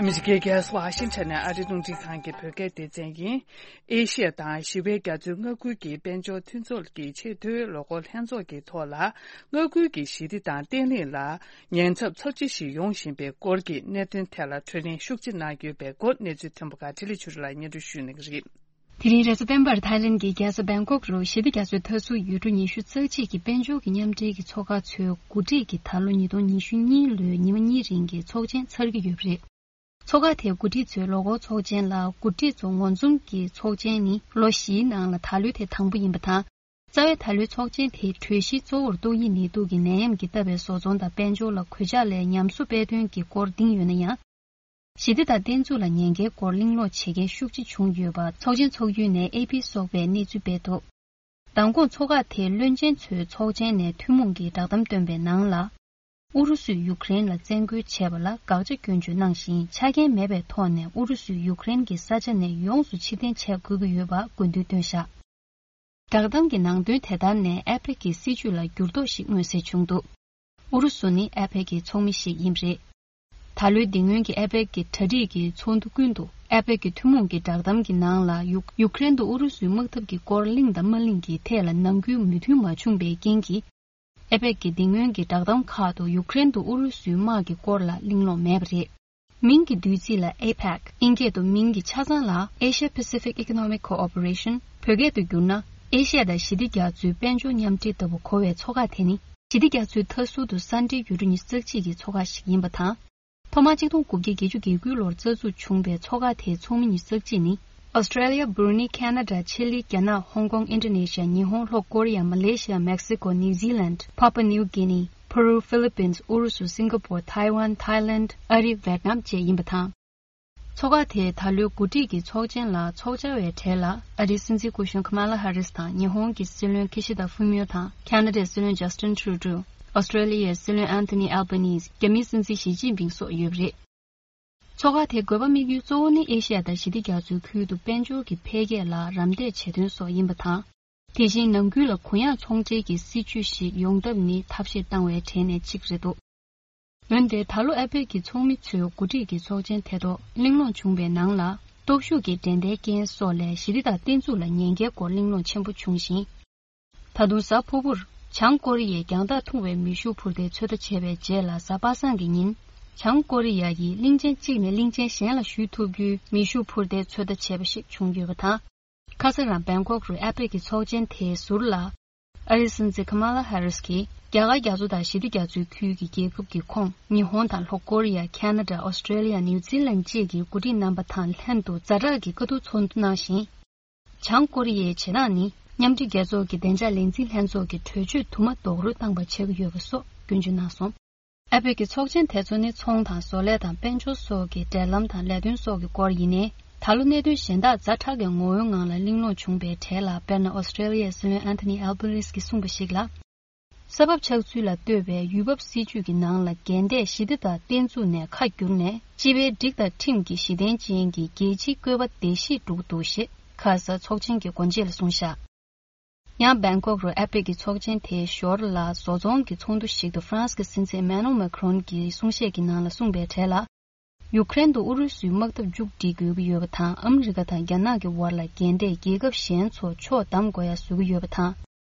ཨ་མི་རི་ཀའི་རྒྱལ་ས་ཝ་ཤིང་ཊོན་ནས་ཨ་རིའི་རླུང་འཕྲིན་ཁང་གི་བོད་སྐད་སྡེ་ཚན་ཡིན། ཨེ་ཤི་ཡ་དང་ཞི་བའི་རྒྱ་མཚོའི་མངའ་ཁུལ་གྱི་དཔལ་འབྱོར་མཐུན་ཚོགས་ཀྱི་ཆེས་མཐོའི་ལས་འགུལ་ལྷན་ཚོགས་ཀྱི་ཐོག་ལ། མངའ་ཁུལ་གྱི་ཞི་བདེ་དང་བརྟན་ལྷིང་ལ་ཉེན་ཚབས་ཚབས་ཆེ་ཞིག་ཡོང་བཞིན་པའི་སྐོར་གྱི་གནད་དོན་ཐད་ལ་གྲོས་གླེང་ཤུགས་ཆེ་གནང་ཡོད་པའི་སྐོར། གནས་ཚུལ་ཐོན་པ་ཁག་འཕྲིན་ལས་ཆོས་སྒྲོན་ལགས་སྙན་སྒྲོན་ཞུ་གནང་གི་རེད། དེ་རིང་རེས་གཟའ་སྤེན་པར་ཐའི་ལེན་གྱི་རྒྱལ་ས་བེང་ཀོག་རུ་ཞི་བདེ་རྒྱ་མཚོའི་མཐའ་ཟུར་ཡུལ་གྲུ་ཉི་ཤུ་རྩ་གཅིག་གི་དཔལ་འབྱོར་གྱི་མཉམ་འབྲེལ་གྱི་ཚོགས་ཁག་ཚོའི་འགོ་ཁྲིད་ཀྱི་ད་ལོ་ཉིས་སྟོང་ཉི་ཤུ་གཉིས་ལོའི་ཉི་མ་གཉིས་རིང་གི་ཚོགས་ཆེན་ཚར་གྱི་ཡོད་པ་རེད། ཚོགས་ཁག་དེའི་འགོ་ཁྲིད་ཚོས་ལོ་འཁོར་ཚོགས་ཆེན་ལ། འགོ་ཁྲིད་ཚོ་ངོ་འཛོམས་ཀྱི་ཚོགས་ཆེན་ནི་ལོ་བཞིའི་ནང་ལ་ད་ལོའི་དེ་དང་པོ་ཡིན་པ་དང་། རྩ་བའི་ད་ལོའི་ཚོགས་ཆེན་དེའི་གྲོས་གཞི་གཙོ་བོར་ཏོག་དབྱིབས་ནད་དུག་གི་ནད་ཡམས་ཀྱིས་བཏབ་པའི་བཟོ་ཚོང་དང་དཔལ་འབྱོར་ལ་གོད་ཆག་ལས་ཉམས་གསོ་སྤེལ་དོན་གྱི་སྐོར་འདིང་ཡོད་ན་ཡང་། ཞི་བདེ་དང་བརྟན་ཚུགས་ལ་ཉེན་ཁའི་སྐོར་གླེང་སློང་བྱེད་མཁན་ཤུགས་ཆེ་བྱུང་ཡོད་པ་ཚོགས་ཆེན་ཚོགས་ཡུལ་ནས་ཨེ་པི་སོགས་པས་གནས་ཚུལ་སྤེལ་འདུག་མདང་དགོང་ཚོགས་ཁག་དེའི་བློན་ཆེན་ཚོས་ཚོགས་ཆེན་ནས་ཐུན་མོང་གི་བསྒྲགས་གཏམ་བཏོན་པའི་ནང་ལ། ཨུ་རུ་སུས་ཡུཀ་རེན་ལ་བཙན་རྒོལ་བྱས་པ་ལ་དགག་བྱ་སྐྱོན་བརྗོད་གནང་ཞིང་། ཆ་རྐྱེན་མེད་པའི་ཐོག་ནས་ཨུ་རུ་སུས་ཡུཀ་རེན་གྱི་ས་ཆ་ནས་ཡོངས་སུ་ཕྱིར་འཐེན་བྱེད་དགོས་ཀྱི་ཡོད་པ་དགོས་འདུན་བཏོན་བཞག་བསྒྲགས་གཏམ་གྱི་ནང་དོན་དེ་ལྟར་ནས། ཨེ་པེག་གི་སྲིད་བྱུས་ལ་འགྱུར་ལྡོག་ཞིག་མངོན་གསལ་བྱུང་འདུག་ཨུ་རུ་སུ་ནི་ཨེ་པེག་གི་ཚོགས་མི་ཞིག་ཡིན་པ་རེད། ད་ལོའི་འདི་སྔོན་གྱི་ཨེ་པེག་གི་གྲ་སྒྲིག་གི་ཚོགས་འདུ་ཀུན་ཏུ། ཨེ་པེག་གི་ཐུན་མོང་གི་བསྒྲགས་གཏམ་གྱི་ནང་ལ། ཡུཀ་ཡུཀ་རེན་དུ་ཨུ་རུ་སུའི་དམག་འཐབ་ཀྱི་སྐོར་གླེང་དང་མ་གླེང་གི་ཐད་ལ་ནང་ཁུལ་མོས་མཐུན་མ་བྱུང་བའི་རྐྱེན་གྱིས། ཨེ་པེག་གི་འདི་སྔོན་གྱི་བསྒྲགས་གཏམ་ཁག་ཏུ་ཡུཀ་རེན་དུ་ཨུ་རུ་སུའི་དམག་གི་སྐོར་ལ་གླེང་སློང་མེད་པ་རེད། མིང་གི་བསྡུས་ཚིག་ལ་ཨེ་པེག་ཨིན་སྐད་དུ། མིང་གི་ཆ་ཚང་ལ་Asia Pacific Economic Cooperation། བོད་སྐད་དུ་བསྒྱུར་ན། ཨེ་ཤི་ཡ་དང་ཞི་བདེ་རྒྱ་མཚོའི་དཔལ་འབྱོར་མཉམ་འབྲེལ་ལྟ་བུ་གོ་བའི་ཚོགས་ཁག་དེ་ནི། ཞི་བདེ་རྒྱ་མཚོའི་མཐའ་ཟུར་དུ་ས་འབྲེལ་ཡུལ་གྲུ་ཉི་ཤུ་རྩ་གཅིག་གི་ཚོགས་ཁག་ཞིག་ཡིན་པ་དང་། ཐོག་མར་ཆིག་སྟོང་དགུ་བརྒྱ་བརྒྱད་ཅུ་གྱ་དགུ་ལོར་རྩ་འཛུགས་བྱུང་བའི་ཚོགས་ཁག་དེའི་ཚོགས་མི་ཉི་ཤུ་རྩ་གཅིག་ནི། ཨོ་སི་ཀྲེ་ལི་ཡ། བུར་ནི། ཁེ་ན་ཌ། ཆི་ལི། རྒྱ་ནག། ཧོང་ཀོང་། ཨིན་ཌོ་ནེ་ཤི་ཡ། ཉི་ཧོང་། ལྷོ་ཀོ་རི་ཡ། མ་ལེ་ཤི་ཡ། མེག་སི་ཀོ། ནིའུ་ཛི་ལན། ཕ་པ་ནིའུ་གྷི་ནི། ཕ་རུ། ཧྥི་ལི་པིན། ཨུ་རུ་སུ། སིང་ག་པོར། ཐའེ་ཝན། ཐའེ་ལེན། ཨ་རི། ཝེད་ནམ་བཅས་ཡིན་པ་དང་། ཚོགས་ཁག་དེས་ད་ལོའི་འགོ་ཁྲིད་ཀྱི་ཚོགས་ཆེན་ལ་ཚོགས་བཅར་བའི་གྲས་ལ། ཨ་རིའི་སྲིད་འཛིན་སྐུ་གཞོན་ཁ་མ་ལ་ཧ་རིས་དང་། ཉི་ཧོང་གི་སྲིད་བློན་ཁི་ཤི་ད་ཧྥུ་མིའོ་དང་། ཁ་ན་ཌའི་སྲིད་བློན་ཇ་སི་ཊིན་ཊུ་རུ་ཌོ། ཨོ་སི་ཀྲེ་ལི་ཡའི་སྲིད་བློན་ཨན་ཐོ་ནི་ཨལ་བྷ་ནིས། རྒྱ་མིའི་སྲིད་འཛིན་ཞི་ཅིན་ཕིང་སོགས་ཡོད་པ་རེད། ཚོགས་ཁག་དེའི་དགོས་པ་དམིགས་ཡུལ་གཙོ་བོ་ནི་ཨེ་ཤི་ཡ་དང་ཞི་བདེ་རྒྱ་མཚོའི་ཁུལ་དུ་དཔལ་འབྱོར་གྱི་འཕེལ་རྒྱས་ལ་རམ་འདེགས་བྱེད་དོན་སོགས་ཡིན་པ་དང་། དེ་བཞིན་ནང་ཁུལ་ལ་གུ་ཡངས་ཚོང་འབྲེལ་གྱི་སྲིད་བྱུས་ཤིག་ཡོང་ཐབས་ནི་ཐབས་ཤེས་བཏང་བའི་གྲས་ནས་གཅིག་རེད་འདུག་འོན་ཏེ་ད་ལོ་ཨེ་པེག་གི་ཚོགས་མི་ཚོའི་འགོ་ཁྲིད་ཀྱི་ཚོགས་ཆེན་དེ་ཐོག་གླེང་སློང་བྱུང་བའི་ནང་ལ། སྟོབས་ཤུགས་ཀྱི་འགྲན་ཟླའི་རྐྱེན་སོགས་ལས་ཞི་བདེ་དང་བརྟན་ཚུགས་ལ་ཉེན་ཁའི་སྐོར་གླེང་སློང་ཆེན་པོ་བྱུང་ཞིང་། ད་དུང་གཟའ་ཕུར་བུར་བྱང་ཀོ་རི་ཡས་རྒྱང་ཐག་ཐུང་བའི་མེ་ཤུགས་འཕུར་མདའི་ཚོད་ལྟ་བྱས་པའི་རྗེས་ལ། གཟའ་པ་སངས་ཀྱི་ཉིན་ བྱང་ཀོ་རི་ཡ་ཡིས་གླིང་ཆེན་གཅིག་ནས་གླིང་ཆེན་གཞན་ལ་བཞུད་ཐུབ་རྒྱུའི་མེ་ཤུགས་འཕུར་མདེལ་ཚོད་ལྟ་བྱས་པ་ཞིག་བྱུང་ཡོད་པ་དང་། ཁ་སང་རང་བེང་ཀོག་རུ་ཨེ་པེག་གི་ཚོགས་ཆེན་དེའི་ཟུར་ལ། ཨ་རིའི་སྲིད་འཛིན་ཁ་མ་ལ་ཧེ་རིས་ཀྱིས་རྒྱ་གར་རྒྱ་མཚོ་དང་ཞི་བདེ་རྒྱ་མཚོའི་ཁུལ་གྱི་རྒྱལ་ཁབ་ཀྱི་ཁོངས་ཉི་ཧོང་དང་ལྷོ་ཀོ་རི་ཡ། ཁ་ན་ཌ། ཨོ་སི་ཀྲེ་ལི་ཡ། ནིའུ་ཛི་ལན་བཅས་ཀྱི་འགོ་ཁྲིད་རྣམ་པ་དང་ལྷན་དུ་ཛ་དྲག་གི་བཀའ་བསྡུར་ཚོགས་འདུ་གནང་ཞིང་། བྱང་ཀོ་རི་ཡའི་བྱེད་སྟངས་ནི་མཉམ་འབྲེལ་རྒྱལ་ཚོགས་ཀྱི་བདེ་འཇགས་ལས་འཛིན་ལྷན་ཚོགས་ཀྱི་གྲོས་ཆོད་དུ་མ་རྡོག་རོལ་བཏང་པ་ཆགས་ཀྱི་ཡོད་པ་སོགས་སྐྱོན་བརྗོད་གནང་སོང་། ཨེ་པེག་གི་ཚོགས་ཆེན་དེ་ཚོ་ནི་ཚོང་དང་བཟོ་ལས་དང་དཔལ་འབྱོར་སོགས་ཀྱི་འབྲེལ་ལམ་དང་ལས་དོན་སོགས་ཀྱི་སྐོར་ཡིན་ནའི། ད་ལོ་གནད་དོན་གཞན་དག་ཛ་དྲག་གི་ངོ་བོའི་ངང་ལ་གླེང་སློང་བྱུང་པའི་གྲས་ལ། དཔེར་ན། ཨོ་སི་ཀྲེ་ལི་ཡའི་སྲིད་བློན་ཨན་ཐོ་ནི་ཨལ་བྷ་ནིས་ཀྱིས་གསུངས་པ་ཞིག་ལ། ས་བབ་ཆགས་ཚུལ་ལ་ལྟོས་པའི་ཡུལ་བབ་སྲིད་ཇུས་ཀྱི་ནང་ལ། འགལ་ཟླས་ཞི་བདེ་དང་བརྟན་ཚུགས་ནས་ཁ་བསྒྱུར་ནས། སྤྱི་པའི་སྒྲིག་དང་ཁྲིམས་ཀྱི་གཞི་རྟེན་ཅན་གྱི་རྒྱལ་སྤྱིའི་བཀོད་པ་བརྡལ་བཤིག་འགྲོ་གི་འདུག་ཞེས་ཁ་ས་ཚོགས་ཆེན་གྱི་སྒོ་འབྱེད་ལ་གསུངས་བཞག་ཡང་། བེང་ཀོག་རུ་ཨེ་པེག་གི་ཚོགས་ཆེན་དེའི་ཞོར་ལ། བཟོ་ཚོང་གི་ཚོགས་འདུ་ཞིག་ཏུ། ཧྥ་རན་སི་གི་སྲིད་འཛིན་ཨེ་མེ་ནུ་ཨེལ་མེ་ཀ་རོན་གྱི་གསུང་བཤད་ཀྱི་ནང་ལ་གསུངས་པའི་གྲས་ལ། ཡུཀ་རེན་དུ་ཨུ་རུ་སུའི་དམག་འཐབ་མཇུག་སྒྲིལ་དགོས་ཀྱི་ཡོད་པ་དང་། ཨ་མི་རི་ཀ་དང་རྒྱ་ནག་གི་བར་ལ་འགལ་ཟླས་རྒྱལ་ཁབ་གཞན་ཚོ་ཕྱོགས་བསྡམ་དགོས་ཡ་བཟོ་གི་ཡོད་པ་དང་།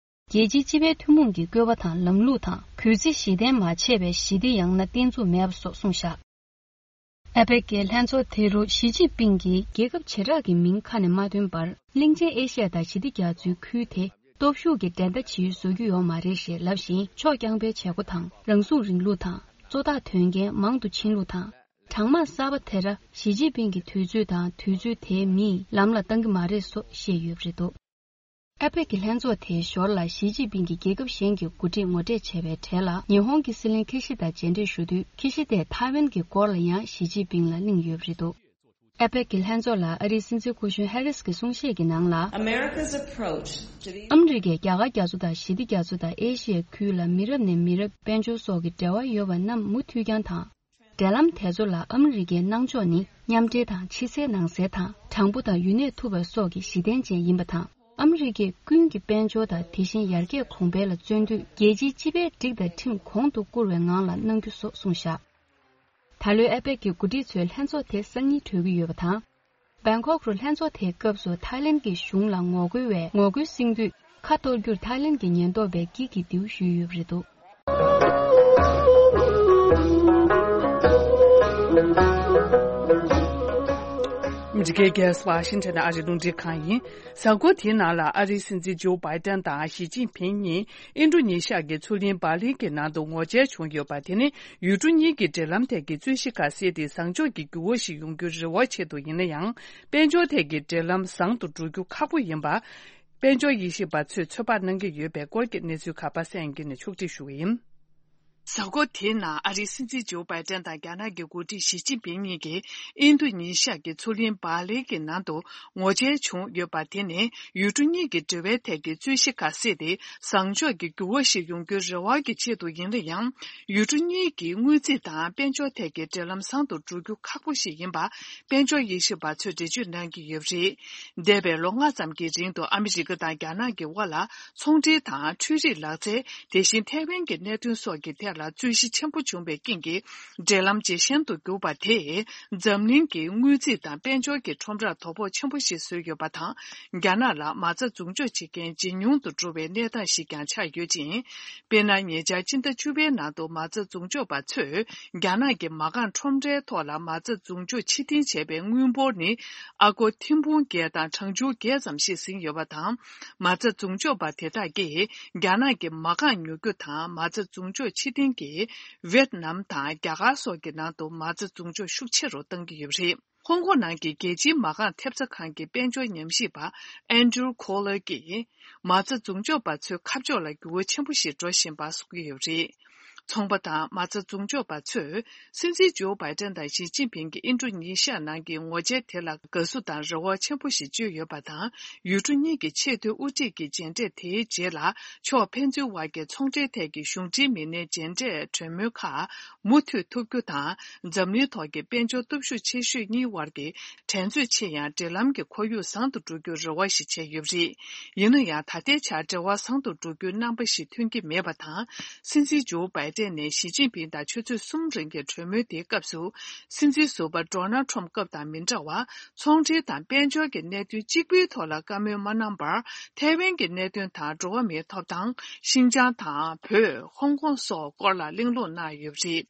རྒྱལ་སྤྱིའི་སྤྱི་པའི་ཐུན་མོང་གི་བཀོད་པ་དང་ལམ་ལུགས་དང་། གུས་བརྩི་གཞི་རྟེན་མ་བྱས་པའི་ཞི་བདེ་ཡང་ན་བརྟན་ཚུགས་མེད་པ་སོགས་གསུངས་བཞག་ཨེ་པེག་གི་ལྷན་ཚོགས་དེ་རུ་ཞི་ཅིན་ཕིང་གིས་རྒྱལ་ཁབ་བྱེ་བྲག་གི་མིང་ཁ་ནས་མ་ཐོན་པར། གླིང་ཆེན་ཨེ་ཤི་ཡ་དང་ཞི་བདེ་རྒྱ་མཚོའི་ཁུལ་དེ་སྟོབས་ཤུགས་ཀྱི་འགྲན་ཟླ་ཇི་ཡོད་བཟོ་རྒྱུ་ཡོད་མ་རེད་ཞེས་ལབ་བཞིན། ཕྱོགས་རྐྱང་པའི་བྱེད་སྒོ་དང་། རང་སྲུང་རིང་ལུགས་དང་། གཙོ་བདག་དོན་རྐྱེན་མང་དུ་ཕྱིན་ལུགས་དང་། གྲང་དམག་གསར་པ་དེ་ར་ཞི་ཅིན་ཕིང་གི་དུས་ཚོད་དང་། དུས་ཚོད་དེའི་མིས་ལམ་ལ་བཏང་གི་མ་རེད་སོགས་བཤད་ཡོད་པ་རེད་འདུག་ཨེ་པེག་གི་ལྷན་ཚོགས་དེའི་ཞོར་ལ། ཞི་ཅིན་ཕིང་གིས་རྒྱལ་ཁབ་གཞན་གྱི་འགོ་ཁྲིད་ངོ་འཕྲད་བྱས་པའི་གྲས་ལ། ཉི་ཧོང་གི་སྲིད་བློན་ཁི་ཤི་དཱ་མཇལ་འཕྲད་ཞུ་དུས། ཁི་ཤི་དཱས་ཐའེ་ཝན་གྱི་སྐོར་ལ་ཡང་ཞི་ཅིན་ཕིང་ལ་གླེང་ཡོད་པ་རེད་འདུག་ཨེ་པེག་གི་ལྷན་ཚོགས་ལ་ཨ་རིའི་སྲིད་འཛིན་སྐུ་གཞོན་ཧེ་རིས་ཀྱི་གསུང་བཤད་ཀྱི་ནང་ལ། America's approach to the ཨ་མི་རི་ཀས་རྒྱ་གར་རྒྱ་མཚོ་དང་ཞི་བདེ་རྒྱ་མཚོ་དང་ཨེ་ཤི་ཡའི་ཁུལ་ལ་མི་རབས་ནས་མི་རབས་དཔལ་འབྱོར་སོགས་ཀྱི་འབྲེལ་བ་ཡོད་པ་རྣམས་མུ་མཐུད་རྐྱང་དང་། འབྲེལ་ལམ་དེ་ཚོ་ལ་ཨ་མི་རི་ཀའི་གནང་ཕྱོགས་ནི་མཉམ་འབྲེལ་དང་། ཕྱི་གསལ་ནང་གསལ་དང་། དྲང་པོ་དང་ཡུན་གནས་ཐུབ་པ་སོགས་ཀྱི་གཞི་རྟེན་ཅན་ཡིན་པ་དང་། ཨ་མི་རི་ཀས་ཀུན་གྱི་དཔལ་འབྱོར་དང་། དེ་བཞིན་ཡར་རྒྱས་གོང་འཕེལ་ལ་བརྩོན་འདུས། རྒྱལ་སྤྱིའི་སྤྱི་པའི་སྒྲིག་དང་ཁྲིམས་གོང་དུ་བཀུར་བའི་ངང་ལ་གནང་རྒྱུ་སོགས་གསུངས་བཞག་ད་ལོའི་ཨེ་པེག་གི་འགོ་ཁྲིད་ཚོའི་ལྷན་ཚོགས་དེ་སང་ཉིན་གྲོལ་གྱི་ཡོད་པ་དང་། བེང་ཀོག་རུ་ལྷན་ཚོགས་དེའི་སྐབས་སུ་ཐའི་ལེན་གྱི་གཞུང་ལ་ངོ་རྒོལ་བའི་ངོ་རྒོལ་སེང་དུད་ཁ་གཏོར་རྒྱུར་ཐའི་ལེན་གྱི་ཉེན་རྟོག་པས་དཀྱིལ་གྱིས་མདེའུ་གཞུས་ཡོད་པ་རེད་འདུག་ཨ་མི་རི་ཀའི་རྒྱལ་ས་ཝ་ཤིང་ཊོན་ནས་ཨ་རིའི་རླུང་འཕྲིན་ཁང་ཡིན། གཟའ་འཁོར་དེའི་ནང་ལ་ཨ་རིའི་སྲིད་འཛིན་ཇོ་བྷའི་ཏན་དང་ཞི་ཅིན་ཕིང་གཉིས་ཨིན་ཌོ་ནེ་ཤི་ཡ་གི་མཚོ་གླིང་སྦ་ལི་གི་ནང་དུ་ངོ་མཇལ་བྱུང་ཡོད་པ། དེ་ནི་ཡུལ་གྲུ་གཉིས་ཀྱི་འབྲེལ་ལམ་ཐད་ཀྱི་རྩོད་གཞི་ཁ་གསལ་དེ་བཟང་ཕྱོགས་ཀྱི་འགྱུར་བ་ཞིག་ཡོང་རྒྱུའི་རེ་བ་ཆེད་དུ་ཡིན་ན་ཡང་། དཔལ་འབྱོར་ཐད་ཀྱི་འབྲེལ་ལམ་བཟང་དུ་འགྲོ་རྒྱུ་ཁག་པོ་ཡིན་པ། དཔལ་འབྱོར་དབྱེ་ཞིབ་པ་ཚོས་ཚོད་དཔག་གནང་གི་ཡོད་པའི་སྐོར་གྱི་གནས་ཚུལ་ཁག་པ་སངས་དབྱངས་སྐྱིད་ནས་ཕྱོགས་སྒྲིག་ཞུ་གི་ཡིན། གཟའ་འཁོར་དེའི་ནང་ཨ་རིའི་སྲིད་འཛིན་ཇོ་བྷའི་ཏན་དང་རྒྱ་ནག་གི་འགོ་ཁྲིད་ཞི་ཅིན་ཕིང་གཉིས་ཀྱིས་ཨིན་རྡུ་ནི་ཤི་ཡ་གི་མཚོ་གླིང་སྦ་ལི་གི་ནང་དུ་ངོ་མཇལ་བྱུང་ཡོད་པ། དེ་ནི་ཡུལ་གྲུ་གཉིས་ཀྱི་འབྲེལ་བའི་ཐད་ཀྱི་རྩོད་གཞི་ཁ་གསལ་དེ་བཟང་ཕྱོགས་ཀྱི་འགྱུར་བ་ཞིག་ཡོང་རྒྱུའི་རེ་བ་གི་ཆེད་དུ་ཡིན་ན་ཡང་། ཡུལ་གྲུ་གཉིས་ཀྱི་དངུལ་རྩིས་དང་དཔལ་འབྱོར་ཐད་ཀྱི་འབྲེལ་ལམ་བཟང་དུ་འགྲོ་རྒྱུ་ཁག་པོ་ཞིག་ཡིན་པ། དཔལ་འབྱོར་དབྱེ་ཞིབ་པ་ཚོས་འགྲེལ་བརྗོད་གནང་གི་ཡོད་པ་རེད། འདས་པའི་ལོ་ལྔ་ཙམ་གྱི་རིང་དུ་ཨ་མི་རི་ཀ་དང་རྒྱ་ནག་གི་དབར་ལ་ཚོང་འབྲེལ་དང་འཕྲུལ་རིག་ལག་རྩལ། དེ་བཞིན་ཐའེ་ཝན་གྱི་གནད་དོན་སོགས་ཀྱི་ཐད་ལ་རྩོད་གཞི་ཆེན་པོ་བྱུང་བའི་རྐྱེན་གྱིས། འབྲེལ་ལམ་ཇེ་ཞན་དུ་གྱུར་པ་དེས་འཛམ་གླིང་གི་དངུལ་རྩིས་དང་དཔལ་འབྱོར་གྱི་ཁྲོམ་རར་དོ་ཕོག་ཆེན་པོ་ཞིག་བཟོས་ཡོད་པ་དང་། རྒྱ་ནག་ལ་མ་རྩ་འཛུགས་འཇོག་བྱེད་མཁན་ཇེ་ཉུང་དུ་འགྲོ་བའི་གནས་སྟངས་ཤིག་ཀྱང་ཆགས་ཡོད་ཅིང་། དཔེར་ན། ཉེ་ཆར་སྤྱི་ཟླ་བཅུ་པའི་ནང་དུ་མ་རྩ་འཛུགས་འཇོག་པ་ཚོས་རྒྱ་ནག་གི་མ་རྐང་ཁྲོམ་རའི་ཐོག་ལ་མ་རྩ་འཛུགས་འཇོག་ཕྱིར་འཐེན་བྱས་པའི་དངུལ་འབོར་ནི་ཨ་སྒོར་ཐེར་འབུམ་བརྒྱད་དང་གྲངས་ཆུང་བརྒྱད་ཙམ་ཞིག་ཟིན་ཡོད་པ་དང་། མ་རྩ་འཛུགས་འཇོག་པ་དེ་དག་གིས་རྒྱ་ནག་གི་མ་རྐང་ཉོ་རྒྱུ་དང་མ་རྩ་འཛུགས་འཇོག་ཕྱིར་འཐེན་གྱིས་ཝེད་ནམ་དང་རྒྱ་གར་སོགས་ཀྱི་ནང་དུ་མ་རྩ་འཛུགས་འཇོག་ཤུགས་ཆེ་རུ་བཏང་གི་ཡོད་པ་རེད། ཧོང་ཀོང་ནང་གི་རྒྱལ་སྤྱིའི་མ་རྐང་ཐེབས་རྩ་ཁང་གི་དཔལ་འབྱོར་ཉམས་ཞིབ་པ་ཨན་ཌྲུ་ཁོ་ལར་གྱིས། མ་རྩ་འཛུགས་འཇོག་པ་ཚོའི་ཁ་ཕྱོགས་ལ་འགྱུར་བ་ཆེན་པོ་ཞིག་འགྲོ་བཞིན་པ་གསུངས་ཀྱི་ཡོད་པ་རེད། ཚོང་པ་དང་མ་རྩ་འཛུགས་འཇོག་པ་ཚོས། སྲིད་འཛིན་ཇོ་བྷའི་ཏན་དང་ཞི་ཅིན་ཕིང་གི་ཨིན་ཌོ་ནེ་ཤི་ཡ་ནང་གི་ངོ་མཇལ་དེ་ལ་དགའ་བསུ་དང་རེ་བ་ཆེན་པོ་ཞིག་བཅོལ་ཡོད་པ་དང་། ཡུལ་གྲུ་གཉིས་ཀྱི་ཆེས་མཐོའི་དབུ་ཁྲིད་ཀྱི་མཇལ་འཕྲད་དེའི་རྗེས་ལ། ཕྱོགས་ཕན་ཚུན་དབར་གྱི་ཚོང་འབྲེལ་ཐད་ཀྱི་གཞུང་འབྲེལ་མི་སྣའི་མཇལ་འཕྲད་གྲོས་མོལ་ཁག་མུ་མཐུད་ཐུབ་རྒྱུ་དང་། འཛམ་གླིང་ཐོག་གི་དཔལ་འབྱོར་སྟོབས་ཤུགས་ཆེ་ཤོས་གཉིས་དབར་གྱི་འགྲན་རྩོད་ཆེ་ཡང་། འབྲེལ་ལམ་གྱི་ཁོར་ཡུག་བཟང་དུ་འགྲོ་རྒྱུར་རེ་བ་ཞིག་བྱས་ཡོད་པ་རེད། ཡིན་ན་ཡང་། ད་ལྟའི་ཆར་འབྲེལ་བ་བཟང་དུ་འགྲོ་རྒྱུའི་རྣམ་པ་ཞིག་ཐོན་གྱི་མེད་པ་དང་། སྲིད་འཛིན་ཇོ་བྷའི་ སྤྲད་ནས་ཞི་ཅིན་ཕིང་དང་ཆུ་ཚོད་གསུམ་རིང་གི་གྲོས་མོལ་དེའི་སྐབས་སུ། སྲིད་འཛིན་ཟུར་པ་ཌོ་ནལ་ཁྲོམ་སྐབས་དང་མི་འདྲ་བར། ཚོང་འབྲེལ་དང་དཔལ་འབྱོར་གྱི་གནད་དོན་གཅིག་པུའི་ཐོག་ལ་བཀའ་མོལ་མ་གནང་བར། ཐའེ་ཝན་གྱི་གནད་དོན་དང་། འགྲོ་བ་མིའི་ཐོབ་ཐང་། ཤིན་ཅང་དང་། བོད། ཧོང་ཀོང་སོགས་སྐོར་ལ་གླེང་སློང་གནང་ཡོད་པ་རེད།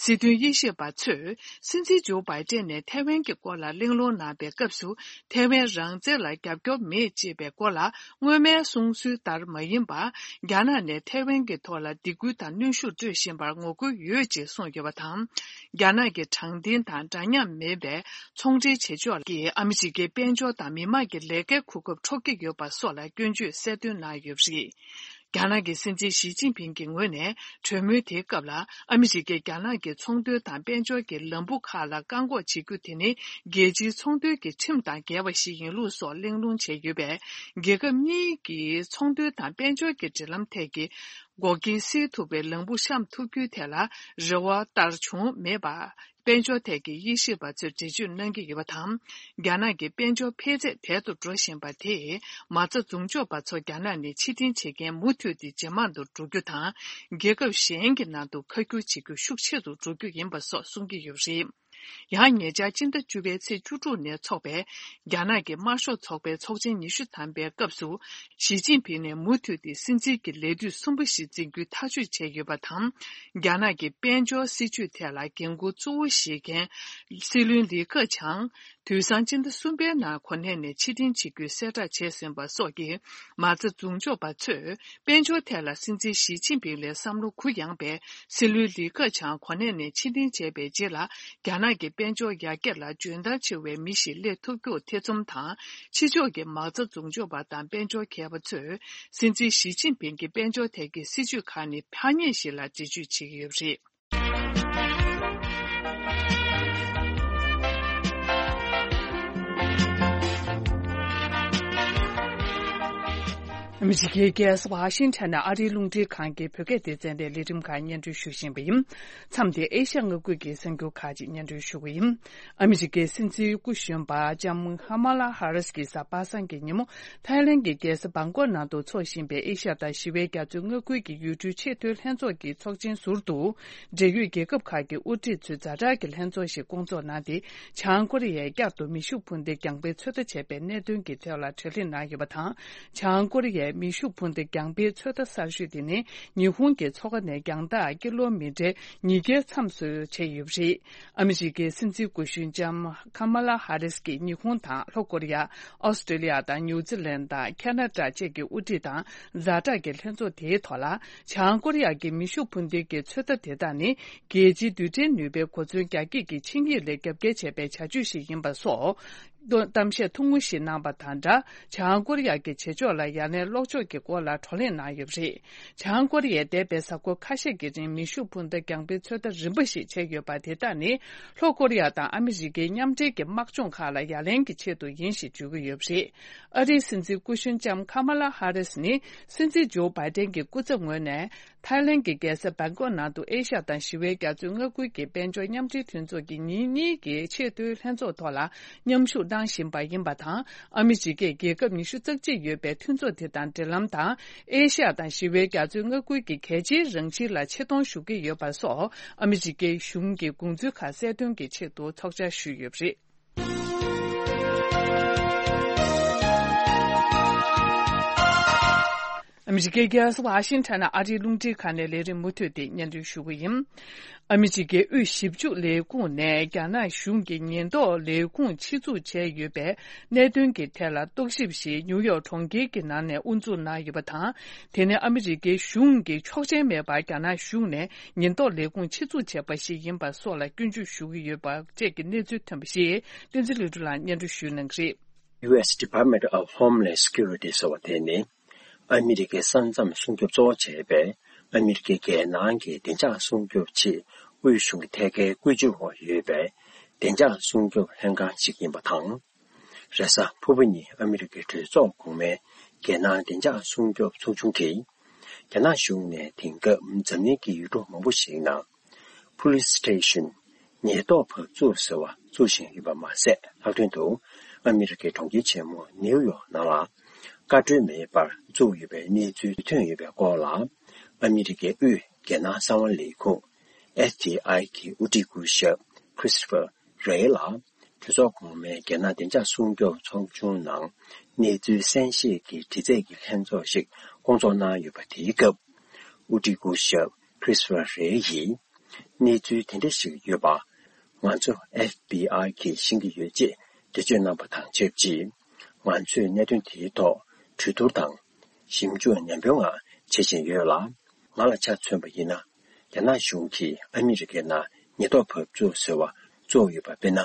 སྲིད་དོན་དབྱེ་ཞིབ་པ་ཚོས། སྲིད་འཛིན་ཇོ་བྷའི་ཏན་ནས་ཐའེ་ཝན་གྱི་སྐོར་ལ་གླེང་སློང་གནང་པའི་སྐབས་སུ། ཐའེ་ཝན་རང་བཙན་ལ་རྒྱབ་སྐྱོར་མེད་ཅེས་པའི་སྐོར་ལ། སྔོན་མའི་གསུང་སྲོལ་ལྟར་མ་ཡིན་པར། རྒྱ་ནག་ནས་ཐའེ་ཝན་གྱི་ཐོག་ལ་སྡིགས་སྐུལ་དང་གནོན་ཤུགས་སྤྲོད་བཞིན་པར་ངོ་རྒོལ་ཡོད་ཅེས་གསུངས་ཡོད་པ་དང་། རྒྱ་ནག་གི་དྲང་བདེན་དང་འདྲ་མཉམ་མེད་པའི་ཚོང་འབྲེལ་བྱེད་ཕྱོགས་ཀྱིས་ཨ་མི་རི་ཀའི་དཔལ་འབྱོར་དང་མི་དམངས་ཀྱི་ལས་ཀའི་གོ་སྐབས་འཕྲོག་གི་ཡོད་པ་སོགས་ལ་སྐྱོན་བརྗོད་གསལ་སྟོན་གནང་ཡོད་པ་རེད། རྒྱ་ནག་གི་སྲིད་འཛིན་ཞི་ཅིན་ཕིང་གི་ངོས་ནས་གྲོས་མོལ་དེའི་སྐབས་ལ། ཨ་མི་རི་ཀས་རྒྱ་ནག་གི་ཚོང་དོན་དང་དཔལ་འབྱོར་གྱི་ལམ་བུ་ཁག་ལ་བཀག་འགོག་བྱེད་རྒྱུ་དེ་ནི། རྒྱལ་སྤྱིའི་ཚོང་དོན་གྱི་ཁྲིམས་དང་འགལ་བ་ཞིག་ཡིན་ལུགས་སོགས་གླེང་སློང་བྱས་ཡོད་པས། རྒྱལ་ཁབ་གཉིས་ཀྱི་ཚོང་དོན་དང་དཔལ་འབྱོར་གྱི་འབྲེལ་ལམ་ཐད་ཀྱི་འགོག་རྐྱེན་སེལ་ཐུབ་པའི་ལམ་བུ་བཤམས་ཐུབ་རྒྱུའི་ཐད་ལ་རེ་བ་ལྟར་བྱུང་མེད་པ། དཔལ་འབྱོར་ཐད་ཀྱི་དབྱེ་ཞིབ་པ་ཚོས་འགྲེལ་བརྗོད་གནང་གི་ཡོད་པ་དང་། རྒྱ་ནག་གི་དཔལ་འབྱོར་འཕེལ་ཚད་དལ་དུ་འགྲོ་བཞིན་པ་དེས། མ་རྩ་འཛུགས་འཇོག་པ་ཚོ་རྒྱ་ནག་ནས་ཕྱིར་འཐེན་བྱེད་མཁན་མུ་མཐུད་དེ་ཇེ་མང་དུ་འགྲོ་རྒྱུ་དང་། རྒྱལ་ཁབ་གཞན་གྱི་ནང་དུ་ཁ་བསྒྱུར་བྱེད་རྒྱུ་ཤུགས་ཆེ་རུ་འགྲོ་རྒྱུ་ཡིན་པ་སོགས་གསུང་གི་ཡོད་པ་རེད། ཡང་ཉེ་ཆར་སྤྱི་ཟླ་བཅུ་པའི་ཚེས་བཅུ་དྲུག་ནས་འཚོགས་པའི་རྒྱ་ནག་གི་དམར་ཤོག་ཚོགས་པའི་ཚོགས་ཆེན་ཉི་ཤུ་ཐམ་པའི་སྐབས་སུ། ཞི་ཅིན་ཕིང་ནས་མུ་མཐུད་དེ་སྲིད་འཛིན་གྱི་ལས་དུས་གསུམ་པ་ཞིག་འཛིན་རྒྱུའི་ཐག་གཅོད་བྱས་ཡོད་པ་དང་། རྒྱ་ནག་གི་དཔལ་འབྱོར་སྲིད་ཇུས་ཐད་ལ་འགན་འཁུར་གཙོ་བོ་བཞེས་མཁན་སྲིད་བློན་ལི་ཁེ་ཆང་། དུས་སང་སྤྱི་ཟླ་གསུམ་པའི་ནང་གོ་གནས་ནས་ཕྱིར་འཐེན་བྱེད་རྒྱུའི་གསལ་བསྒྲགས་བྱས་ཟིན་པ་སོགས་ཀྱིས། མ་རྩ་འཛུགས་འཇོག་པ་ཚོས། དཔལ་འབྱོར་ཐད་ལ་སྲིད་འཛིན་ཞི་ཅིན་ཕིང་ལས་བསམ་བློ་གུ་ཡངས་པའི་སྲིད་བློན་ལི་ཁེ་ཆང་གོ་གནས་ནས་ཕྱིར་འཐེན་བྱས་པའི་རྗེས་ལ། རྒྱ་ནག་གི་དཔལ་འབྱོར་ཡར་རྒྱས་ལ་འཇོན་ཐང་ཆེ་བའི་མི་ཞིག་སླེབས་ཐུབ་རྒྱུར་ཐེ་ཚོམ་དང་། ཕྱི་ཕྱོགས་ཀྱི་མ་རྩ་འཛུགས་འཇོག་པ་དང་དཔལ་འབྱོར་མཁས་པ་ཚོས། སྲིད་འཛིན་ཞི་ཅིན་ཕིང་གི་དཔལ་འབྱོར་ཐད་ཀྱི་སྲིད་ཇུས་ཁག་ནི་ཐ་སྙད་ཞིག་ལ་འགྲེལ་བརྗོད་བྱེད་ཀྱི་ཡོད་པ་རེད། ཨ་མི་རི་ཀའི་རྒྱལ་ས་ཝ་ཤིང་ཊོན་ནས་ཨ་རིའི་རླུང་འཕྲིན་ཁང་གི་བོད་སྐད་སྡེ་ཚན་ལས་ལས་རིམ་ཁག་སྙན་སྒྲོན་ཞུ་བཞིན་པ་ཡིན། མཚམས་འདིར་ཨེ་ཤ་ཡ་མངའ་ཁུལ་གྱི་གསར་འགྱུར་ཁག་ཅིག་སྙན་སྒྲོན་ཞུ་གི་ཡིན། ཨ་མི་རི་ཀའི་སྲིད་འཛིན་སྐུ་གཞོན་པ་ལྕམ་ཁ་མ་ལ་ཧ་རིས་ཀྱིས་གཟའ་པ་སངས་ཀྱི་ཉིན་མོ། ཐའི་ལན་གྱི་རྒྱལ་ས་བང་ཀོག་ནང་དུ་འཚོགས་བཞིན་པའི་ཨེ་ཤ་ཡ་དང་ཞི་བའི་རྒྱ་མཚོའི་མངའ་ཁུལ་གྱི་ཡུལ་གྲུའི་ཆེས་མཐོའི་ལྷན་ཚོགས་ཀྱི་ཚོགས་ཆེན་ཟུར་དུ། འབྲེལ་ཡོད་རྒྱལ་ཁབ་ཁག་གི་དབུ་ཁྲིད་ཚོས་ཛ་དྲག་གི་ལྷན་ཚོགས་ཤིག་བསྐོང་ཚོགས་གནང་སྟེ། བྱང་ཀོ་རི་ཡས་བསྐྱར་དུ་མེ་ཤུགས་འཕུར་མདེལ་རྒྱང་འཕེན་ཚོད་ལྟ་བྱས་པའི་གནད་དོན་གྱི་ཐད་ལ་གྲོས་གླེང་གནང་ཡོད་པ་དང་། བྱང་ཀོ་རི་ཡས་མེ་ཤུགས་འཕུར་མདེལ་རྒྱང་འཕེན་ཚོད་ལྟ་གསར་ཤོས་དེ་ནི། ཉི་ཧོང་གི་མཚོ་ཁ་ནས་རྒྱང་ཐག་ཀི་ལོ་མི་ཊར་ཉིས་བརྒྱའི་མཚམས་སུ་བྱས་ཡོད་པ་རེད། ཨ་མི་རི་ཀའི་སྲིད་འཛིན་སྐུ་གཞོན་ལྕམ་ཁ་མ་ལ་ཧ་རིས་ཀྱིས་ཉི་ཧོང་དང་ལྷོ་ཀོ་རི་ཡ། ཨོ་སི་ཀྲི་ལི་ཡ་དང་ནིའུ་ཛི་ལན་དང་ཁ་ན་ཌ་བཅས་ཀྱི་དབུ་ཁྲིད་དང་ཛ་དྲག་གི་ལྷན་ཚོགས་དེའི་ཐོག་ལ། བྱང་ཀོ་རི་ཡ་གི་མེ་ཤུགས་འཕུར་མདེལ་གྱི་ཚོད་ལྟ་དེ་དག་ནི། རྒྱལ་སྤྱིའི་རྡུལ་ཕྲན་ནུས་པའི་གོ་མཚོན་རྒྱ་སྐྱེད་ཀྱི་ཆིངས་ཡིག་ལས་རྒྱབ་འགལ་བྱས་པའི་བྱ་སྤྱོད་ཞིག་ཡིན་པ་སོགས། གཏམ་བཤད་ཐུང་ངུ་ཞིག་གནང་པ་དང་སྦྲགས། བྱང་ཀོ་རི་ཡ་གི་བྱེད་ཕྱོགས་ལ་ཡ་ལན་སློག་ཕྱོགས་ཀྱི་སྐོར་ལ་བགྲོ་གླེང་གནང་ཡོད་པ་རེད། བྱང་ཀོ་རི་ཡས་འདས་པའི་གཟའ་འཁོར་ཁ་ཤས་ཀྱི་རིང་མེ་ཤུགས་འཕུར་མདའ་རྒྱང་འཕེན་ཚོད་ལྟ་རིམ་པ་ཞིག་བྱས་ཡོད་པ་དེ་དག་ནི། ལྷོ་ཀོ་རི་ཡ་དང་ཨ་མི་རི་ཀའི་མཉམ་འབྲེལ་གྱི་དམག་སྦྱོང་ཁག་ལ་ཡ་ལན་གྱི་ཆེད་དུ་ཡིན་ཞེས་བརྗོད་ཀྱི་ཡོད་པ་རེད། ཨ་རིའི་སྲིད་འཛིན་སྐུ་གཞོན་ལྕམ་ཁ་མ་ལ་ཧ་རིས་ནི། སྲིད་འཛིན་ཇོ་བྷའི་ཏན་གྱི་སྐུ་ཚབ་ངོས་ནས། ཐའི་ལན་གྱི་རྒྱལ་ས་བྷང་ཀོག་ནང་དུ་ཨེ་ཤ་ཡ་དང་ཞི་བའི་རྒྱ་མཚོའི་མངའ་ཁུལ་གྱི་དཔལ་འབྱོར་མཉམ་འབྲེལ་མཐུན་ཚོགས་ཀྱི་ཉིན་གཉིས་ཀྱི་ཆེས་མཐོའི་ལྷན་ཚོགས་ཐོག་ལ་མཉམ་ཞུགས་གནང་བཞིན་པ་ཡིན་པ་དང་། ཨ་མི་རི་ཀས་རྒྱལ་ཁབ་ཉི་ཤུ་རྩ་གཅིག་ཡོད་པའི་མཐུན་ཚོགས་དེ་དང་འབྲེལ་ལམ་དང་། ཨེ་ཤ་ཡ་དང་ཞི་བའི་རྒྱ་མཚོའི་མངའ་ཁུལ་གྱི་གལ་ཆེའི་རང་བཞིན་ལ་ཆེ་མཐོང་ཞུ་གི་ཡོད་པ་སོགས། ཨ་མི་རི་ཀའི་གཞུང་གི་དགོངས་ཚུལ་ཁག་གསལ་སྟོན་གྱི་ཆེད་དུ་ཚོགས་བཅར་ཞུས་ཡོད་པ་རེད། ཨ་མི་རི་ཀའི་རྒྱལ་ས་ཝ་ཤིང་ཊོན་ནས་ཨ་རིའི་རླུང་འཕྲིན་ཁང་ནས་ལས་རིམ་མུ་མཐུད་དེ་སྙན་སྒྲོན་ཞུ་གི་ཡིན། ཨ་མི་རི་ཀའི་དབུས་ཞིབ་འཇུག་ལས་ཁུངས་ནས་རྒྱ་ནག་གཞུང་གིས་ཉེན་རྟོག་ལས་ཁུངས་ཆེད་འཛུགས་བྱས་ཡོད་པའི་གནད་དོན་གྱི་ཐད་ལ་རྟོག་ཞིབ་ཞིག་ནིའུ་ཡོག་གྲོང་ཁྱེར་གྱི་ནང་ནས་དབུ་འཛུགས་གནང་ཡོད་པ་དང་། དེ་ནི་ཨ་མི་རི་ཀའི་གཞུང་གི་ཆོག་མཆན་མེད་པར་རྒྱ་ནག་གཞུང་ནས་ཉེན་རྟོག་ལས་ཁུངས་ཆེད་འཛུགས་བྱས་པ་ཞིག་ཡིན་པ་སོགས་ལ་སྐྱོན་བརྗོད་ཞུ་གི་ཡོད་པ་བཅས་ཀྱི་གནས་ཚུལ་ཐོན་པ་ཞིག་བསྟན་འཛིན་ལྷུན་གྲུབ་ལགས་སྙན་སྒྲོན་ཞུ་གནང་གི་རེད། ཡུ་ཨེས་Department of Homeland Security ཟེར་བ་དེ་ནི། ཨ་མི་རི་ཀའི་ས་མཚམས་སྲུང་སྐྱོབ་གཙོ་བོ་བྱས་པའི་ཨ་མི་རི་ཀའི་རྒྱལ་ནང་གི་བདེ་འཇགས་སྲུང་སྐྱོབ་ཆེད་དབུས་གཞུང་གི་ཐད་ཀའི་བཀོད་ཇུས་འོག་ཡོད་པའི་བདེ་འཇགས་སྲུང་སྐྱོབ་ལྷན་ཁང་ཞིག་ཡིན་པ་དང་། རེས་གཟའ་ཕུར་བུ་ཉིན་ཨ་མི་རི་ཀའི་གྲོས་ཚོགས་གོང་མའི་རྒྱལ་ནང་བདེ་འཇགས་སྲུང་སྐྱོབ་ཚོགས་ཆུང་གིས། རྒྱ་ནག་གཞུང་ནས་དེང་སྐབས་འཛམ་གླིང་གི་ཡུལ་གྲུ་མང་པོ་ཞིག་ནང་། Police Station། ཉེན་རྟོག་བབས་ཚུགས་ཟེར་བ་བཙུགས་བཞིན་ཡོད་པ་མ་ཟད། ལྷག་དོན་དུ་ཨ་མི་རི་ཀའི་གྲོང་ཁྱེར་ཆེན་མོ་ནིའུ་ཡོག་ནང་ལ་བཀའ་འཁྲོལ་མེད་པར་བཙུགས་ཡོད་པའི་གནས་ཚུལ་ཐོན་ཡོད་པའི་སྐོར་ལ། ཨ་མི་རི་ཀའི་དབུས་ རྒྱལ་ནང་གསང་བ་ལས་ཁུངས་F B I གི་དབུ་ཁྲིད་སྐུ་ཞབས་Christopher Wray ལ་གྲོས་ཚོགས་གོང་མའི་རྒྱལ་ནང་བདེ་འཇགས་སྲུང་སྐྱོབ་ཚོགས་ཆུང་ནང་གནས་ཚུལ་གསན་བཞེས་ཀྱི་དྲི་རྩད་ཀྱི་ལྷན་ཚོགས་ཤིག་བསྐོང་ཚོགས་གནང་ཡོད་པ་དེའི་སྐབས། དབུ་ཁྲིད་སྐུ་ཞབས་Christopher Wray ཡིས། གནས་ཚུལ་དེ་འདྲ་ཞིག་ཡོད་པ། ང་ཚོ་F B I གིས་ཤེས་ཀྱི་ཡོད་ཅེས་འགྲེལ་བརྗོད་གནང་པ་དང་ཆབས་ཅིག་ང་ཚོས་གནད་དོན་དེའི་ཐོག་གྲོས་བསྡུར་དང་། ཞིབ་འཇུག་ནན་པོའི་ངང་བྱེད་བཞིན་ཡོད་ལ། ང་ལ་ཆ་མཚོན་པ་ཡིན་ན། རྒྱ་ནག་གཞུང་གིས་ཨ་མི་རི་ཀའི་ནང་ཉེན་རྟོག་བབས་ཚུགས་ཟེར་བ་བཙུགས་ཡོད་པ་དཔེར་ན།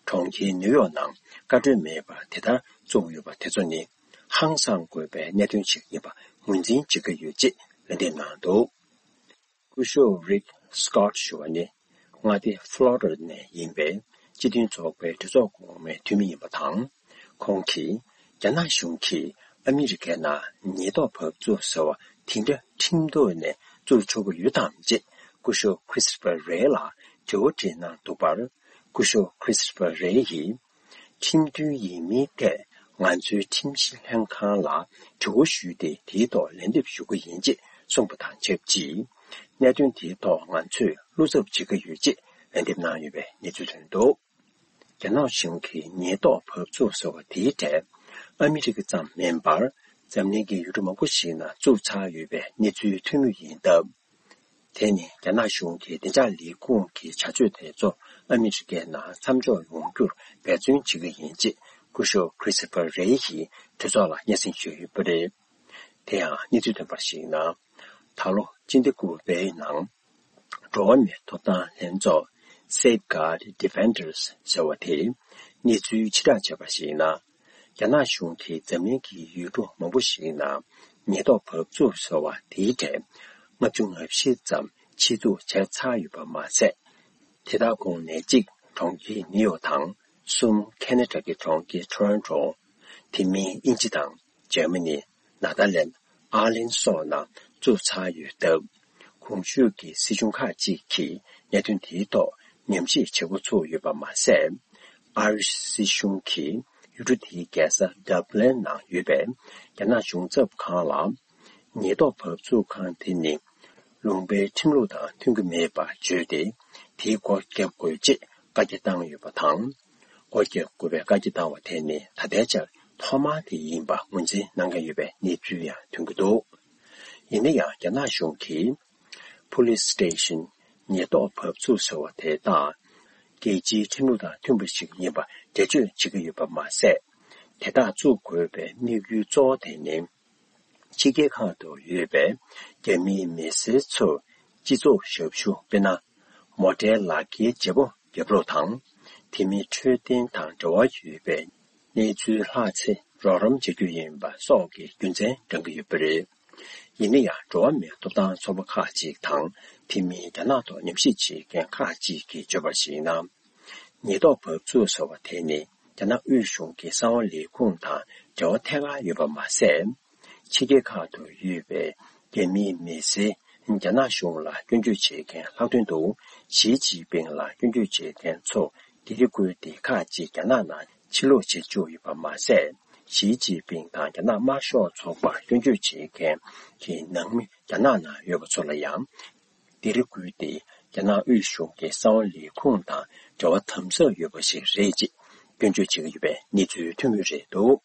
གྲོང་ཁྱེར་ནིའུ་ཡོག་ནང་བཀའ་འཁྲོལ་མེད་པར་དེ་ལྟར་བཙུགས་ཡོད་པ་དེ་ཚོ་ནི། ཧང་སང་དགོས་པའི་གནད་དོན་ཞིག་ཡིན་པ་ངོས་འཛིན་བྱེད་ཀྱི་ཡོད་ཅེས་ལན་འདེབས་གནང་འདུག་སྐུ་ཞབས་Rick Scott ཞུ་བ་ནི། མངའ་སྡེ་Florida ནས་ཡིན་པའི་སྤྱི་མཐུན་ཚོགས་པའི་གྲོས་ཚོགས་གོང་མའི་འཐུས་མི་ཡིན་པ་དང་། ཁོང་གིས། རྒྱ་ནག་གཞུང་གིས་ཨ་མི་རི་ཀའི་ནང་ཉེན་རྟོག་བབས་ཚུགས་ཟེར་བ་དེ་འདྲ་ཁྲིམས་ཐོག་ནས་བཙུགས་ཆོག་གི་ཡོད་དམ་ཅེས་སྐུ་ཞབས་Christopher Wray ལ་དྲི་བ་དྲིས་གནང་འདུག་པར། སྐུ་ཞབས་Christopher Wray ཡིས། ཁྲིམས་མཐུན་ཡིན་མིན་ཐད་ང་ཚོའི་ཁྲིམས་ཞིབ་ལྷན་ཁང་ལ་དྲི་བ་ཞུས་ཏེ། དེའི་ཐོག་ལན་འདེབས་ཞུ་གི་ཡིན་ཅེས་གསུངས་པ་དང་ཆབས་ཅིག་གནད་དོན་དེའི་ཐོག་ང་ཚོས་བློ་འཚབ་བྱེད་ཀྱི་ཡོད་ཅེས་ལན་འདེབས་གནང་ཡོད་པའི་གནས་ཚུལ་ཐོན་འདུག་རྒྱ་ནག་གཞུང་གིས་ཉེན་རྟོག་བབས་ཚུགས་ཟེར་བ་དེའི་གྲས་ཨ་མི་རི་ཀ་ཙམ་མིན་པར། འཛམ་གླིང་གི་ཡུལ་གྲུ་མང་པོ་ཞིག་ནང་བཙུགས་ཚར་ཡོད་པའི་གནས་ཚུལ་ཐོན་མུས་ཡིན་སྟབས། དེ་ནི་རྒྱ་ནག་གཞུང་གི་བདེ་འཇགས་ལས་ཁུངས་ཀྱི་བྱ་སྤྱོད་དེ་ཚོ་ཨ་མི་རི་ཀའི་ནང་མཚམས་འཇོག་ཡོང་རྒྱུར་འབད་བརྩོན་བྱེད་ཀྱི་ཡིན་ཅེས་སྐུ་ཞབས་Christopher Wray ཡིས་གྲོས་ཚོགས་ལ་སྙན་སེང་ཞུས་ཡོད་པ་རེད། དེ་ཡང་གནས་ཚུལ་ཐོན་པར་གཞིགས་ན། ད་ལོ་སྤྱི་ཟླ་དགུ་པའི་ནང་། འགྲོ་བ་མིའི་ཐོབ་ཐང་ལྷན་ཚོགས་Safeguard Defenders ཟེར་བ་དེས་གནས་ཚུལ་ཕྱིར་བསྒྲགས་བྱས་པར་གཞིགས་ན། རྒྱ་ནག་གཞུང་གིས་འཛམ་གླིང་གི་ཡུལ་གྲུ་མང་པོ་ཞིག་ནང་ཉེན་རྟོག་བབས་ཚུགས་ཟེར་བ་དེའི་གྲས་ལྔ་བཅུ་ང་བཞི་ཙམ་ཆེད་འཛུགས་བྱས་ཚར་ཡོད་པ་མ་ཟད། དེ་དག་ཁོངས་ནས་གཅིག་གྲོང་ཁྱེར་ནིའུ་ཡོག་དང་། གསུམ་ཁེ་ན་ཌ་གི་གྲོང་ཁྱེར་ཊོ་རོན་ཊོ། དེ་མིན་དབྱིན་ཇི་དང་། འཇར་མ་ནི། ནེ་དར་ལེན། ཨར་ལིན་སོགས་ནང་བཙུགས་ཚར་ཡོད་སྟབས། གོང་ཞུས་ཀྱི་སྲིད་གཞུང་ཁག་ཅིག་གིས་གནད་དོན་དེའི་ཐོག་ཉམས་ཞིབ་བྱེད་འགོ་ཚུགས་ཡོད་པ་མ་ཟད། ཨ་རིའི་སྲིད་གཞུང་གིས་ཡུལ་གྲུ་དེའི་རྒྱལ་ས་ཌབ་ལིན་ནང་ཡོད་པའི་རྒྱ་ནག་གཞུང་ཚབ་ཁང་ལ། ཉེན་རྟོག་བབས་ཚུགས་ཁང་དེ་ནི་ལུང་པའི་ཁྲིམས་ལུགས་དང་མཐུན་གྱི་མེད་པ་བརྗོད་དེ། དེའི་སྒོ་བརྒྱབ་དགོས་ཅེས་བཀའ་རྒྱ་བཏང་ཡོད་པ་དང་། སྒོ་བརྒྱབ་དགོས་པའི་བཀའ་རྒྱ་བཏང་བ་དེ་ནི་ད་ལྟའི་ཆར་ཐོག་མ་དེ་ཡིན་པ་ངོས་འཛིན་གནང་གི་ཡོད་པའི་གནས་ཚུལ་ཡང་ཐོན་གྱི་འདུག་ཡིན་ན་ཡང་རྒྱ་ནག་གཞུང་གིས་Police Station ཉེན་རྟོག་བབས་ཚུགས་ཟེར་བ་དེ་དག་རྒྱལ་སྤྱིའི་ཁྲིམས་ལུགས་དང་མཐུན་པ་ཞིག་ཡིན་པ་འགྲེལ་བརྗོད་བྱེད་ཀྱི་ཡོད་པ་མ་ཟད། དེ་དག་བཙུགས་དགོས་པའི་དམིགས་ཡུལ་གཙོ་བོ་དེ་ནི། ཕྱི་རྒྱལ་ཁག་ཏུ་ཡོད་པའི་རྒྱ་མིའི་མི་སེར་ཚོར་སྤྱི་ཚོགས་ཞབས་ཞུ་དཔེར་ན། མོ་ཊའི་ལག་འཁྱེར་བརྗེ་པོ་བརྒྱབ་རོགས་དང་། དེ་མིན་འཕྲོད་བསྟེན་དང་འབྲེལ་བ་ཡོད་པའི་གནས་ཚུལ་ལྷག་ཚེ་རོགས་རམ་བྱ་རྒྱུ་ཡིན་པ་སོགས་ཀྱི་རྒྱུ་མཚན་བགྲང་གི་ཡོད་པ་རེད། ཡིན་ན་ཡང་འགྲོ་བ་མིའི་ཐོབ་ཐང་ཚོགས་པ་ཁག་ཅིག་དང་། དེ་མིན་རྒྱ་ནག་ཐོག་ཉམས་ཞིབ་བྱེད་མཁན་ཁག་ཅིག་གིས་བརྗོད་པར་གཞིགས་ན། ཉེན་རྟོག་བབས་ཚུགས་ཟེར་བ་དེ་ནི་རྒྱ་ནག་དབུས་གཞུང་གི་གསང་བ་ལས་ཁུངས་དང་འབྲེལ་བ་ཐད་ཀར་ཡོད་པ་མ་ཟད། ཕྱི་རྒྱལ་ཁག་ཏུ་ཡོད་པའི་རྒྱ་མིའི་མི་སེར་རྒྱ་ནག་གཞུང་ལ་སྐྱོན་བརྗོད་བྱེད་མཁན་ལྷག་དོན་དུ་ཞི་ཅིན་ཕིང་ལ་སྐྱོན་བརྗོད་བྱེད་མཁན་ཚོ་ལྡི་རི་ཁུལ་དེ་ཁག་ཅིག་རྒྱ་ནག་ནང་ཕྱིར་ལོག་བྱེད་བཅུག་ཡོད་པ་མ་ཟད། ཞི་ཅིན་ཕིང་དང་རྒྱ་ནག་དམར་ཤོག་ཚོགས་པར་སྐྱོན་བརྗོད་བྱེད་མཁན་གྱི་ནང་མི་རྒྱ་ནག་ནང་ཡོད་པ་ཚོ་ལ་ཡང་། ལྡི་རི་ཁུལ་དེ་རྒྱ་ནག་དབུས་གཞུང་གི་གསང་བ་ལས་ཁུངས་དང་འབྲེལ་བ་དམ་ཟབ་ཡོད་པ་ཞིག་རེད་ཅེས་སྐྱོན་བརྗོད་བྱེད་ཀྱི་ཡོད་པའི་གནས་ཚུལ་ཐོན་གྱི་རེད་འདུག་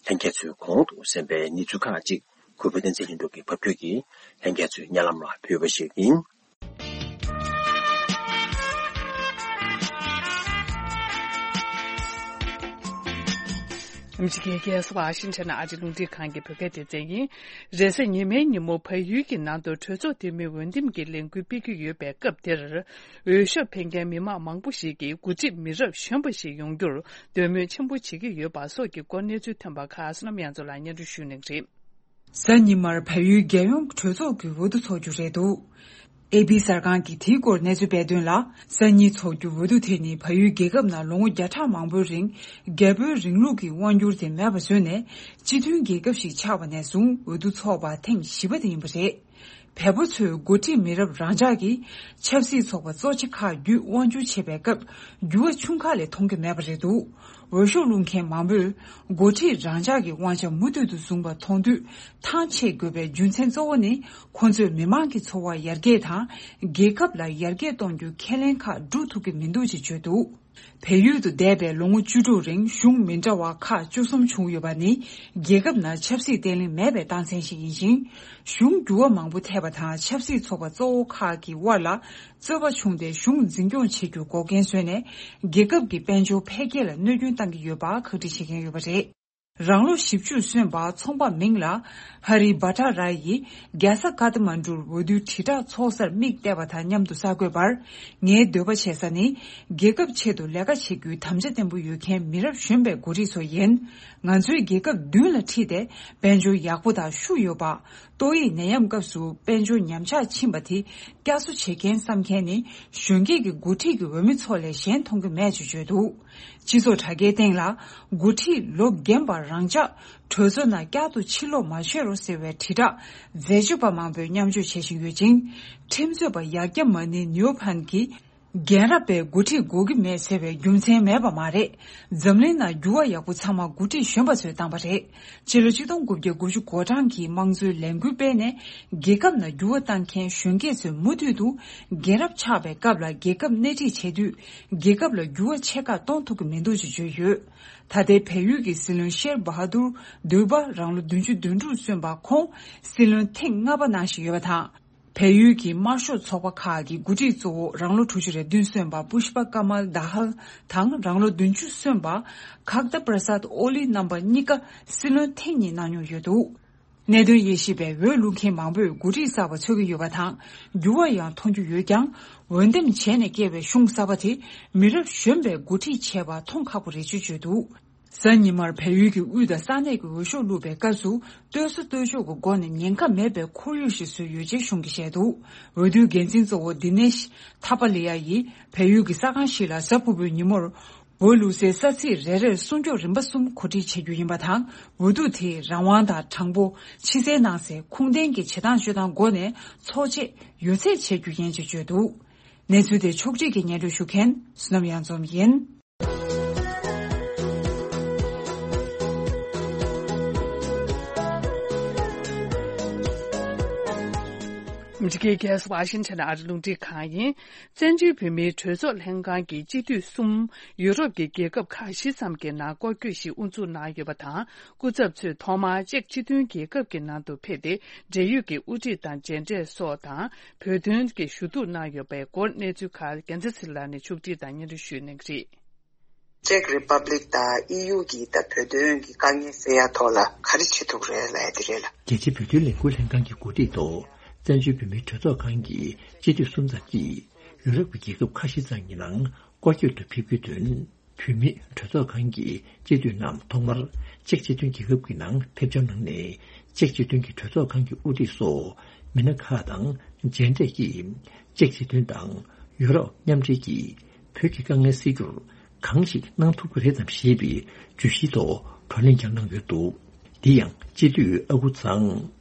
ལྷན་རྒྱས་ཚོས་གོང་དུ་གསན་པའི་གནས་ཚུལ་ཁག་ཅིག་གུས་པ་བསྟན་འཛིན་ལྷུན་གྲུབ་ཀྱིས་ཕབ་སྒྱུར་གྱིས་ལྷན་རྒྱས་ཚོའི་སྙན་ལམ་ལ་ཕུལ་བ་ཞིག་ཡིན། ཨ་མི་རི་ཀའི་རྒྱལ་ས་ཝ་ཤིང་ཊོན་ནང་ཨ་རིའི་རླུང་འཕྲིན་ཁང་གི་བོད་སྐད་སྡེ་ཚན་ཡིན། རེས་གཟའ་ཉི་མའི་ཉིན་མོ་བལ་ཡུལ་གྱི་ནང་དུ་གྲོས་ཚོགས་འཐུས་མི་འོས་འདེམས་ཀྱི་ལས་འགུལ་སྤེལ་གྱི་ཡོད་པའི་སྐབས་དེར། འོས་ཤོག་འཕེན་མཁན་མི་མང་མང་པོ་ཞིག་གིས་འགོ་ཁྲིད་མི་རབས་གཞོན་པ་ཞིག་ཡོང་རྒྱུར་འདོད་མོས་ཆེན་པོ་བྱེད་ཀྱི་ཡོད་པ་སོགས་ཀྱི་སྐོར་གནས་ཚུལ་ཐོན་པ་ཁག་བསོད་ནམས་དབྱངས་མཚོ་ལགས་སྙན་སྒྲོན་ཞུ་གནང་གི་རེད། གཟའ་ཉི་མར་བལ་ཡུལ་རྒྱལ་ཡོངས་གྲོས་ཚོགས་ཀྱི་འོས་བསྡུ་འཚོགས་རྒྱུ་རེད་འདུག་ཨེ་པི་གསར་ཁང་གིས་དེའི་སྐོར་གནས་ཚུལ་སྤེལ་དོན་ལ། གཟའ་ཉི་འཚོགས་རྒྱུ་འོས་བསྡུ་དེ་ནི་བལ་ཡུལ་རྒྱལ་ཁབ་ནང་ལོ་ངོ་བརྒྱ་ཕྲག་མང་པོའི་རིང་རྒྱལ་པོའི་རིང་ལུགས་ཀྱི་དབང་སྒྱུར་དེ་མེད་པ་བཟོས་ནས། སྤྱི་མཐུན་རྒྱལ་ཁབ་ཞིག་ཆགས་པ་ནས་བཟུང་འོས་བསྡུ་འཚོགས་པ་ཐེངས་བཞི་པ་དེ་ཡིན་པ་རེད། བལ་པོ་ཚོས་འགོ་ཁྲིད་མི་རབས་རང་འཇགས་ཀྱིས་ཆབ་སྲིད་ཚོགས་པ་གཙོ་ཆེ་ཁག་བརྒྱུད་དབང་སྒྱུར་བྱེད་པའི་སྐབས་འགྱུར་བ་ཆུང་ཁག་ལས་མཐོང་གི་མེད་པ་རེད་འདུག་འོས་ཤོག་བླུག་མཁན་མང་པོས་འགོ་ཁྲིད་རང་འཇགས་ཀྱི་དབང་ཆ་མུ་མཐུད་དུ་བཟུང་བ་མཐོང་དུས་ཐང་ཆད་དགོས་པའི་རྒྱུ་མཚན་གཙོ་བོ་ནི་ཁོང་ཚོས་མི་མང་གི་འཚོ་བ་ཡར་རྒྱས་དང་རྒྱལ་ཁབ་ལ་ཡར་རྒྱས་གཏོང་རྒྱུའི་ཁས་ལེན་ཁག་སྒྲུབ་ཐུབ་ཀྱི་མི་འདུག་ཅེས་བརྗོད་འདུག་བལ་ཡུལ་དུ་འདས་པའི་ལོ་ངོ་བཅུ་དྲུག་རིང་གཞུང་མི་འདྲ་བ་ཁག་བཅུ་གསུམ་བྱུང་ཡོད་པ་ནི་རྒྱལ་ཁབ་ནང་ཆབ་སྲིད་བརྟན་ལྷིང་མེད་པའི་རྟགས་མཚན་ཞིག་ཡིན་ཞིང་། གཞུང་འགྱུར་བ་མང་པོ་ཐེབས་པ་དང་ཆབ་སྲིད་ཚོགས་པ་གཙོ་བོ་ཁག་གི་དབར་ལ་རྩོད་པ་བྱུང་སྟེ་གཞུང་འཛིན་སྐྱོང་བྱེད་རྒྱུར་འགོག་རྐྱེན་བཟོས་ནས་རྒྱལ་ཁབ་ཀྱི་དཔལ་འབྱོར་འཕེལ་རྒྱས་ལ་གནོད་སྐྱོན་བཏང་གི་ཡོད་པ་ཁག་དཀྲི་བྱེད་མཁན་ཡོད་པ་རེད། རང་ལོ་བཞི་བཅུ་སོན་པ་ཚོང་པ་མིང་ལ་ཧ་རི་བྷ་ཏྲ་ར་ཡིས་རྒྱལ་ས་ཀ་ཐ་མན་གྲུར་འོས་བསྡུའི་དྲིལ་བསྒྲགས་ཚོགས་སར་མིག་བལྟས་པ་དང་མཉམ་དུ་གསར་འགོད་པར། ངའི་འདོད་པ་བྱེད་ས་ནི་རྒྱལ་ཁབ་ཆེད་དུ་ལས་ཀ་བྱེད་རྒྱུའི་དམ་བཅའ་བརྟན་པོ་ཡོད་མཁན་མི་རབས་གཞོན་པའི་འགོ་ཁྲིད་ཚོ་ཡིན། ང་ཚོའི་རྒྱལ་ཁབ་མདུན་ལ་ཁྲིད་དེ་དཔལ་འབྱོར་ཡག་པོ་དང་ཤུགས་ཡོད་པ། ཏོག་དབྱིབས་ནད་ཡམས་སྐབས་སུ་དཔལ་འབྱོར་ཉམས་ཆག་ཕྱིན་པ་དེ་བསྐྱར་གསོ་བྱེད་མཁན་བསམ་མཁན་ནི་གཞོན་སྐྱེས་ཀྱི་འགོ་ཁྲིད་ཀྱི་འོས་མི་ཚོ་ལས་གཞན་མཐོང་གི་མེད་ཅེས་བརྗོད་འདུག་སྤྱི་ཚོགས་དྲ་རྒྱའི་སྟེང་ལ་འགོ་ཁྲིད་ལོ་རྒན་པ་རང་འཇགས་གྲོས་ཚོགས་ནང་བསྐྱར་དུ་ཕྱིར་ལོག་མ་བྱེད་རོགས་ཟེར་བའི་དྲིལ་བསྒྲགས་འཛད་སྤྱོད་པ་མང་པོས་མཉམ་སྤྱོད་བྱེད་བཞིན་ཡོད་ཅིང་། ཁྲིམས་རྩོད་པ་ཡག་སྐྱ་མ་ནི་ནིའུ་ཕན་གྱིས་རྒན་རབས་པའི་འགོ་ཁྲིད་དགོས་ཀྱི་མེད་ཟེར་བའི་རྒྱུ་མཚན་མེད་པ་མ་རེད། འཛམ་གླིང་ནང་འགྱུར་བ་ཡག་པོ་ཚང་མ་འགོ་ཁྲིད་གཞོན་པ་ཚོས་བཏང་པ་རེད། ཕྱི་ལོ་ཆིག་སྟོང་དགུ་བརྒྱ་དགུ་བཅུ་གོ་གྲངས་ཀྱི་དམངས་གཙོའི་ལས་འགུལ་སྤེལ་ནས་རྒྱལ་ཁབ་ནང་འགྱུར་བ་བཏང་མཁན་གཞོན་སྐྱེས་ཚོས་མུ་མཐུད་དུ་རྒན་རབས་ཆགས་པའི་སྐབས་ལ་རྒྱལ་ཁབ་སྣེ་ཁྲིད་བྱེད་དུས་རྒྱལ་ཁབ་ལ་འགྱུར་བ་ཆེ་ཁག་གཏོང་ཐུབ་ཀྱི་མི་འདུག་ཅེས་བརྗོད་ཡོད། ད་ལྟའི་བལ་ཡུལ་གྱི་སྲིད་བློན་ཤེར་བྷ་ཧ་དུར་དུར་བྷ་རང་ལོ་བདུན་ཅུ་དོན་དྲུག་སོན་པ་ཁོང་སྲིད་བློན་ཐེངས་ལྔ་པ་གནང་བཞིན་ཡོད་པ་དང་། བལ་ཡུལ་གྱི་དམར་ཤོག་ཚོགས་པ་ཁག་གི་འགོ་ཁྲིད་གཙོ་བོ་རང་ལོ་དྲུག་ཅུ་རེ་བདུན་སོན་པ་པུཤ་པ་ཀ་མལ་དཱ་ཧལ་དང་རང་ལོ་བདུན་ཅུ་སོན་པ་ཁག་ཏ་པྲ་སཱད་ཨོ་ལི་རྣམ་པ་གཉིས་ཀ་སྲིད་བློན་ཐེངས་གཉིས་གནང་མྱོང་ཡོད་འདུག་གནད་དོན་དབྱེ་ཞིབ་པས་འོས་བླུག་མཁན་མང་པོས་འགོ་ཁྲིད་གསར་པ་འཚོལ་གྱི་ཡོད་པ་དང་འགྱུར་བ་ཡང་མཐོང་རྒྱུ་ཡོད་ཀྱང་། འོས་འདེམས་བྱས་ནས་བསྐོས་པའི་གཞུང་གསར་པ་དེ་མི་རབས་གཞོན་པས་འགོ་ཁྲིད་བྱས་པ་མཐོང་ཁག་པོ་རེད་ཅེས་བརྗོད་འདུག་གཟའ་ཉི་མར་བལ་ཡུལ་གྱི་དབུས་དང་ས་གནས་ཀྱི་འོས་ཤོག་བླུགས་པའི་སྐབས་སུ་ལྟོས་ས་ལྟོས་ཕྱོགས་ཀྱི་སྒོ་ནས་ཉེན་ཁ་མེད་པའི་ཁོར་ཡུག་ཞིག་བཟོས་ཡོད་ཅེས་གཞུང་གིས་བཤད་འདུག་འོས་བསྡུའི་འགན་འཛིན་གཙོ་བོ་དི་ནེཤ་ཐ་པ་ལི་ཡ་ཡིས་བལ་ཡུལ་གྱི་ས་ཁང་ཞིག་ལ་གཟའ་ཕུར་བུའི་ཉིན་མོར་འོས་བླུགས་སའི་ས་ཚིགས་རེ་རེར་སྲུང་སྐྱོབ་རིམ་པ་གསུམ་གོ་སྒྲིག་བྱེད་རྒྱུ་ཡིན་པ་དང་། འོས་བསྡུ་དེ་རང་དབང་དང་དྲང་པོ། ཕྱི་གསལ་ནང་གསལ། ཁུངས་ལྡན་གྱི་བྱེད་སྟངས་སྤྱོད་སྟངས་སྒོ་ནས་ཚོགས་ཆེད་ཡོད་ཚད་བྱེད་རྒྱུ་ཡིན་ཅེས་བརྗོད་འདུག་གནས་ཚུལ་དེ་ཕྱོགས་སྒྲིག་གིས་སྙན་སྒྲོན་ཞུ་མཁན་བསོད་ནམས་གཡང་འཛོམས་ཡིན། ཨ་མི་རི་ཀའི་རྒྱལ་ས་ཝ་ཤིང་ཊོན་ཨ་རི་རླུང་འཕྲིན་ཁང་ཡིན། བཙན་བྱོལ་བོད་མིའི་གྲོས་ཚོགས་ལྷན་ཁང་གིས་སྤྱི་འཐུས་གསུམ་ཡུ་རོབ་ཀྱི་རྒྱལ་ཁབ་ཁག་བཞི་ཙམ་གྱི་ནང་སྐོར་སྐྱོད་ཞིག་དབུ་འཛུགས་གནང་ཡོད་པ་དང་། སྐུ་ཚབ་ཚོས་ཐོག་མར་ཅེཀ་སྤྱི་མཐུན་རྒྱལ་ཁབ་ཀྱི་ནང་དུ་ཕེབས་ཏེ། འབྲེལ་ཡོད་ཀྱི་དབུ་ཁྲིད་དང་མཇལ་འཕྲད་སོགས་དང་། བོད་དོན་གྱི་ཞུ་གཏུག་གནང་ཡོད་པའི་སྐོར་གནས་ཚུལ་ཁག་རྒྱལ་མཚན་ཚེ་རིང་ལགས་ནས་ཕྱོགས་སྒྲིག་དང་སྙན་སྒྲོན་ཞུ་གནང་གི་རེད། ཅེཀ་རི་པབ་ལིག་དང་ཨི་ཡུ་གི་ད་བོད་དོན་གྱི་དཀའ་ངལ་སེལ་ཡ་ཐོག་ལ་ག་རེ་བྱེད་ཐུབ་རེད་ལབ་ཡ་དེ་རེད་ལ། རྒྱལ་སྤྱིའི་བོད་དོན་ལས་འགུལ་ལྷན་ཁང་གི་གོ་སྒྲིག་ཐོག་བཙན་བྱོལ་བོད་མིའི་གྲོས་ཚོགས་ཁང་གི་སྤྱི་འཐུས་གསུམ་ཙམ་གྱིས་ཡུ་རོབ་ཀྱི་རྒྱལ་ཁབ་ཁ་ཤས་ཙམ་གྱི་ནང་སྐོར་སྐྱོད་དུ་ཕེབས་རྒྱུའི་དོན། བོད་མིའི་གྲོས་ཚོགས་ཁང་གི་སྤྱི་འཐུས་རྣམས་ཐོག་མར་ཅེཀ་སྤྱི་མཐུན་རྒྱལ་ཁབ་ཀྱི་ནང་ཕེབས་འབྱོར་གནང་ནས། ཅེཀ་སྤྱི་མཐུན་གྱི་གྲོས་ཚོགས་ཁང་གི་དབུ་ཁྲིད་སོགས་མི་སྣ་ཁག་དང་མཇལ་འཕྲད་ཀྱིས། ཅེཀ་སྤྱི་མཐུན་དང་ཡུ་རོབ་མཉམ་འབྲེལ་གྱིས་བོད་ཀྱི་དཀའ་ངལ་སེལ་རྒྱུར་གང་ཞིག་གནང་ཐུབ་ཀྱི་རེད་དམ་ཞེས་པའི་བརྗོད་གཞིའི་ཐོག་བགྲོ་གླེང་ཀྱང་གནང་ཡོད་འདུག་འདི་ཡང་སྤྱི་འཐུས་ཨ་ཁུ་ཚང་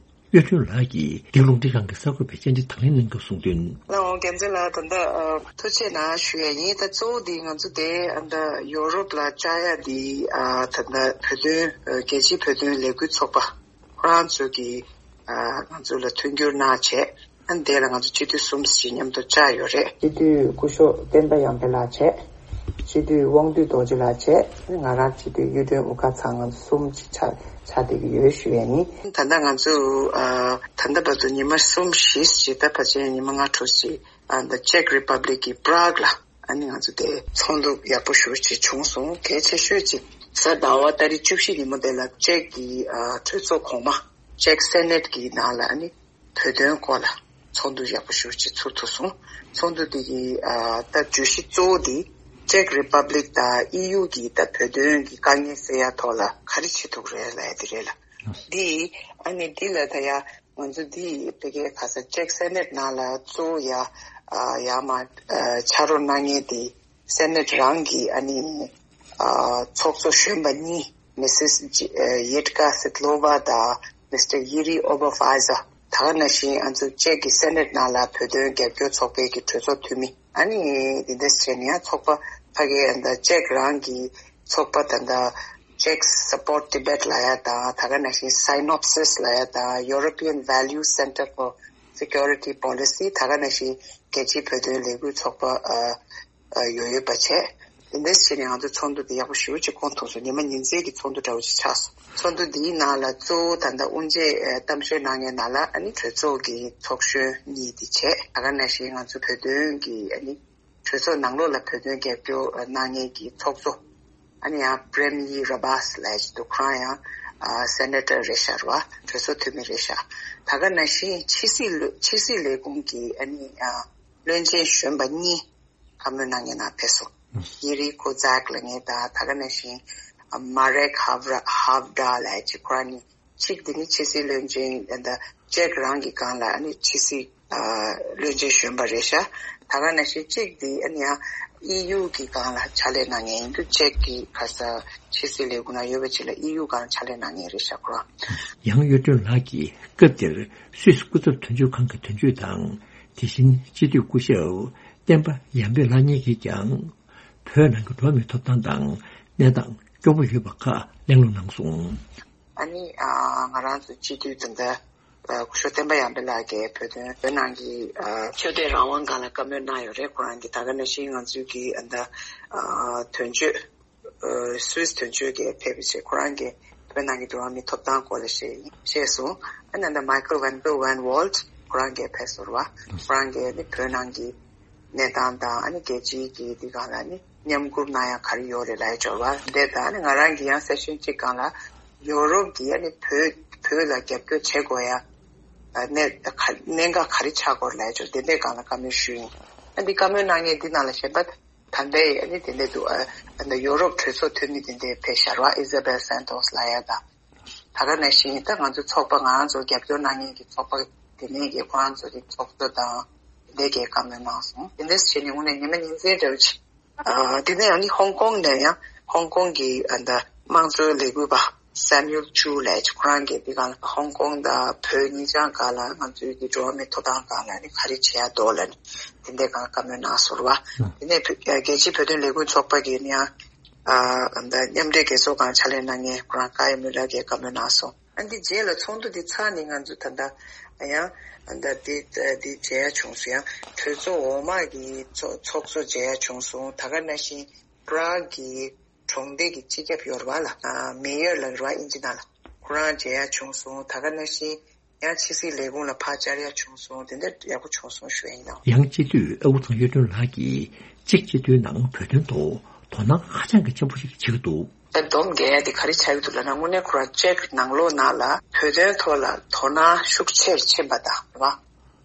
གཡུ་སྒྲོན་ལགས་ཀྱིས་འདི་རླུང་འཕྲིན་ཁང་གི་གསར་འགོད་པའི་བཅར་འདྲི་དང་ལེན་གནང་སྐབས་གསུངས་དོན། ལགས་འོང་། རྒྱལ་མཚན་ལགས། ད་ལྟ་ཨ་ཐུགས་རྗེ་གནང་ཞུ་ཡ་ཡིན། ད་གཙོ་བོ་འདི་ང་ཚོ་དེ་ཨ་ད་ཡོ་རོབ་ལ་བཅར་ཡ་འདི་ཨ་ད་ལྟ་བོད་དོན་ཨ་རྒྱལ་སྤྱིའི་བོད་དོན་ལས་འགུལ་ཚོགས་པ་ཁོ་རང་ཚོ་གིས་ཨ་ང་ཚོ་ལ་མཐུན་འགྱུར་གནང་བྱས། ཨ་ནི་དེ་ལ་ང་ཚོ་སྤྱི་འཐུས་གསུམ་ཞིག་མཉམ་དུ་བཅར་ཡོད་རེད། སྤྱི་འཐུས་སྐུ་ཞབས་བསྟན་པ་ཡར་འཕེལ་ལགས་བྱས། སྤྱི་འཐུས་དབང་འདུས་རྡོ་རྗེ་ལགས་བྱས། ང་རང་སྤྱི་འཐུས་གཡུ་སྒྲོན་དབུ་དཀར་ཚང་། ང་ཚོ་གསུམ་ཅིག་ཆགས་ཆགས་བསྡད་ཀྱི་ཡོད་ཞུ་ཡ་ཡིན། ད་ལྟ་ང་ཚོ་ཨ་ད་ལྟ་བར་དུ་ཉི་མ་གསུམ་བཞི་ཅིག་ད་ཕལ་ཆེར་ཉི་མ་ལྔ་དྲུག་ཅིག་ཨ་ད་ཅེཀ་རི་པབ་ལིག་གི་པྲག་ལ་ཨ་ནི་ང་ཚོ་དེ་ཚོགས་འདུ་ཡག་པོ་ཞེ་པོ་ཅིག་བྱུང་སོང་། གལ་ཆེ་ཤོས་ཅིག་གཟའ་ཟླ་བ་ཏ་རིག་བཅུ་བཞི་ཉིན་མོ་དེ་ལ་ཅེཀ་གི་ཨ་གྲོས་ཚོགས་གོང་མ་ཅེཀ་སེ་ནེཊ་གི་ནང་ལ་ཨ་ནི་བོད་དོན་སྐོར་ལ་ཚོགས་འདུ་ཡག་པོ་ཞེ་པོ་ཅིག་ཚུགས་ཐུབ་སོང་། ཚོགས་འདུ་དེ་གི་ཨ་ད་བརྗོད་གཞི་གཙོ་བོ་དེ་ཅེཀ་རི་པབ་ལིག་དང་ཨི་ཡུ་གི་ད་བོད་དོན་གྱི་དཀའ་ངལ་སེལ་ཡ་ཐོག་ལ་ག་རེ་བྱེད་ཐུབ་རེད་ལབ་ཡ་དེ་རེད་ལ། འདི་ཨ་ནི་འདི་ལ་ད་ཡ་ང་ཚོ་འདི་ཕ་གིའི་ཁ་ས་ཅེཀ་སེ་ནེཊ་ནང་ལ་གཙོ་བོ་ཡ་ཨ་ཡ་མ་ཨ་ཕྱག་རོགས་གནང་མཁན་དེ་སེ་ནེཊ་རང་གི་ཨ་ནི་ཨ་ཚོགས་གཙོ་གཞོན་པ་གཉིས། མི་སིས་ཇི་ཨ་ཡེད་ཀ་སི་ཏི་ལོ་ཝ་དང་མི་སི་ཊར་ཡི་རི་ཨོ་བ་ཧྥ་ཛ། ད་ག་ནང་བཞིན་ང་ཚོ་ཅེག་གི་སེ་ནེ་ཊི་ནང་ལ་བོད་དོན་རྒྱབ་སྐྱོར་ཚོགས་པའི་གི་གྲོས་ཚོགས་འཐུས་མི། ཨ་ནི་དེ་འདྲ་བྱས་ནས་ཡང་ཚོགས་པ་ཕ་གིའི་ཨ་ད་ཅེག་རང་གི་ཚོགས་པ་ད་ལྟ་Czech Support Tibet ལབ་ཡ་དང་། ད་ག་ནང་བཞིན་Synopsis ལབ་ཡ་དང་། European Value Center for Security Policy། ད་ག་ནང་བཞིན་རྒྱལ་སྤྱིའི་བོད་དོན་ལས་འགུལ་ཚོགས་པ་ཨ་ཨ་ཡོད་ཡོད་པ་བྱས། དེ་འདྲ་བྱས་ནས་ང་ཚོ་ཚོགས་འདུ་དེ་ཡག་པོ་ཞེ་པོ་ཅིག་ཁོང་ཐུག་སོང་། ཉི་མ་ཉིན་མཚན་གྱི་ཚོགས་འདུ་འདྲ་བོ་ཅིག་ཆགས་སོང་། ཚོགས་འདུ་འདིའི་ནང་ལ་གཙོ་བོ་ད་ལྟ་དབུ་འབྱེད་ཨ་གཏམ་བཤད་གནང་མཁན་ནང་ལ་ཨ་ནི་གྲོས་ཚོགས་ཀྱི་ཚོགས་གཞོན་གཉིས་དེ་བྱས། ད་ག་ནང་བཞིན་ང་ཚོ་བོད་དོན་གྱི་ཨ་ནི་གྲོས་ཚོགས་ནང་ལོགས་ལ་བོད་དོན་རྒྱབ་སྐྱོར་གནང་མཁན་གྱི་ཚོགས་གཙོ། ཨ་ནི་ཡང་པྲེམ་ཡི་ར་བྷ་སི་ལབ་ཅིག་འདུག་ཁོ་རང་ཡང་ཨ་སེ་ནེ་ཊར་རེད་ཤག་རེད་བ། གྲོས་ཚོགས་འཐུས་མི་རེད་ཤག་ད་ག་ནང་བཞིན་ཕྱི་སྲིད་ལས་ཕྱི་སྲིད་ལས་ཁུངས་ཀྱི་ཨ་ནི་ཨ་བློན་ཆེན་གཞོན་པ་གཉིས་བཀའ་མོལ་གནང་མཁན་ནང་ཕེབས་སོང་། ཡེ་རི་ཁོ་ཛག་ལབ་མཁན་དང་། ད་ག་ནང་བཞིན་མ་རེག་ཧབ་ར་ཧབ་ཌ་ལབ་ཅིག་ཁོ་རང་གཉིས། གཅིག་དེ་ནི་ཕྱི་སྲིད་བློན་ཆེན་ད་ལྟ་ཅེག་རང་གི་སྒང་ལ་ཨ་ནི་ཕྱི་སྲིད་ཨ་བློན་ཆེན་གཞོན་པ་རེད་ཤག་ད་ག་ནང་བཞིན་གཅིག་དེ་ཨ་ནི་ཡང་ཨི་ཡུ་གི་སྒང་ལ་ཕྱག་ལས་གནང་མཁན་ཡིན་འདུག་ཅེག་གི་ཁ་ས་ཕྱི་སྲིད་ལས་ཁུངས་ནང་ཡོད་པ་ཅིག་ལ་ཨི་ཡུ་སྒང་ལ་ཕྱག་ལས་གནང་མཁན་རེད་ཤག་ཁོ་རང་། ཡང་གཡུ་སྒྲོན་ལགས་ཀྱིས་སྐབས་དེར་སུད་སི་སྐུ་ཚབ་དོན་གཅོད་ཁང་གི་དོན་གཅོད་དང་། དེ་བཞིན་སྤྱི་འཐུས་སྐུ་ཞབས་བསྟན་པ་ཡར་འཕེལ་ལགས་གཉིས་ཀྱིས་ཀྱང་བོད་ནང་གི་འགྲོ་བ་མིའི་ཐོབ་ཐང་དང་གནས་སྟངས་སྐྱོ་པོ་ཡོད་པ་ཁག་གླེང་སློང་གནང་སོང་། ཨ་ནི་ཨ་ང་རང་ཚོ་སྤྱི་འཐུས་ད་ལྟ་ཨ་སྐུ་ཞབས་བསྟན་པ་ཡར་འཕེལ་ལགས་ཀྱིས་བོད་དོན་བོད་ནང་གི་ཨ་ཆོས་དད་རང་དབང་སྒང་ལ་བཀའ་མོལ་གནང་ཡོད་རེད། ཁོ་རང་གིས་ད་ག་ནང་བཞིན་ང་ཚོའི་གི་ཨ་ད་ཨ་དོན་གཅོད་ཨ་སུད་སི་དོན་གཅོད་ཀྱིས་ཕེབས་པ་བྱས། ཁོ་རང་གིས་བོད་ནང་གི་འགྲོ་བ་མིའི་ཐོབ་ཐང་སྐོར་ལ་བཤད་བཤད་སོང་། ཨ་ནི་ད་ལྟ་མའི་ཁལ་ཝན་པེལ་ཝན་ཝོལ་ཁོ་རང་གིས་ཕེབས་སོང་རེད་བ། ཁོ་རང་གིས་ནི་བོད་ནང་གི་གནས་སྟངས་དང་། ཨ་ནི་རྒྱལ་སྤྱིའི་གི་འདི་སྒང་ལ་ནི་མཉམ་འགུལ་གནང་ཡ་ག་རེ་ཡོད་རེད་ལབ་ཡ་འབྱོར་བ་འདི་དང་། ཨ་ནི་ང་རང་གི་ཡང་སེ་ཤན་གཅིག་སྒང་ལ་ཡོ་རོབ་ཀྱིས་ཨ་ནི་བོད་བོད་ལ་རྒྱབ་སྐྱོར་བྱེད་དགོས་ཡ་ཨ་གནད་ག་གནད་འགག་ག་རེ་ཆགས་དགོས་རེད་ལབ་ཡ་འབྱོར། དེ་འདྲའི་སྒང་ལ་བཀའ་མོལ་ཞུས་ཡིན། ཨ་འདི་བཀའ་མོལ་གནང་མཁན་འདི་ནང་ལ་གཞན་པ་ད་ལྟའི་ཨ་ནི་དེ་འདྲ་འདུག་ཨ་ཨ་ནི་ཡོ་རོབ་གྲོས་ཚོགས་འཐུས་མི་དེ་འདྲ་ཕེབས་ཤག་རེད་བ། ཨི་ཟ་བེལ་སན་ཏོས་ལབ་ཡ་དང་། ད་ག་ནང་བཞིན་ད་ང་ཚོ་ཚོགས་པ་ང་རང་ཚོ་རྒྱབ་སྐྱོར་གནང་མཁན་གྱི་ཚོགས་པ་དེ་ནས་ཀྱི་ཁོ་རང་ཚོ་གི་ཚོགས་གཙོ་དང་དེ་འདྲ་གི་བཀའ་མོལ་གནང་སོང་། དེ་འདྲ་བྱས་ནས་དངོས་གནས་ཉི་མ་ཉིན་མཚན་འདྲ་བོ་ཅིག་ཨ་དེ་ནས་ཨ་ནི་ཧོང་ཀོང་ནས་ཡང་ཧོང་ཀོང་གི་ཨ་ད་དམངས་གཙོའི་ལས་འགུལ་པ་སེ་མུ་ཨེལ་ཅུ་ལབ་ཅིག་ཁོ་རང་གིས་འདི་སྒང་ལ་ཧོང་ཀོང་དང་བོད་གཉིས་ཆ་སྒང་ལ་ང་ཚོའི་གི་འགྲོ་བ་མིའི་ཐོབ་ཐང་སྒང་ལ་ནི་ག་རེ་བྱེད་ཡ་འདུག་ལབ་ནས་དེ་འདྲའི་སྒང་བཀའ་མོལ་གནང་སོང་རེད་བ། དེ་ནས་བོད་རྒྱལ་སྤྱིའི་བོད་དོན་ལས་འགུལ་ཚོགས་པ་གིས་ནི་ཡང་ཨ་ཨ་ད་མཉམ་འབྲེལ་རྒྱལ་ཚོགས་སྒང་ཕྱག་ལས་གནང་མཁན་ཁོ་རང་ཀའི་མུ་ལར་གྱིས་བཀའ་མོལ་གནང་སོང་། ཨ་འདི་རྗེས་ལ་ཚོགས་འདུ་འདི་ཚར་ནས་ང་ཚོ་ད་ལྟ་ཡང་ཨ་ད་འདི་འདི་མཇལ་ཡ་བྱུང་སོང་། ཡང་གྲོས་ཚོགས་འོག་མ་གི་ཚོགས་ཚོགས་གཙོ་མཇལ་ཡ་བྱུང་སོང་། ད་ག་ནང་བཞིན་པ་རག་གི་གྲོང་སྡེ་གི་སྤྱི་ཁྱབ་ཡོད་རེད་བ་ལ། ཨ་མེ་ཡར་ལབ་རེད་བ་ཨིན་ཇི་ནང་ལ། ཁོ་རང་མཇལ་ཡ་བྱུང་སོང་། ད་ག་ནང་བཞིན་ཡང་ཕྱི་སྲིད་ལས་ཁུངས་ལ་ཕར་བཅར་ཡ་བྱུང་སོང་། དེ་འདྲ་ཡག་པོ་བྱུང་སོང་ཞུ་ཡ་ཡིན་ནོ། ཡང་སྤྱི་འཐུས་ཨ་ཁུ་ཚང་གཡུ་སྒྲོན་ལགས་ཀྱིས་ཅེཀ་སྤྱི་མཐུན་ནང་བོད་དོན་ཐོག་དོ་སྣང་ཧ་ཅང་གི་ཆེན་པོ་ཞིག་བྱེད་ཀྱི་འདུག་ད་སྡོམ་རྒྱག་ཡ་དེ་ག་རེ་ཆགས་ཀྱི་འདུག་ལབ་ན། དངོས་གནས་ཁོ་རང་ཅེཀ་ནང་ལོགས་ནང་ལ་བོད་དོན་ཐོག་ལ་དོ་སྣང་ཤུགས་ཆེར་ཕྱིན་པ་དང་རེད་བ།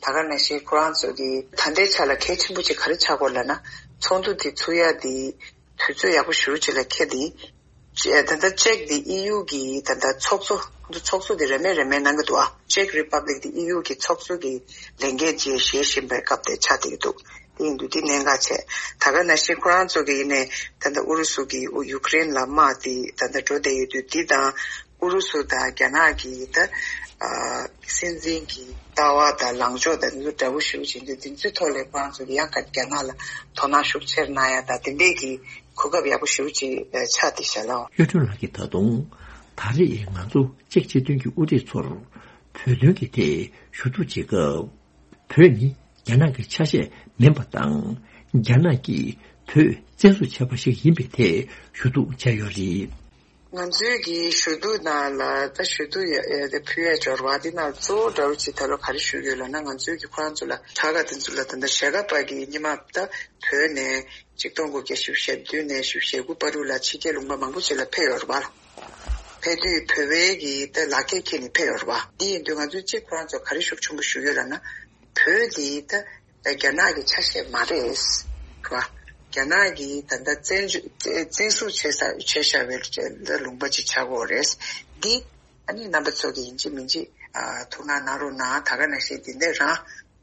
ད་ག་ནང་བཞིན་ཁོ་རང་ཚོ་གི་ད་ལྟའི་ཆ་ལ་གལ་ཆེན་པོ་ཅིག་ག་རེ་ཆགས་ཀྱི་ཡོད་ལབ་ན། ཚོགས་འདུ་དེ་ཚུགས་ཡ་དེ་དུས་ཚོད་ཡག་པོ་ཞེ་པོ་ཅིག་ལ་འཁེལ་ཏེ། ཅེ་ད་ལྟ་ཅེཀ་དེ་ཨི་ཡུ་གི་ད་ལྟ་ཚོགས་གཙོ་ཚོགས་གཙོ་དེ་རེ་མེད་རེ་མེད་གནང་གི་འདུག་ཨ་ཅེཀ་རི་པབ་ལིག་དེ་ཨི་ཡུ་གི་ཚོགས་གཙོ་གི་ལས་འགན་བཅས་བཞེས་བཞིན་པའི་སྐབས་དེ་ཆགས་བསྡད་ཀྱི་འདུག་དེ་ཡིན་དུས་དེ་གནད་འགག་ཆེ། ད་ག་ནང་བཞིན་ཁོ་རང་ཚོ་གི་ཡིན་ནའི་ད་ལྟ་ཨུ་རུ་སུ་གི་ཡུ་ཀེ་རེན་ལ་དམག་དེ་ད་ལྟ་འགྲོ་བསྡད་ཡོད་དུས། དེ་དང་ཨུ་རུ་སུ་དང་རྒྱ་ནག་གི་ད་ཨ་སྲིད་འཛིན་གྱི་ལྟ་བ་དང་ལངས་ཕྱོགས་དང་དེ་ཚོ་འདྲ་པོ་ཞེ་པོ་ཅིག་ཡིན་དུས། དེ་ཚོའི་ཐོག་ལ་ཁོ་རང་ཚོ་གི་ཡང་ག་རྒྱ་ནག་ལ་དོ་སྣང་ཤུགས་ཆེར་གནང་ཡ་དང་དེ་འདྲས་ཀྱི་གོ་སྐབས་ཡག་པོ་ཞེ་པོ་ཅིག་ཆགས་བསྡད་ཤག་ལགས། གཡུ་སྒྲོན་ལགས་ཀྱིས་ད་དུང་ད་རེས་ང་ཚོ་ཅེཀ་སྤྱི་མཐུན་གྱི་དབུ་ཁྲིད་ཚོར་བོད་དོན་གྱི་ཐད་ཞུ་གཏུག་བྱེད་སྐབས། བོད་ནི་རྒྱ་ནག་གི་ཆ་ཤས་མིན་པ་དང་། རྒྱ་ནག་གིས་བོད་བཙན་བཟུང་བྱས་པ་ཞིག་ཡིན་པའི་ཐད་ཞུ་གཏུག་བྱས་ཡོད་རེད། ང་ཚོའི་གི་ཞུ་གཏུག་ནང་ལ་ད་ཞུ་གཏུག་ཡ་ཡ་དེ་ཕུལ་ཡ་འབྱོར་བ་དེ་ནང་གཙོ་བོ་འདྲ་པོ་ཅིག་ད་ལོ་ག་རེ་ཞུ་གི་ཡོད་ལབ་ན། ང་ཚོའི་གི་ཁོ་རང་ཚོ་ལ་དྲག་ག་དེ་ཚོ་ལ་ད་ལྟ་ཞྭ་སྒབ་པ་གི་སྔོན་མ་ད་བོད་ནས་ཆིག་སྟོང་དགུ་བརྒྱ་བཞི་བཅུ་ཞེ་བདུན་ནས་བཞི་བཅུ་ཞེ་དགུ་བར་དུ་ལ་ཕྱི་རྒྱལ་ལུང་པ་མང་པོ་ཅིག་ལ་ཕེབས་ཡོད་རེད་བ། ཕེབས་དུས་བོད་པའི་གི་ད་ལག་ཁྱེར་འཁྱེར་ནས་ཕེབས་ཡོད་རེད་བ། འདི་ཡིན་དུས་ང་ཚོའི་གཅིག་ཁོ་རང་ཚོ་ག་རེ་ཤུགས་ཆེན་པོ་ཞུ་གི་ཡོད་ལབ་ན། བོད་འདི་ད་རྒྱ་ནག་གི་ཆ་ཤས་མ་རེད། རེད་བ། རྒྱ་ནག་གིས་ད་ལྟ་བཙན་བཙན་བཙན་བཟུང་བྱས་ས་བྱས་བཞག་པའི་ལ་ལུང་པ་ཅིག་ཆགས་ཀྱི་ཡོད་རེད། འདི་ཨ་ནི་རྣམ་པ་ཚོ་གིས་ཡིན་གཅིག་མིན་གཅིག་ཨ་ཐུགས་སྣང་གནང་རོགས་གནང་། ད་ག་ནང་བཞིན་འདི་འདྲ་རང་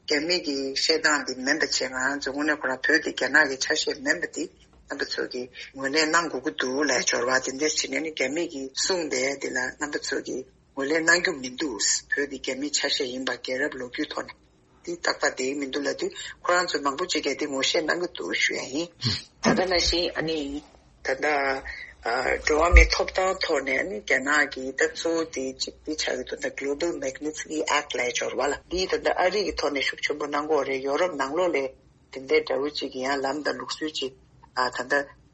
རྒྱ་མི་གི་བཤད་སྟངས་འདི་མིན་པ་བྱས། ང་རང་ཚོ་དངོས་གནས་ཁོ་རང་བོད་འདི་རྒྱ་ནག་གི་ཆ་ཤས་མིན་པ་འདི་རྣམ་པ་ཚོ་གིས་ངོས་ལེན་གནང་དགོས་ཀྱི་འདུག་ལབ་འབྱོར་བ་དེ་འདྲ་བྱས་ནས་ནི། རྒྱ་མི་གིས་གསུངས་པའི་འདི་ལ་རྣམ་པ་ཚོ་གིས་ ངོས་ལེན་གནང་རྒྱུ་མི་འདུག་བོད་འདི་རྒྱ་མིའི་ཆ་ཤས་ཡིན་པ། རྒྱལ་རབས་ལོ་རྒྱུས་ཐོག་ནས་འདི་ཏག་ཏག་བསྡད་ཀྱི་མི་འདུག་ལབ་དུས། ཁོ་རང་ཚོས་མང་པོ་ཅིག་གིས་འདི་ངོ་ཤེས་གནང་གི་འདུག་ཞུ་ཡ་ཡིན། ད་ལྟ་ནང་བཞིན་ཨ་ནི་ད་ལྟ་ཨ་འགྲོ་བ་མིའི་ཐོབ་ཐང་ཐོག་ནས་ཨ་ནི་རྒྱ་ནག་གི་ད་གཙོ་བོ་དེ་གཅིག་འདི་ཆགས་ཀྱི་འདུག་ད་Global Magnitsky Act ལབ་ཡ་ཅིག་ཡོད་རེད་པ་ལགས། འདི་ད་ལྟ་ཨ་རི་གི་ཐོག་ནས་ཤུགས་ཆེན་པོ་གནང་གི་ཡོད་རེད། ཡོ་རོབ་ནང་ལོགས་ལ་དེ་འདྲའི་འདྲ་བོ་ཅིག་གི་ཡང་ལམ་དང་ལུགས་སྲོལ་ཅིག་ཨ་ད་ལྟ་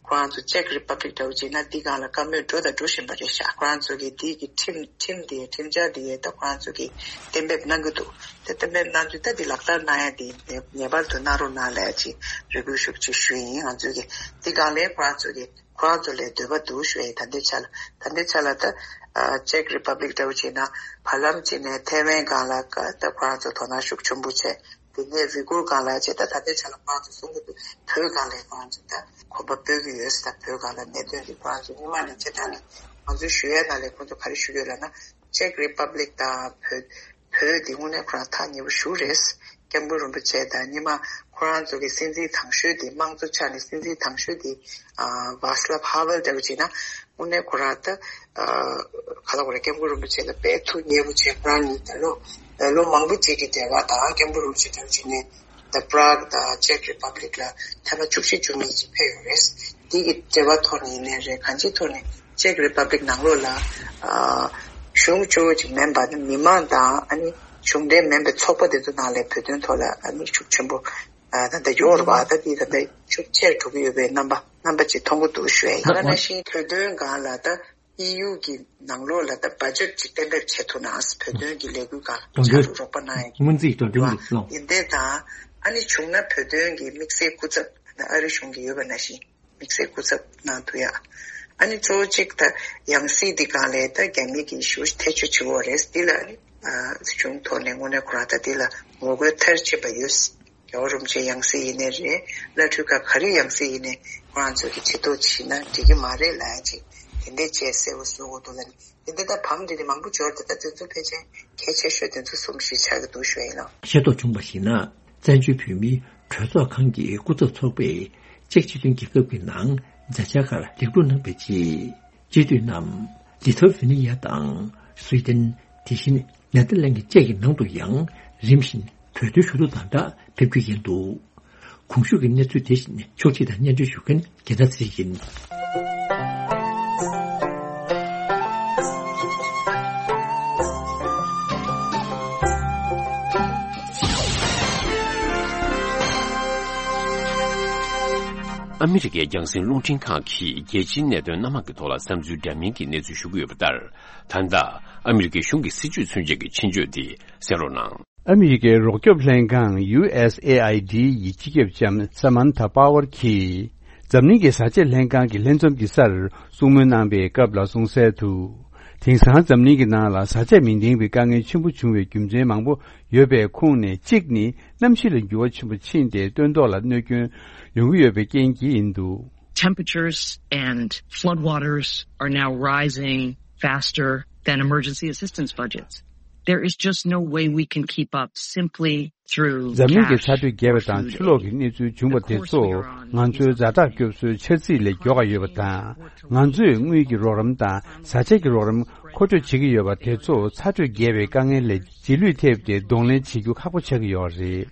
ཁོ་རང་ཚོ་Czech Republic འདྲ་བོ་ཅིག་ན་འདི་སྒང་ལ་བཀའ་མོལ་འགྲོ་དང་འགྲོ་བཞིན་པ་རེད་ཤག་ཁོ་རང་ཚོ་གི་འདི་གི་ཁྲིམས་ཁྲིམས་དེ་ཁྲིམས་འཆར་དེ་ད་ཁོ་རང་ཚོ་གི་གཏན་འབེབས་གནང་གི་འདུག་དེ་གཏན་འབེབས་གནང་དུས་ད་འདི་ལག་བསྟར་གནང་ཡ་དེ་ངེས་པར་དུ་གནང་རོགས་གནང་ལབ་ཅིག་རེ་སྐུལ་ཤུགས་ཆེ་ཞུ་ཡིན། ང་ཚོ་གི་འདི་སྒང་ལ་ཁོ་རང་ཚོ་གི་ཁོ་རང་ཚོ་ལ་འདོད་པ་འདུག་ཞུ་ཡ་ཡིན། ད་ལྟའི་ཆ་ལ་ད་ལྟའི་ཆ་ལ་ད་ཨ་Czech Republic འདྲ་བོ་ཅིག་ན་བར་ལམ་ཅིག་ནས་ཐའེ་ཝན་སྒང་ལ་ད་ཁོ་རང་ཚོ་དོ་སྣང་ཤུགས་ཆེན་པོ་བྱས། དེ་ནས་ཝི་གུར་སྒང་ལ་བྱས། ད་ད་ལྟའི་ཆ་ལ་ཁོ་རང་ཚོ་གསུང་གི་འདུག་བོད་སྒང་ལ་ཁོ་རང་ཚོ་ད་གོམ་པ་སྤོས་ཀྱི་ཡོད་ཟེར། ད་བོད་སྒང་ལ་གནད་དོན་འདི་ཁོ་རང་ཚོ་སྔོན་མ་ནས་བྱས། ད་ནི་ང་ཚོའི་ཞུ་ཡས་ནང་ལ་ཁོ་ཚོ་ག་རེ་ཞུ་གི་ཡོད་ལབ་ན། Czech Republic དང་བོད་བོད་འདི་དངོས་གནས་ཁོ་རང་ཐག་ཉེ་པོ་ཞེ་པོ་རེད། སྐྱབས་མགོན་རིན་པོ་ཆེ་དང་སྔོན་མ་ཁོ་རང་ཚོ་གི་སྲིད་འཛིན་དང་ཤོས་དེ། དམངས་གཙོ་ཆ་ནས་སྲིད་འཛིན་དང་ཤོས་དེ་ཨ་Václav Havel འདྲ་བོ་བྱས་ན། དངོས་གནས་ཁོ་རང་ད་ཨ་ག་ལབ་དགོས་རེད། སྐྱབས་མགོན་རིན་པོ་ཆེ་ལ་དཔེ་ཐུགས་མཉེས་པོ་བྱས། ཁོ་རང་གཉིས་ད་ལོ་ལོ་མང་པོ་ཅིག་གི་འབྲེལ་བ་དང་། སྐྱབས་མགོན་རིན་པོ་ཆེ་དང་བྱས་ནས་ད་Prague དང་Czech Republic ལ་ཐེངས་མ་བཅུ་བཞི་བཅུ་གཉིས་ཅིག་ཕེབས་ཡོད་རེད། འདི་གི་འབྲེལ་བ་ཐོག་ནས་ཡིན་ནའི་རེད། གང་ཅིའི་ཐོག་ནས་Czech Republic ནང་ལོགས་ལ་ཨ་གཞུང་གཙོ་བོ་ཅིག་མིན་པ་ནི་མི་མང་དང་ཨ་ནི་གཞུང་འབྲེལ་མིན་པའི་ཚོགས་པ་དེ་ཚོ་ནང་ལ་བོད་དོན་ཐོག་ལ་ཨ་ནི་ཤུགས་ཆེན་པོ་ཨ་ད་ལྟ་ཡོད་རེད་པ། ད་འདི་ད་ལྟ་ཤུགས་ཆེར་འགྲོ་གི་ཡོད་པའི་རྣམ་པ་རྣམ་པ་ཅིག་མཐོང་གི་འདུག་ཞུ་ཡ་ཡིན། ད་ནང་བཞིན་བོད་དོན་སྒང་ལ་ད་ཨི་ཡུ་གི་ནང་ལོགས་ལ་ད་བ་ཇེཊ་ཅིག་གཏན་འབེབས་བྱེད་ཐུབ་ན། བོད་དོན་གྱི་ལས་འགུལ་སྒང་ལ་ཕྱར་གྲུ་རོགས་པ་གནང་ཡ་གི་སྔོན་རྩིས་འགྲོ་གྲོན་གྱི་ལོ། ཡིན་དེ་དང་ཨ་ནི་བྱུང་ན་བོད་དོན་གྱི་དམིགས་བསལ་སྐུ་ཚབ་ད་ཨ་རི་གཞུང་གི་ཡོད་པ་ནང་བཞིན་དམིགས་བསལ་སྐུ་ཚབ་གནང་ཐུབ་ཡ། ཨ་ནི་གཙོ་བོ་གཅིག་ད་ཡང་སྲིད་འདི་སྒང་ལ་ད་རྒྱ་མི་གི་ཞེ་པོ་ཐེ་བྱུས་ཆེ་བོ་རེད། འདི་ལ་ཨ་ནི་ཨ་གཞུང་ཐོག་ནས་དངོས་གནས་ཁོ་རང་ད་འདི་ལ་ངོ་རྒོལ་མཐར་ཕྱིན་པ་ཡོད། རྒྱལ་བ་རིན་པོ་ཆེའི་ཡང་སྲིད་ཡིན་ནའི་རེད། བླ་སྤྲུལ་ཁག་ག་རེ་ཡང་སྲིད་ཡིན་ནའི་ཁོ་རང་ཚོ་གི་ཆེ་མཐོང་བྱས་ན་འགྲིག་གི་མ་རེད་ལབ་ཡ་ཅིག་དེ་འདྲའི་བྱས་གསལ་པོ་བཟོ་དགོས་འདུག་ལབ་ནས། དེ་འདྲ་ད་བམ་འདི་ནི་མང་པོ་འབྱོར་ཏེ་ད་དེ་ཚོ་ཕལ་ཆེར་གལ་ཆེ་ཤོས་དེ་ཚོ་གསུམ་བཞི་ཆགས་ཀྱི་འདུག་ཞུ་ཡ་ཡིན་ནོ། ཤེས་རྟོགས་བྱུང་བར་གཞིགས་ན། བཙན་བྱོལ་བོད་མིའི་གྲོས་ཚོགས་ཁང་གི་སྐུ་ཚབ་ཚོགས་པས་ཅེཀ་སྤྱི་མཐུན་རྒྱལ་ཁབ་ཀྱི་ནང་མཛད་འཆར་ཁག་ལེགས་གྲུབ་གནང་བའི་རྗེས། སྤྱི་འཐུས་རྣམས་ལི་ཐོ་ཝེ་ནི་ཡ་དང་སུའེ་ཏེན། དེ་བཞིན་ནེ་ཐར་ལེན་གྱི་བཅས་ཀྱི་ནང་དུ་ཡང་རིམ་བཞིན་གྲོས་བསྡུར་ཞུ་གཏུག་དང་སྦྲགས་ཕེབས་ཀྱི་ཡིན་འདུག་གོང་ཞུས་ཀྱི་གནས་ཚུལ་དེ་བཞིན་ཕྱོགས་སྒྲིག་དང་སྙན་སྒྲོན་ཞུ་མཁན་རྒྱལ་ཐར་ཚེ་རིང་ཡིན། ཨ་མི་རི་ཀའི་རྒྱང་སྲིང་རླུང་འཕྲིན་ཁང་གིས་རྒྱལ་སྤྱིའི་གནད་དོན་སྣ་མང་གི་ཐོག་ལ་བསམ་ཚུལ་འདྲ་མིན་གྱི་གནས་ཚུལ་ཞུ་གི་ཡོད་པ་ལྟར། ད་ལྟ་ཨ་མི་རི་ཀའི་གཞུང་གི་སྲིད་བྱུས་མཚོན་ཆེད་ཀྱི་ཆེད་བརྗོད་དེ་གསན་རོགས་གནང་། ཨ་མི་རི་ཀའི་རོགས་སྐྱོབ་ལྷན་ཁང་ཡུ་ཨེས་ཨེ་ཨའི་ཌི་ཡི་སྤྱི་ཁྱབ་ལྕམ་ས་མན་ཐ་པ་ཝར་གྱིས། འཛམ་གླིང་གི་བཟའ་བཅའ་ལྷན་ཁང་གི་ལྷན་འཛོམས་ཀྱི་སར་གསུང་མོལ་གནང་པའི་སྐབས་ལ་གསུངས་གསལ་དུ། དེང་སང་འཛམ་གླིང་གི་ནང་ལ་བཟའ་བཅའ་མི་ལྡན་པའི་དཀའ་ངལ་ཆེན་པོ་བྱུང་བའི་རྒྱུ་མཚན་མང་པོ་ཡོད་པའི་ཁོངས་ནས་གཅིག་ནི། གནམ་གཤིས་ལ་འགྱུར་བ་ཆེན་པོ་ཕྱིན་ཏེ་སྟོན་ཐོག་ལ་གནོད་སྐྱོན་ཡོང་གི་ཡོད་པའི་རྐྱེན་གྱིས་ཡིན་འདུག། Temperatures and floodwaters are now rising faster than emergency assistance budgets. There is just no way we can keep up simply through འཛམ་གླིང་གི་cash ཚ་དྲོད་རྒྱས་པ་དང་ཆུ་ལོག་གི་གནས་ཚུལ་བྱུང་བ་དེ་ཚོ་ང་ཚོའི་ཛ་དྲག་སྐྱོབ་གསོའི་འཆར་རྩིས་ལས་མགྱོགས་པ་ཡོད་པ་དང་། ང་ཚོས་དངུལ་གྱི་རོགས་རམ་དང་བཟའ་བཅའ་གྱི་རོགས་རམ་མཁོ་སྤྲོད་བྱེད་ཀྱི་ཡོད་པ་དེ་ཚོ་ཚ་དྲོད་རྒྱས་པའི་དཀའ་ངལ་ལས་རྗེས་ལུས་ཐེབས་ཏེ་གདོང་ལེན་བྱེད་རྒྱུ་ཁག་པོ་ཆགས་ཀྱི་ཡོད་རེད།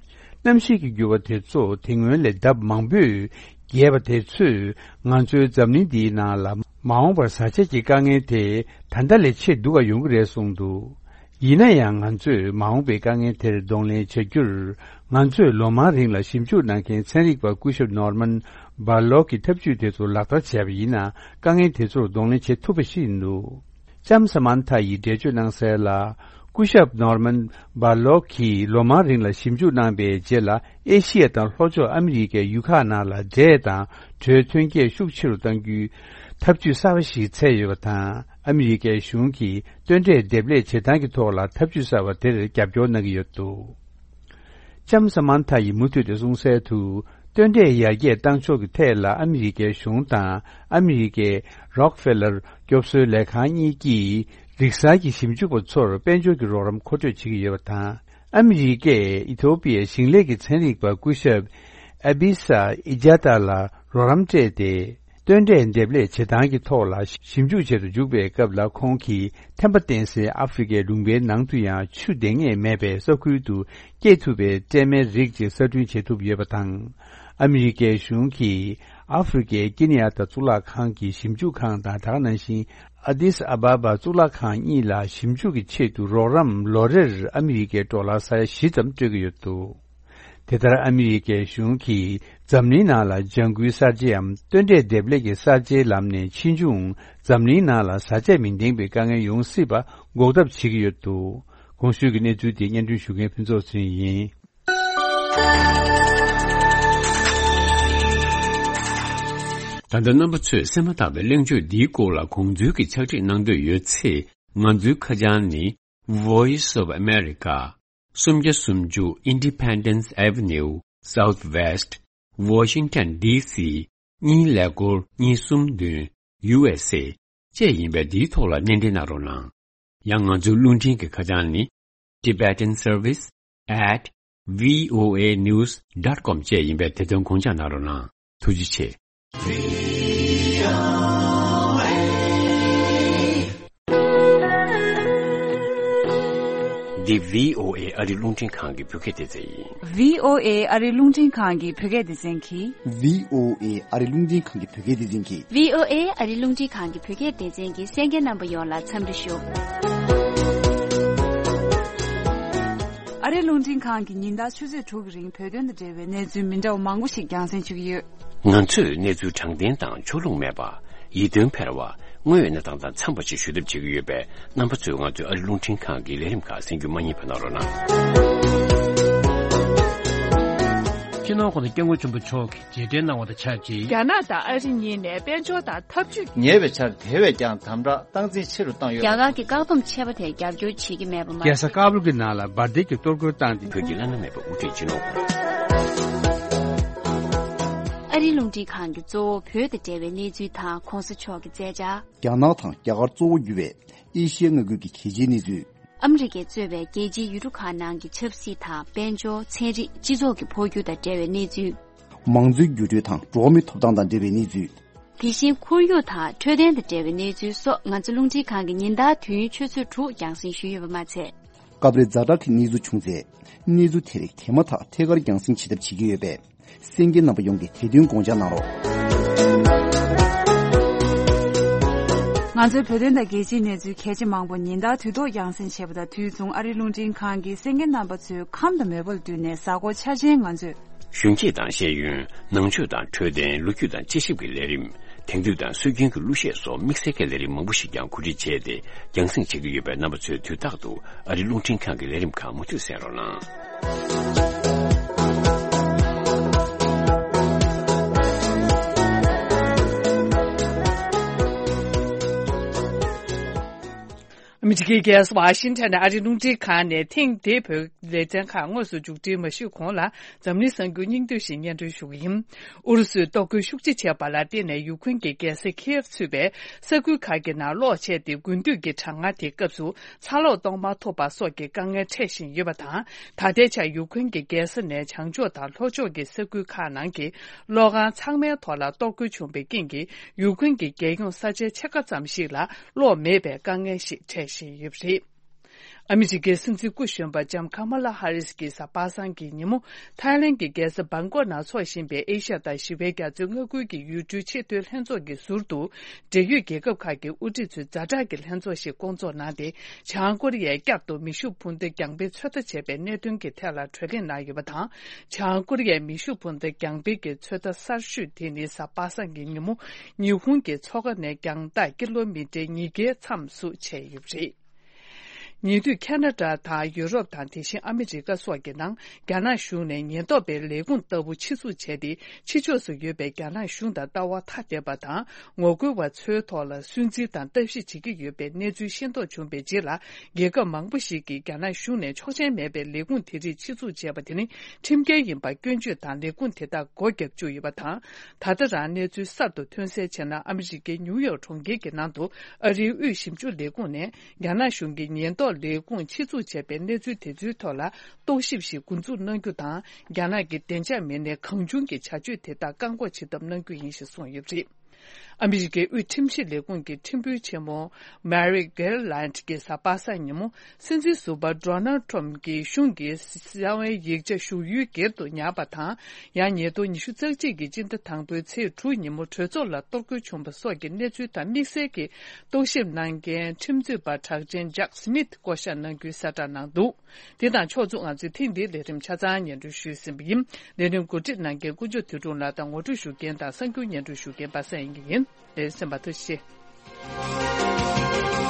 གནམ་གཤིས་ཀྱི་འགྱུར་བ་དེ་ཚོ་དེ་སྔོན་ལས་ལྡབ་མང་པོས་རྒྱས་པ་དེ་ཚོས་ང་ཚོའི་འཛམ་གླིང་འདིའི་ནང་ལ་མ་འོངས་པར་བཟའ་བཅའ་གྱི་དཀའ་ངལ་དེ་ད་ལྟ་ལས་ཆེས་སྡུག་ག་ཡོང་གི་རེད་གསུངས་འདུག། ཡིན་ན་ཡང་ང་ཚོས་མ་འོངས་པའི་དཀའ་ངལ་དེར་གདོང་ལེན་བྱ་རྒྱུར། ང་ཚོས་ལོ་མང་རིང་ལ་ཞིབ་འཇུག་གནང་མཁན་ཚན་རིག་པ་སྐུ་ཞབས་ནོར་མན་བྷར་ལོག་གི་ཐབས་ཇུས་དེ་ཚོ་ལག་བསྟར་བྱས་པ་ཡིན་ན་དཀའ་ངལ་དེ་ཚོར་གདོང་ལེན་བྱེད་ཐུབ་པ་ཞིག་ཡིན་འདུག། ལྕམ་ས་མན་ཐ་ཡིས་འགྲེལ་བརྗོད་གནང་གསལ་ལ། སྐུ་ཞབས་ནོར་མན་བྷར་ལོག་གིས་ལོ་མང་རིང་ལ་ཞིབ་འཇུག་གནང་པའི་རྗེས་ལ། ཨེ་ཤི་ཡ་དང་ལྷོ་ཕྱོགས་ཨ་མི་རི་ཀའི་ཡུལ་ཁག་ནང་ལ་འབྲས་དང་གྲོའི་ཐོན་སྐྱེད་ཤུགས་ཆེ་རུ་གཏང་རྒྱུའི་ཐབས་ཇུས་གསར་པ་ཞིག་འཚོལ་ཡོད་པ་དང་། ཨ་མི་རི་ཀའི་གཞུང་གིས་སྟོན་འབྲས་འདེབས་ལས་བྱེད་སྟངས་ཀྱི་ཐོག་ལ་ཐབས་ཇུས་གསར་པ་དེར་རྒྱབ་སྐྱོར་གནང་གི་ཡོད་འདུག། ལྕམ་ས་མན་ཐ་ཡིས་མུ་མཐུད་དུ་གསུངས་གསལ་དུ། སྟོན་འབྲས་ཡར་རྒྱས་བཏང་ཕྱོགས་ཀྱི་ཐད་ལ་ཨ་མི་རི་ཀའི་གཞུང་དང་ཨ་མི་རི་ཀའི་རོག་ཕེ་ལར་སྐྱོབ་གསོའི་ལས་ཁང་གཉིས་ཀྱིས་རིག་གསར་གྱི་ཞིབ་འཇུག་པ་ཚོར་དཔལ་འབྱོར་གྱི་རོགས་རམ་མཁོ་སྤྲོད་བྱེད་ཀྱི་ཡོད་པ་དང་། ཨ་མི་རི་ཀས་ཨི་ཐོ་པི་ཡའི་ཞིང་ལས་ཀྱི་ཚན་རིག་པ་སྐུ་ཞབས་ཨ་བི་ས་ཨི་ཇ་ཏ་ལ་རོགས་རམ་སྤྲད་དེ། སྟོན་འབྲས་འདེབས་ལས་བྱེད་སྟངས་ཀྱི་ཐོག་ལ་ཞིབ་འཇུག་བྱེད་དུ་འཇུག་པའི་སྐབས་ལ། ཁོང་གིས་ཐན་པ་བསྟེན་སའི་ཨ་ཧྥེ་རི་ཁའི་ལུང་པའི་ནང་དུ་ཡང་ཆུ་འདེབས་ངེས་མེད་པའི་ས་ཁུལ་དུ་སྐྱེ་ཐུབ་པའི་སྲན་མའི་རིགས་ཅིག་གསར་སྐྲུན་བྱེད་ཐུབ་ཡོད་པ་དང་། ཨ་མི་རི་ཀའི་གཞུང་གིས་ཨ་ཧྥེ་རི་ཁའི་ཀེ་ནི་ཡ་ད་གཙུག་ལག་ཁང་གི་ཞིབ་འཇུག་ཁང་དང་། ད་ག་ནང་བཞིན་ཨ་དིས་ཨ་བ་བ་གཙུག་ལག་ཁང་གཉིས་ལ་ཞིབ་འཇུག་གི་ཆེད་དུ་རོགས་རམ་ལོ་རེར་ཨ་མི་རི་ཀའི་ཌོ་ལར་ས་ཡ་བཞི་ཙམ་སྤྲོད་ཀྱི་ཡོད་འདུག། དེ་ལྟར་ཨ་མི་རི་ཀའི་གཞུང་གིས་འཛམ་གླིང་ནང་ལ་ལྗང་ཁུའི་གསར་བརྗེའམ་སྟོན་འབྲས་འདེབས་ལས་ཀྱི་གསར་བརྗེའི་ལམ་ནས་ཕྱིས་འབྱུང་འཛམ་གླིང་ནང་ལ་བཟའ་ཆས་མི་ལྡན་པའི་དཀའ་ངལ་ཡོང་སྲིད་པ་འགོག་ཐབས་བྱེད་ཀྱི་ཡོད་འདུག། གོང་ཞུས་ཀྱི་གནས་ཚུལ་དེ་སྙན་སྒྲོན་ཞུ་མཁན་ཕུན་ཚོགས་ཚེ་རིང་ཡིན། ད་ལྟ་རྣམ་པ་ཚོས་གསན་མ་ཐག་པའི་གླེང་བརྗོད་འདིའི་སྐོར་ལ་དགོངས་ཚུལ་གྱི་ཕྱག་བྲིས་གནང་འདོད་ཡོད་ཚེ། ང་ཚོའི་ཁ་བྱང་ནི། Voice of America། སུམ་བརྒྱ་སུམ་ཅུ་Independence Avenue Southwest Washington D C གཉིས་ཀླད་ཀོར་གཉིས་གསུམ་བདུན། U S A བཅས་ཡིན་པས། འདིའི་ཐོག་ལ་སྣེ་འདྲེན་གནང་རོགས་གནང་། ཡང་ང་ཚོའི་རླུང་འཕྲིན་གྱི་ཁ་བྱང་ནི། Tibetan Service at V O A news dot com བཅས་ཡིན་པས། དེ་དོན་དགོངས་འཇགས་གནང་རོགས་གནང་། ཐུགས་རྗེ་ཆེ། འདི་V O A ཨ་རི་རླུང་འཕྲིན་ཁང་གི་བོད་སྐད་སྡེ་ཚན་ཡིན། V O A ཨ་རི་རླུང་འཕྲིན་ཁང་གི་བོད་སྐད་སྡེ་ཚན་གྱིས། V O A ཨ་རི་རླུང་འཕྲིན་ཁང་གི་བོད་སྐད་སྡེ་ཚན་གྱིས། V O A ཨ་རི་རླུང་འཕྲིན་ཁང་གི་བོད་སྐད་སྡེ་ཚན་གྱི་གསན་མཁན་རྣམ་པ་ཡོངས་ལ་འཚམས་འདྲི་ཞུ། ཨ་རི་རླུང་འཕྲིན་ཁང་གིས་ཉིན་ལྟར་ཆུ་ཚོད་དྲུག་གི་རིང་བོད་དོན་དང་འབྲེལ་བའི་གནས་ཚུལ་མི་འདྲ་བ་མང་པོ་ཞིག་རྒྱང་སྲིང་ཞུ་གི་ཡོད། ང་ཚོས་གནས་ཚུལ་དྲང་བདེན་དང་ཕྱོགས་ལྷུང་མེད་པ། ཡིད་རྟོན་འཕེར་བ། དངོས་ཡོད་གནས་སྟངས་དང་འཚམས་པ་ཞིག་ཞུ་ཐབས་བྱེད་ཀྱི་ཡོད་པས། རྣམ་པ་ཚོས་ང་ཚོའི་ཨ་རི་རླུང་འཕྲིན་ཁང་གི་ལས་རིམ་ཁག་གསན་རྒྱུ་མ་བསྙེལ་བ་གནང་རོགས་གནང་། སྤྱི་ནོར་༸གོང་ས་༸སྐྱབས་མགོན་ཆེན་པོ་མཆོག་གིས་མཇལ་འཕྲད་གནང་བ་དང་ཆབས་ཅིག། རྒྱ་ནག་དང་ཨ་རི་གཉིས་ནས་དཔལ་འབྱོར་དང་འཐབ་ཇུས། ཉེ་བའི་ཆར་དེ་བས་ཀྱང་དམ་དྲག་སྟངས་འཛིན་ཆེ་རུ་བཏང་ཡོད་པ། རྒྱ་གར་གྱི་བཀག་སྡོམ་ཆད་པ་དེར་རྒྱབ་སྐྱོར་བྱེད་ཀྱི་མེད་པ་མ་ཟད། རྒྱལ་ས་ཀ་བུལ་གྱི་ནང་ལ་འབར་མདེལ་གྱི་གཏོར་རྒོལ་བཏང་སྟེ། བོད་ཀྱི་བླ་ན་མེད་པའི་དབུ་ཁྲིད་སྤྱི་ནོར་༸གོང་ས། ཨ་རིའི་རླུང་འཕྲིན་ཁང་གིས་གཙོ་བོ་བོད་དང་འབྲེལ་བའི་གནས་ཚུལ་དང་༸གོང་ས་མཆོག་གི་མཛད་འཆར། རྒྱ་ནག་དང་རྒྱ་གར་གཙོ་བོ་གྱུར་བའི་ཨེ་ཤི་ཡའི་མངའ་ཁུལ་གྱི་གལ་ཆེའི་གནས་ཚུལ། ཨ་མི་རི་ཀས་གཙོས་པའི་རྒྱལ་སྤྱིའི་ཡུལ་གྲུ་ཁག་ནང་གི་ཆབ་སྲིད་དང་དཔལ་འབྱོར། ཚན་རིག་སྤྱི་ཚོགས་ཀྱི་འཕོ་འགྱུར་དང་འབྲེལ་བའི་གནས་ཚུལ། མང་གཙོའི་འགྱུར་འགྲོས་དང་འགྲོ་བ་མིའི་ཐོབ་ཐང་དང་འབྲེལ་བའི་གནས་ཚུལ། དེ་བཞིན་ཁོར་ཡུག་དང་འཕྲོད་བསྟེན་དང་འབྲེལ་བའི་གནས་ཚུལ་སོགས་ང་ཚོ་རླུང་འཕྲིན་ཁང་གིས་ཉིན་ལྟར་དུས་ཡུན་ཆུ་ཚོད་དྲུག་རྒྱང་སྲིང་ཞུས་ཡོད་པ་མ་ཚད། སྐབས་རེ་ཛ་དྲག་གི་གནས་ཚུལ་བྱུང་ཚེ། གནས་ཚུལ་དེ་རིགས་དེ་མ་ཐག་ཐད་ཀར་རྒྱང་སྲིང་བྱེད་ཐབས་བྱེད་ཀྱི་ཡོད་པས། གསན་མཁན་རྣམ་པ་ཡོངས་ཀྱིས་དེ་དོན་དགོངས་འཇགས་གནང་རོགས། ང་ཚོའི་བོད་དོན་དང་རྒྱལ་སྤྱིའི་གནས་ཚུལ་གལ་ཆེ་མང་པོ་ཉིན་ལྟར་དུས་ཐོག་རྒྱང་སྲིང་བྱས་པ་དང་དུས་མཚུངས། ཨ་རིའི་རླུང་འཕྲིན་ཁང་གིས་གསན་མཁན་རྣམ་པ་ཚོའི་ཁམས་དང་མོས་པ་ལ་བསྟུན་ནས་གཟའ་འཁོར་འཆར་ཅན་ང་ཚོས། གཞོན་སྐྱེས་དང་ཤེས་ཡོན། ནང་ཆོས་དང་འཕྲོད་བསྟེན། ལོ་རྒྱུས་དང་དཔྱད་ཞིབ་ཀྱི་ལས་རིམ། དེང་དུས་དང་སྲོལ་རྒྱུན་གྱི་གླུ་གཞས་སོགས་དམིགས་བསལ་གྱི་ལས་རིམ་མང་པོ་ཞིག་ཀྱང་གོ་སྒྲིག་བྱས་ཏེ་རྒྱང་སྲིང་བྱེད་ཀྱི་ཡོད་པས། རྣམ་པ་ཚོས་དུས་རྟག་ཏུ་ཨ་རི་རླུང་འཕྲིན་ཁང་གི་ལས་རིམ་ཁག་མུ་མཐུད་གསན་རོགས་གནང་། ཨ་མི་རི་ཀའི་རྒྱལ་ས་ཝ་ཤིང་ཊོན་ནས་ཨ་རིའི་རླུང་འཕྲིན་ཁང་ནས་ཐེངས་འདིའི་བོད་ལེ་ཚན་ཁག་དངོས་སུ་མཇུག་སྒྲིལ་མ་ཞུས་གོང་ལ། འཛམ་གླིང་གསར་འགྱུར་སྙིང་བསྡུས་ཤིག་སྙན་སྒྲོན་ཞུ་གི་ཡིན། ཨུ་རུ་སུས་གཏོར་རྒོལ་ཤུགས་ཆེ་བྱས་པ་ལ་བརྟེན་ནས་ཡུཀ་རེན་གྱི་རྒྱལ་ས་ཁིའེབ་ཚུད་པའི་ས་ཁུལ་ཁག་གི་ནང་གློག་ཆད་དེ། དགུན་དུས་ཀྱི་གྲང་ངར་དེའི་སྐབས་སུ་ཚ་གློག་གཏོང་མ་ཐུབ་པ་སོགས་ཀྱི་དཀའ་ངལ་འཕྲད་བཞིན་ཡོད་པ་དང་། ད་ལྟའི་ཆར་ཡུཀ་རེན་གྱི་རྒྱལ་ས་ནས་བྱང་ཕྱོགས་དང་ལྷོ་ཕྱོགས་ཀྱི་ས་ཁུལ་ཁག་ནང་གི་གློག་ཁང་ཚང་མའི་ཐོག་ལ་གཏོར་རྒོལ་བྱུང་བའི་རྐྱེན་གྱིས། ཡུཀ་རེན་གྱི་རྒྱལ་ཡོངས་ས་ཆའི་ཕྱེད་ཀ་ཙམ་ཞིག་ལ་གློག་མེད་པའི་དཀའ་ངལ་ཞིག་འཕྲད་བཞིན་ཡོད་པ་རེད། ཨ་མི་རི་ཀའི་སྲིད་འཛིན་སྐུ་གཞོན་པ་ལྕམ་ཁ་མ་ལ་ཧ་རིས་ཀྱིས་གཟའ་པ་སངས་ཀྱི་ཉིན་མོ། ཐའི་ལེན་གྱི་རྒྱལ་ས་བྷང་ཀོག་ནང་འཚོགས་བཞིན་པའི་ཨེ་ཤ་ཡ་དང་ཞི་བའི་རྒྱ་མཚོའི་མངའ་ཁུལ་གྱི་ཡུལ་གྲུའི་ཆེས་མཐོའི་ལྷན་ཚོགས་ཀྱི་ཟུར་དུ། འབྲེལ་ཡོད་རྒྱལ་ཁབ་ཁག་གི་དབུ་ཁྲིད་ཚོས་ཛ་དྲག་གི་ལྷན་ཚོགས་ཤིག་བསྐོང་ཚོགས་གནང་སྟེ། བྱང་ཀོ་རི་ཡས་བསྐྱར་དུ་མེ་ཤུགས་འཕུར་མདའ་རྒྱང་འཕེན་ཚོད་ལྟ་བྱས་པའི་གནད་དོན་གྱི་ཐད་ལ་གྲོས་གླེང་གནང་ཡོད་པ་དང་། བྱང་ཀོ་རི་ཡས་མེ་ཤུགས་འཕུར་མདའ་རྒྱང་འཕེན་གྱི་ཚོད་ལྟ་གསར་ཤོས་དེ་ནི་གཟའ་པ་སངས་ཀྱི་ཉིན་མོ། ཉི་ཧོང་གི་མཚོ་ཁ་ནས་རྒྱང་ཐག་ཀི་ལོ་མི་ཊར་ཉིས་བརྒྱའི་མཚམས་སུ་བྱས་ཡོད་པ་རེད། ཉེ་དུས་ཁ་ན་ཌ་དང་ཡུ་རོབ་དང་། དེ་བཞིན་ཨ་མི་རི་ཀ་སོགས་ཀྱི་ནང་རྒྱ་ནག་གཞུང་ནས་ཉེན་རྟོག་པའི་ལས་ཁུངས་ལྟ་བུ་ཆེད་འཛུགས་བྱས་ཏེ། ཕྱི་ཕྱོགས་སུ་ཡོད་པའི་རྒྱ་ནག་གཞུང་དང་ལྟ་བ་ཐ་དད་པ་དང་ངོ་རྒོལ་བ་ཚོའི་ཐོག་ལ་སུན་གཙེར་དང་ལྟ་ཞིབ་བྱེད་ཀྱི་ཡོད་པའི་གནས་ཚུལ་ཤེས་རྟོགས་བྱུང་བའི་རྗེས་ལ། རྒྱལ་ཁབ་མང་པོ་ཞིག་གིས་རྒྱ་ནག་གཞུང་ནས་ཆོག་མཆན་མེད་པའི་ལས་ཁུངས་དེ་རིགས་ཆེད་འཛུགས་བྱས་པ་དེ་ནི་ཁྲིམས་འགལ་ཡིན་པར་སྐྱོན་བརྗོད་དང་། ལས་ཁུངས་དེ་དག་སྒོ་བརྒྱབ་བཅུག་ཡོད་པ་དང་། ད་ལྟ་རང་གནས་ཚུལ་གསར་དུ་ཐོན་གསལ་བྱས་ན། ཨ་མི་རི་ཀའི་ནིའུ་ཡོག་གྲོང་ཁྱེར་གྱི་ནང་དུ་ཨ་རིའི་དབུས་ཞིབ་འཇུག་ལས་ཁུངས་ནས་རྒྱ་ནག་གཞུང་གི་ཉེན་རྟོག་ལས་ཁུངས་ཆེད་འཛུགས་བྱས་པའི་གནས་ཚུལ་དེ་ཚོའི་ཐོག་ལ་རྟོག་ཞིབ་ཞིག་འགོ་འཛུགས་གནང་རྒྱུ་དང་། རྒྱ་ནག་གི་བདེ་འཇགས་མི་སྣས་གང་བྱུང་གི་བྱ་སྤྱོད་དེ་དག་བཀག་འགོག་བྱེད་ཐབས་གནང་རྒྱུ་ཡིན་ཞེས་གསུངས་ཡོད་པ་རེད། ཨ་མི་རི་ཀའི་དབུས་ཁྲིམས་ཞིབ་ལས་ཁུངས་ཀྱི་ཁྲིམས་དཔོན་ཆེན་མོ་Merrick Garland གྱིས་གཟའ་པ་སངས་ཉིན་མོ། སྲིད་འཛིན་ཟུར་པ་Donald Trump གྱི་གཞུང་གི་གསང་བའི་ཡིག་ཆ་ཞུགས་ཡུལ་སྒེར་དུ་ཉར་བ་དང་། ཡང་ཉིས་སྟོང་ཉི་ཤུ་རྩ་གཅིག་གི་སྤྱི་ཟླ་དང་པོའི་ཚེས་དྲུག་ཉིན་མོ་གྲོས་ཚོགས་ལ་གཏོར་རྒོལ་བྱུང་བ་སོགས་ཀྱི་གནས་ཚུལ་དང་དམིགས་བསལ་གྱི་རྟོག་ཞིབ་གནང་མཁན་ཁྲིམས་རྩོད་པ་གྲགས་ཅན་Jack Smith བསྐོ་བཞག་གནང་རྒྱུའི་གསལ་བསྒྲགས་གནང་འདུག་དེ་དང་ཕྱོགས་མཚུངས། ང་ཚོས་ཐེངས་འདིའི་ལས་རིམ་ཆ་ཚང་སྙན་སྒྲོན་ཞུས་ཟིན་པ་ཡིན། ལས་རིམ་གོ་སྒྲིག་གནང་མཁན་དཀོན་མཆོག་དོན་གྲུབ་ལགས་དང་ངོ་སྤྲོད་ཞུ་མཁན་དང་གསར་འགྱུར་སྙན་སྒྲོན་ཞུ་མཁན་པ་སངས་དབྱངས་སྐྱིད་ཡིན། ལས་རིམ་གསན་པར་ཐུགས་རྗེ་ཆེ།